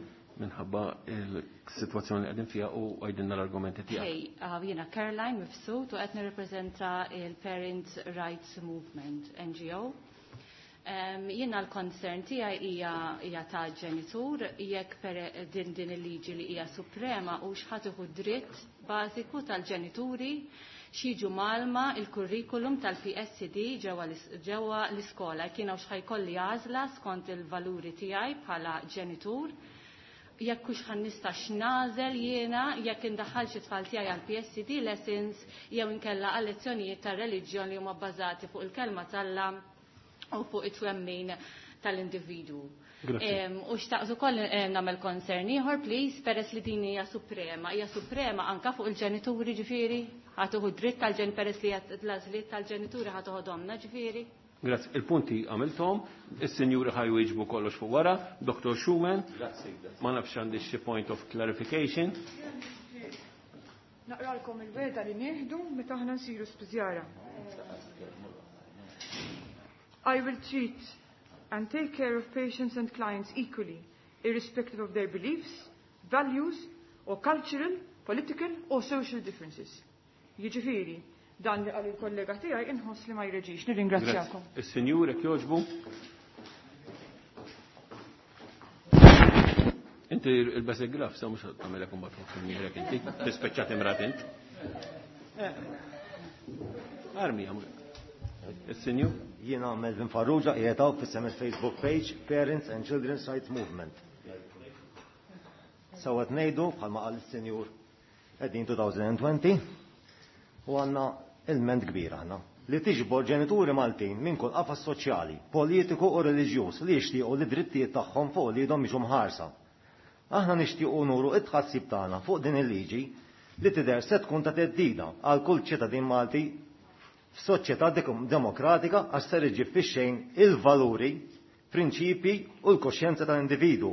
minħabba il-situazzjoni li qegħdin fiha u għajdinna l-argumenti tiegħek. Hey, jiena Caroline Mifsud u qed nirrappreżenta il-Parents Rights Movement NGO. Jiena l-concern tiegħi hija ta' ġenitur jekk per din il-liġi li hija suprema u x'ħadd iħu dritt bażiku tal-ġenituri x'jiġu malma il-kurrikulum tal-PSCD ġewwa l-iskola. Kien hawn x'ħajkolli għażla skont il-valuri tiegħi bħala ġenitur. Jekk hux ħan nista' x'nażel jiena jekk indaħħal xi tfal tiegħi għal PSCD lessons jew inkella għal lezzjonijiet tar-reliġjon li huma bbażati fuq il-kelma t'Alla u fuq it-twemmin tal-individwu. U xtaqt ukoll nagħmel concern ieħor, please, peress li din hija suprema. Hija suprema anka fuq il-ġenituri ġifieri, ħa tieħu dritt tal-ġen peress li l-għażliet tal-ġenituri ħa toħodhomna ġifieri. Grazzi. Il-punti għamilthom, is-sinjuri ħaj jwieġbu kollox fuq wara, Dr. Schumann, ma nafx għandi xi point of clarification. Naqralkom il-wegħda li nieħdu meta aħna nsiru spiżjara. I will treat and take care of patients and clients equally, irrespective of their beliefs, values, or cultural, political or social differences. Jiġifieri, dan li qal il-kollega tiegħi inħoss li ma jreġix. Nirringrazzjakom. Is-Sinjur jekk jogħġbu. Inti il-bes il-graf, sa mux għamilek un batħu fil-mirek inti, tispeċċat imrat int. Armi għamil. Il-Sinjur? Jiena Melvin Farrugia, qiegħed hawn fis Facebook page Parents and Children's Rights Movement. Sewwa qed ngħidu bħalma qal is-Sinjur qegħdin 2020 u għandna ilment kbir aħna li tiġbor ġenituri Maltin minn kull qafas soċjali, politiku u reliġjuż li jixtiequ li drittijiet tagħhom fuq uliedhom jiġu mħarsa. Aħna nixtiequ nuru t-tħassib tagħna fuq din il-liġi li tidher se tkun ta' theddida għal kull ċittadin Malti f'soċjetà demokratika għax ser iġġib fix-xejn il-valuri, prinċipji u l-kuxjenza tal-individwu.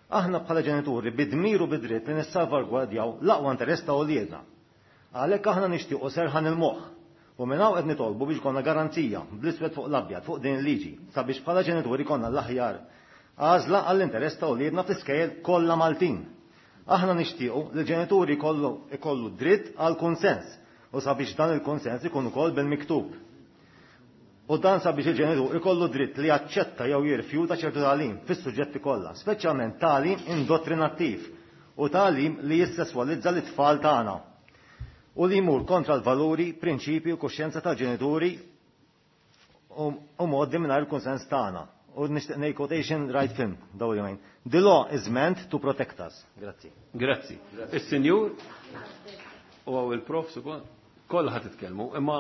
Aħna bħala ġenituri bi dmir u bi dritt li nissalvagwardjaw l-aqwa interess ta' uliedna. Għalhekk aħna nixtiequ serħan il-moħħ u minn hawn qed nitolbu biex ikollna garanzija bl-iswed fuq l-abjad fuq din il-liġi sabiex bħala ġenituri jkollna l-aħjar għażla għall-interess ta' uliedna fl-iskejjel kollha Maltin. Aħna nixtiequ li l-ġenituri jkollu dritt għal kunsens u sabiex dan il-kunsens ikun ukoll bil-miktub. U dan sabiex il-ġenitur ikollu dritt li jaċċetta jew jirrifjuta ċertu tagħlim fis-suġġetti kollha, speċjalment tagħlim indottrinattiv u tagħlim li jissesswalizza lit-tfal tagħna u li jmur kontra l-valuri, prinċipji u kuxjenza tal-ġenituri u mgħoddi mingħajr il-kunsens tagħna. U nixtieq ngħid quotation right film dawn il-jumejn. The law is meant to protect us. Grazzi. Grazzi. Is-sinjur u hawn il-profs ukoll kollha ħa titkellmu, imma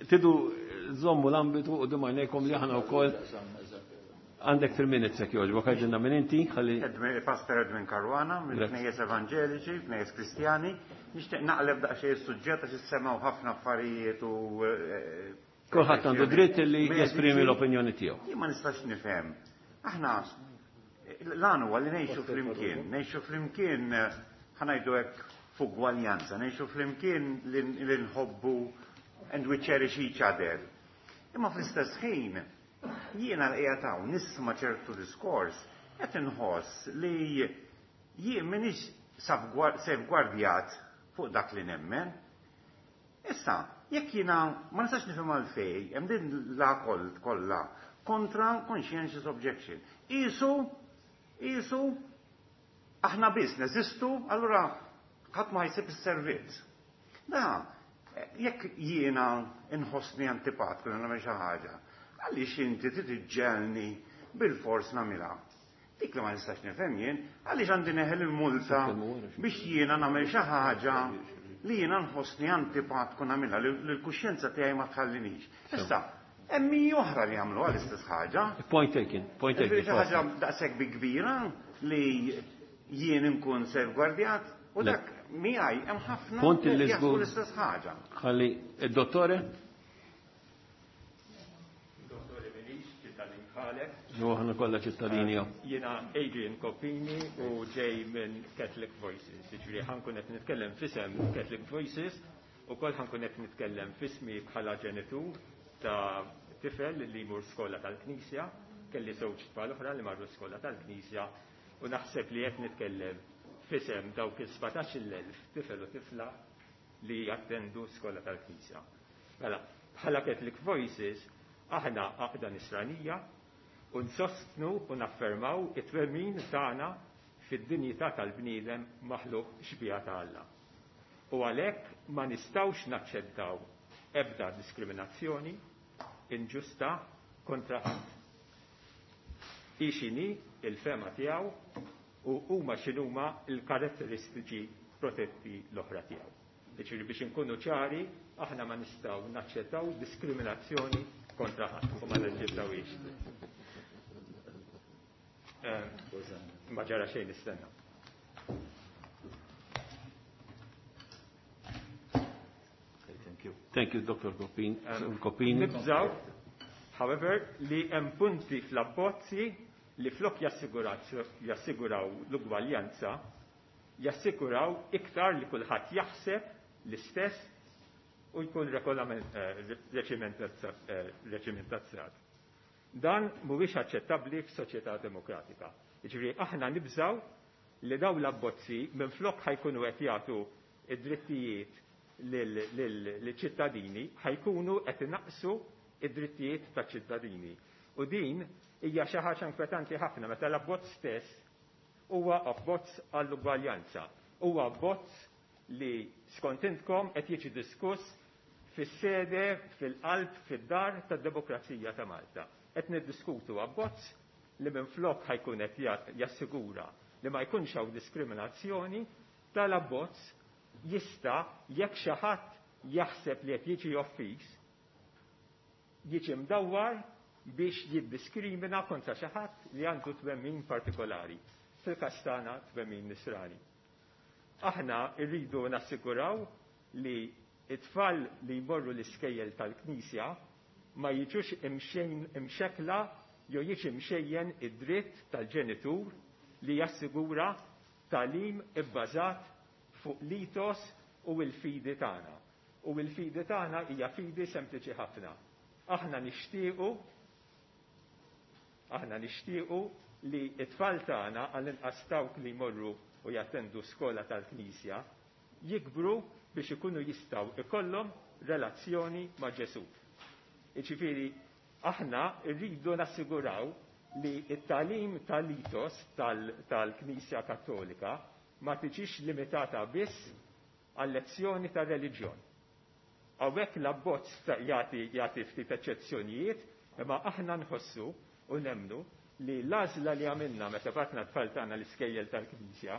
tidu żommu l-ambitu u għajnejkom li aħna wkoll għandek 3 minutes jekk jogħġbok, għidilna minn inti, ħalli Pastor Edwin Caruana, minn Knejjes Evanġeliċi, Knejjes Kristjani. Nixtieq naqleb daqsxejn is-suġġett għax issemgħu ħafna affarijiet u Kulħadd għandu dritt li jesprimi l-opinjoni tiegħu. Jien ma nistax nifhem. Aħna l-għan huwa li ngħixu flimkien, ngħixu flimkien ħa ngħidu hekk f'ugwaljanza, ngħixu flimkien li nħobbu and we cherish each other. Imma fl-istess ħin jiena l qiegħed hawn nisma' ċertu diskors qed inħoss li jien m'iniex safegwardjat fuq dak li nemmen. Issa, jekk jiena ma nistax nifhem għalfejn hemm din l-akol kollha kontra conscientious objection. Qisu, qisu aħna biss neżistu, allura ħadd ma jsib is-servizz. Da, jekk jiena nħossni antipatku li nagħmel xi ħaġa, għaliex inti trid iġġelni bil-fors nagħmilha? Dik li ma nistax nifhem jien, għaliex għandi neħel il-multa biex jiena nagħmel xi ħaġa li jiena nħossni antipatku nagħmilha, li l-kuxjenza tiegħi ma tħallinix. Issa, hemm min oħra li jagħmluha l-istess ħaġa. Point taken, point taken. Xi ħaġa daqshekk bi kbira li jien inkun safeguardjat u dak miegħi hemm ħafna Punt li li jaħsbu żgur. l-istess ħaġa. Ħalli id-dottore? Dottore Minix, ċittadin bħalek. Jo, aħna kollha ċittadini, jo. Jiena Adrian Coppini u ġej minn Catholic Voices. Jiġifieri ħankun qed nitkellem f'isem Catholic Voices u koll ħankun qed nitkellem f'ismi bħala ġenitur ta' tifel li jmur skola tal-Knisja, kelli żewġ tfal oħra li marru skola tal-Knisja u naħseb li qed nitkellem f'isem dawk il-17,000 tifel u tifla li jattendu skola tal-Knisja. Mela, bħala Catholic Voices, aħna għaqda nisranija u nsostnu u naffermaw it-twemmin tagħna fid-dinjità tal-bniedem maħluq xbieha ta' Alla. U għalhekk ma nistgħux naċċettaw ebda diskriminazzjoni inġusta kontra ħadd. Hi x'inhi il-fema tiegħu u huma x'inhuma l-karatteristiċi protetti l-oħra tiegħu. Jiġifieri biex inkunu ċari, aħna ma nistgħu naċċettaw diskriminazzjoni kontra ħadd u ma naċċettawhiex. Ma ġara xejn nistenna. Thank you. Thank you, Dr. Coppini. Coppini. Nibżaw, however, li hemm punti fl-abbozzi li flok jassiguraw l-ugwaljanza jassikuraw iktar li kulħadd jaħseb l-istess u jkun reċimentazzat. Dan mhuwiex aċċettabbli f'soċjetà demokratika. Jiġifieri aħna nibżgħu li dawn l-abbozzi minflok ħa jkunu qed jagħtu id-drittijiet lill-ċittadini, ħa jkunu qed inaqqsu id-drittijiet taċ-ċittadini. U din hija xi ħaġa inkwetanti ħafna meta l-abbozz stess huwa abbozz għall-ugwaljanza. Huwa abbozz li skont intkom qed jiġi diskuss fis-sede, fil-qalb, fid-dar tad-demokrazija ta' Malta. Qed niddiskutu abbozz li minflok ħa jkun qed jassigura li ma jkunx hawn diskriminazzjoni, tal-abbozz jista' jekk xi ħadd jaħseb li qed jiġi offiż, jiġi mdawwar biex jiddiskrimina kontra xi ħadd li għandu twemmin partikolari, fil-każ tagħna twemmin nisrani. Aħna rridu nassiguraw li it-tfal li jmorru l-iskejjel tal-Knisja ma jiġux imxekla jew jiġi mxejjen id-dritt tal-ġenitur li jassigura tagħlim ibbażat fuq l-ethos u l-fidi tagħna. U l-fidi tagħna hija fidi sempliċi ħafna. Aħna nixtiequ li t-tfal tagħna, għall-inqas dawk li jmorru u jattendu skola tal-Knisja, jikbru biex ikunu jistgħu ikollhom relazzjoni ma' Ġesù. Jiġifieri aħna rridu nassiguraw li t-tagħlim tal-ethos tal-Knisja Kattolika ma tiġix limitata biss għal lezzjoni tar-reliġjon. Hawnhekk l-abbozz jagħti ftit eċċezzjonijiet, imma aħna nħossu u nemmnu li l-għażla li għamilna meta batna t-tfal tagħna l-iskejjel tal-Knisja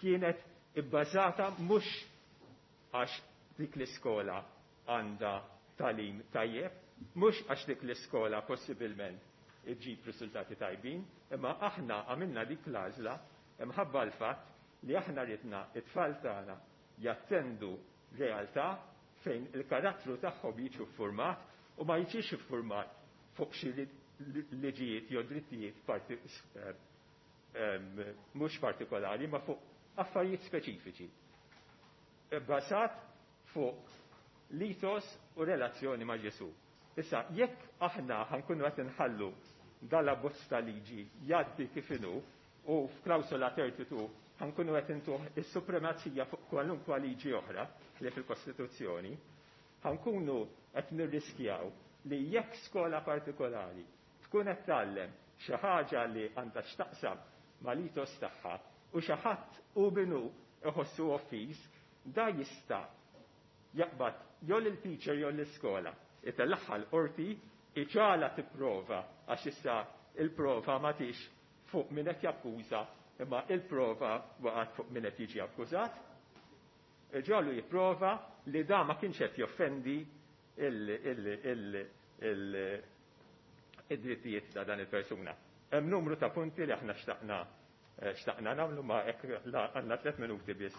kienet ibbażata mhux għax dik l-iskola għandha tagħlim tajjeb, mhux għax dik l-iskola possibilment iġġib riżultati tajbin, imma aħna għamilna dik l-għażla imħabba l-fatt li aħna ridna it-tfal tagħna jattendu realtà fejn il-karattru tagħhom jiġu ffurmat u ma jiġix iffurmat fuq xi liġijiet jew drittijiet mhux partikolari, ma fuq affarijiet speċifiċi. Bbażat fuq l-ethos u relazzjoni ma' Ġesù. Issa, jekk aħna ħankunu qed inħallu dal-abbozz ta' liġi jgħaddi kif inhu u f'klawsola 32 ħankunu qed intuh is-supremazija fuq kwalunkwa liġi oħra ħlief il-Kostituzzjoni, ħankunu qed nirriskjaw li jekk skola partikolari tkun qed tgħallem xi ħaġa li għandha x'taqsam mal-ethos tagħha u xi ħadd hu minnu iħossu offiż, da jista' jaqbad jew lill-teacher jew l-iskola, itellagħha l-qorti, iġagħalha tipprova għax issa il-prova ma tix fuq min qed jakkuża imma il-prova waqgħet fuq min qed jiġi akkużat. Iġagħlu jipprova li da ma kienx qed joffendi id-drittijiet ta' dan il-persuna. Hemm numru ta' punti li aħna xtaqna nagħmlu, ma hekk għandna 3 minuti biss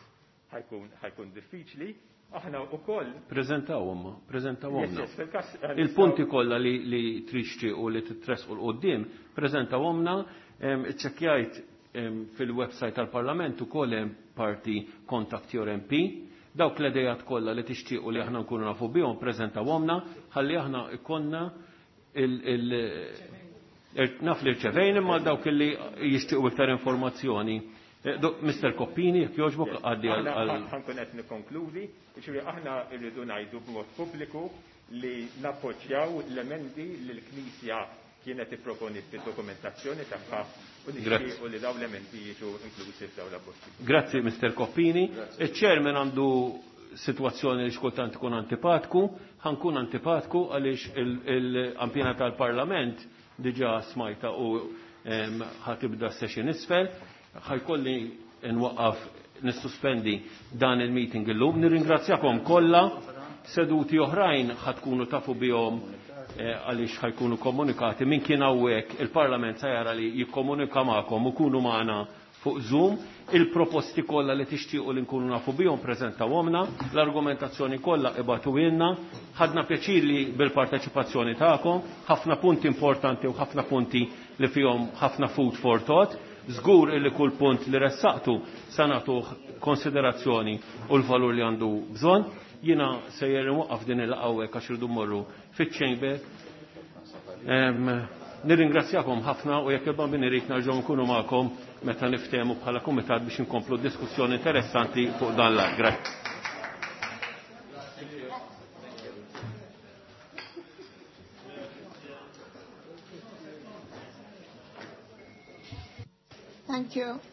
ħajkun diffiċli. Aħna wkoll Preżentawhom, preżentawhom. Yes, yes, fil-każ, Il-punti kollha li trixtiequ li titresqu 'l quddiem, preżentawhomna, iċċekkjajt fil-website tal-Parlament ukoll hemm parti Contact Your MP. Dawk l-idejat kollha li tixtiequ li aħna nkunu nafu bihom preżentawhomna, ħalli aħna ikollna naf li rċevejn imma dawk li jixtiequ iktar informazzjoni. Mister Coppini, jekk jogħġbok, għaddi għal Ħankun qed nikkonkludi, jiġifieri aħna rridu ngħidu b'mod pubbliku li nappoġġjaw l-emendi li l-Knisja kienet ipproponiet fid-dokumentazzjoni tagħha u nixtiequ li dawn l-emendi jiġu inklużi f'dawn l-abbozzi. Grazzi, Mister Coppini. Il-Chairman għandu situazzjoni li xkultant ikun antipatku, ħankun antipatku għaliex il-ampjena tal-Parlament diġà smajta u ħatibda session isfel. Ħajkolli nwaqqaf nissuspendi dan il-meeting illum. Nirringrazzjakom kollha, seduti oħrajn ħatkunu tafu bihom għaliex ħajkunu komunikati. Min kien hawnhekk il-Parlament se jara li jikkomunika magħkom u kunu magħna fuq Zoom. Il-proposti kollha li tixtiequ li nkunu nafu bihom preżentawhomna, l-argumentazzjoni kollha ibatuilna. Ħadna pjaċir li bil-parteċipazzjoni tagħkom, ħafna punti importanti u ħafna punti li fihom ħafna food for thought. Żgur illi kull punt li ressaqtu sa nagħtuh konsiderazzjoni u l-valur li għandu bżonn. Jiena sejjer inwaqqaf din il-laqgħa hawnhekk għax irridu mmorru fiċ-chamber. Nirringrazzjakom ħafna u jekk il-Bambin irid nerġgħu nkunu magħkom meta niftehmu bħala kumitat biex inkomplu diskussjoni interessanti fuq dan l-att. Grazzi. Thank you.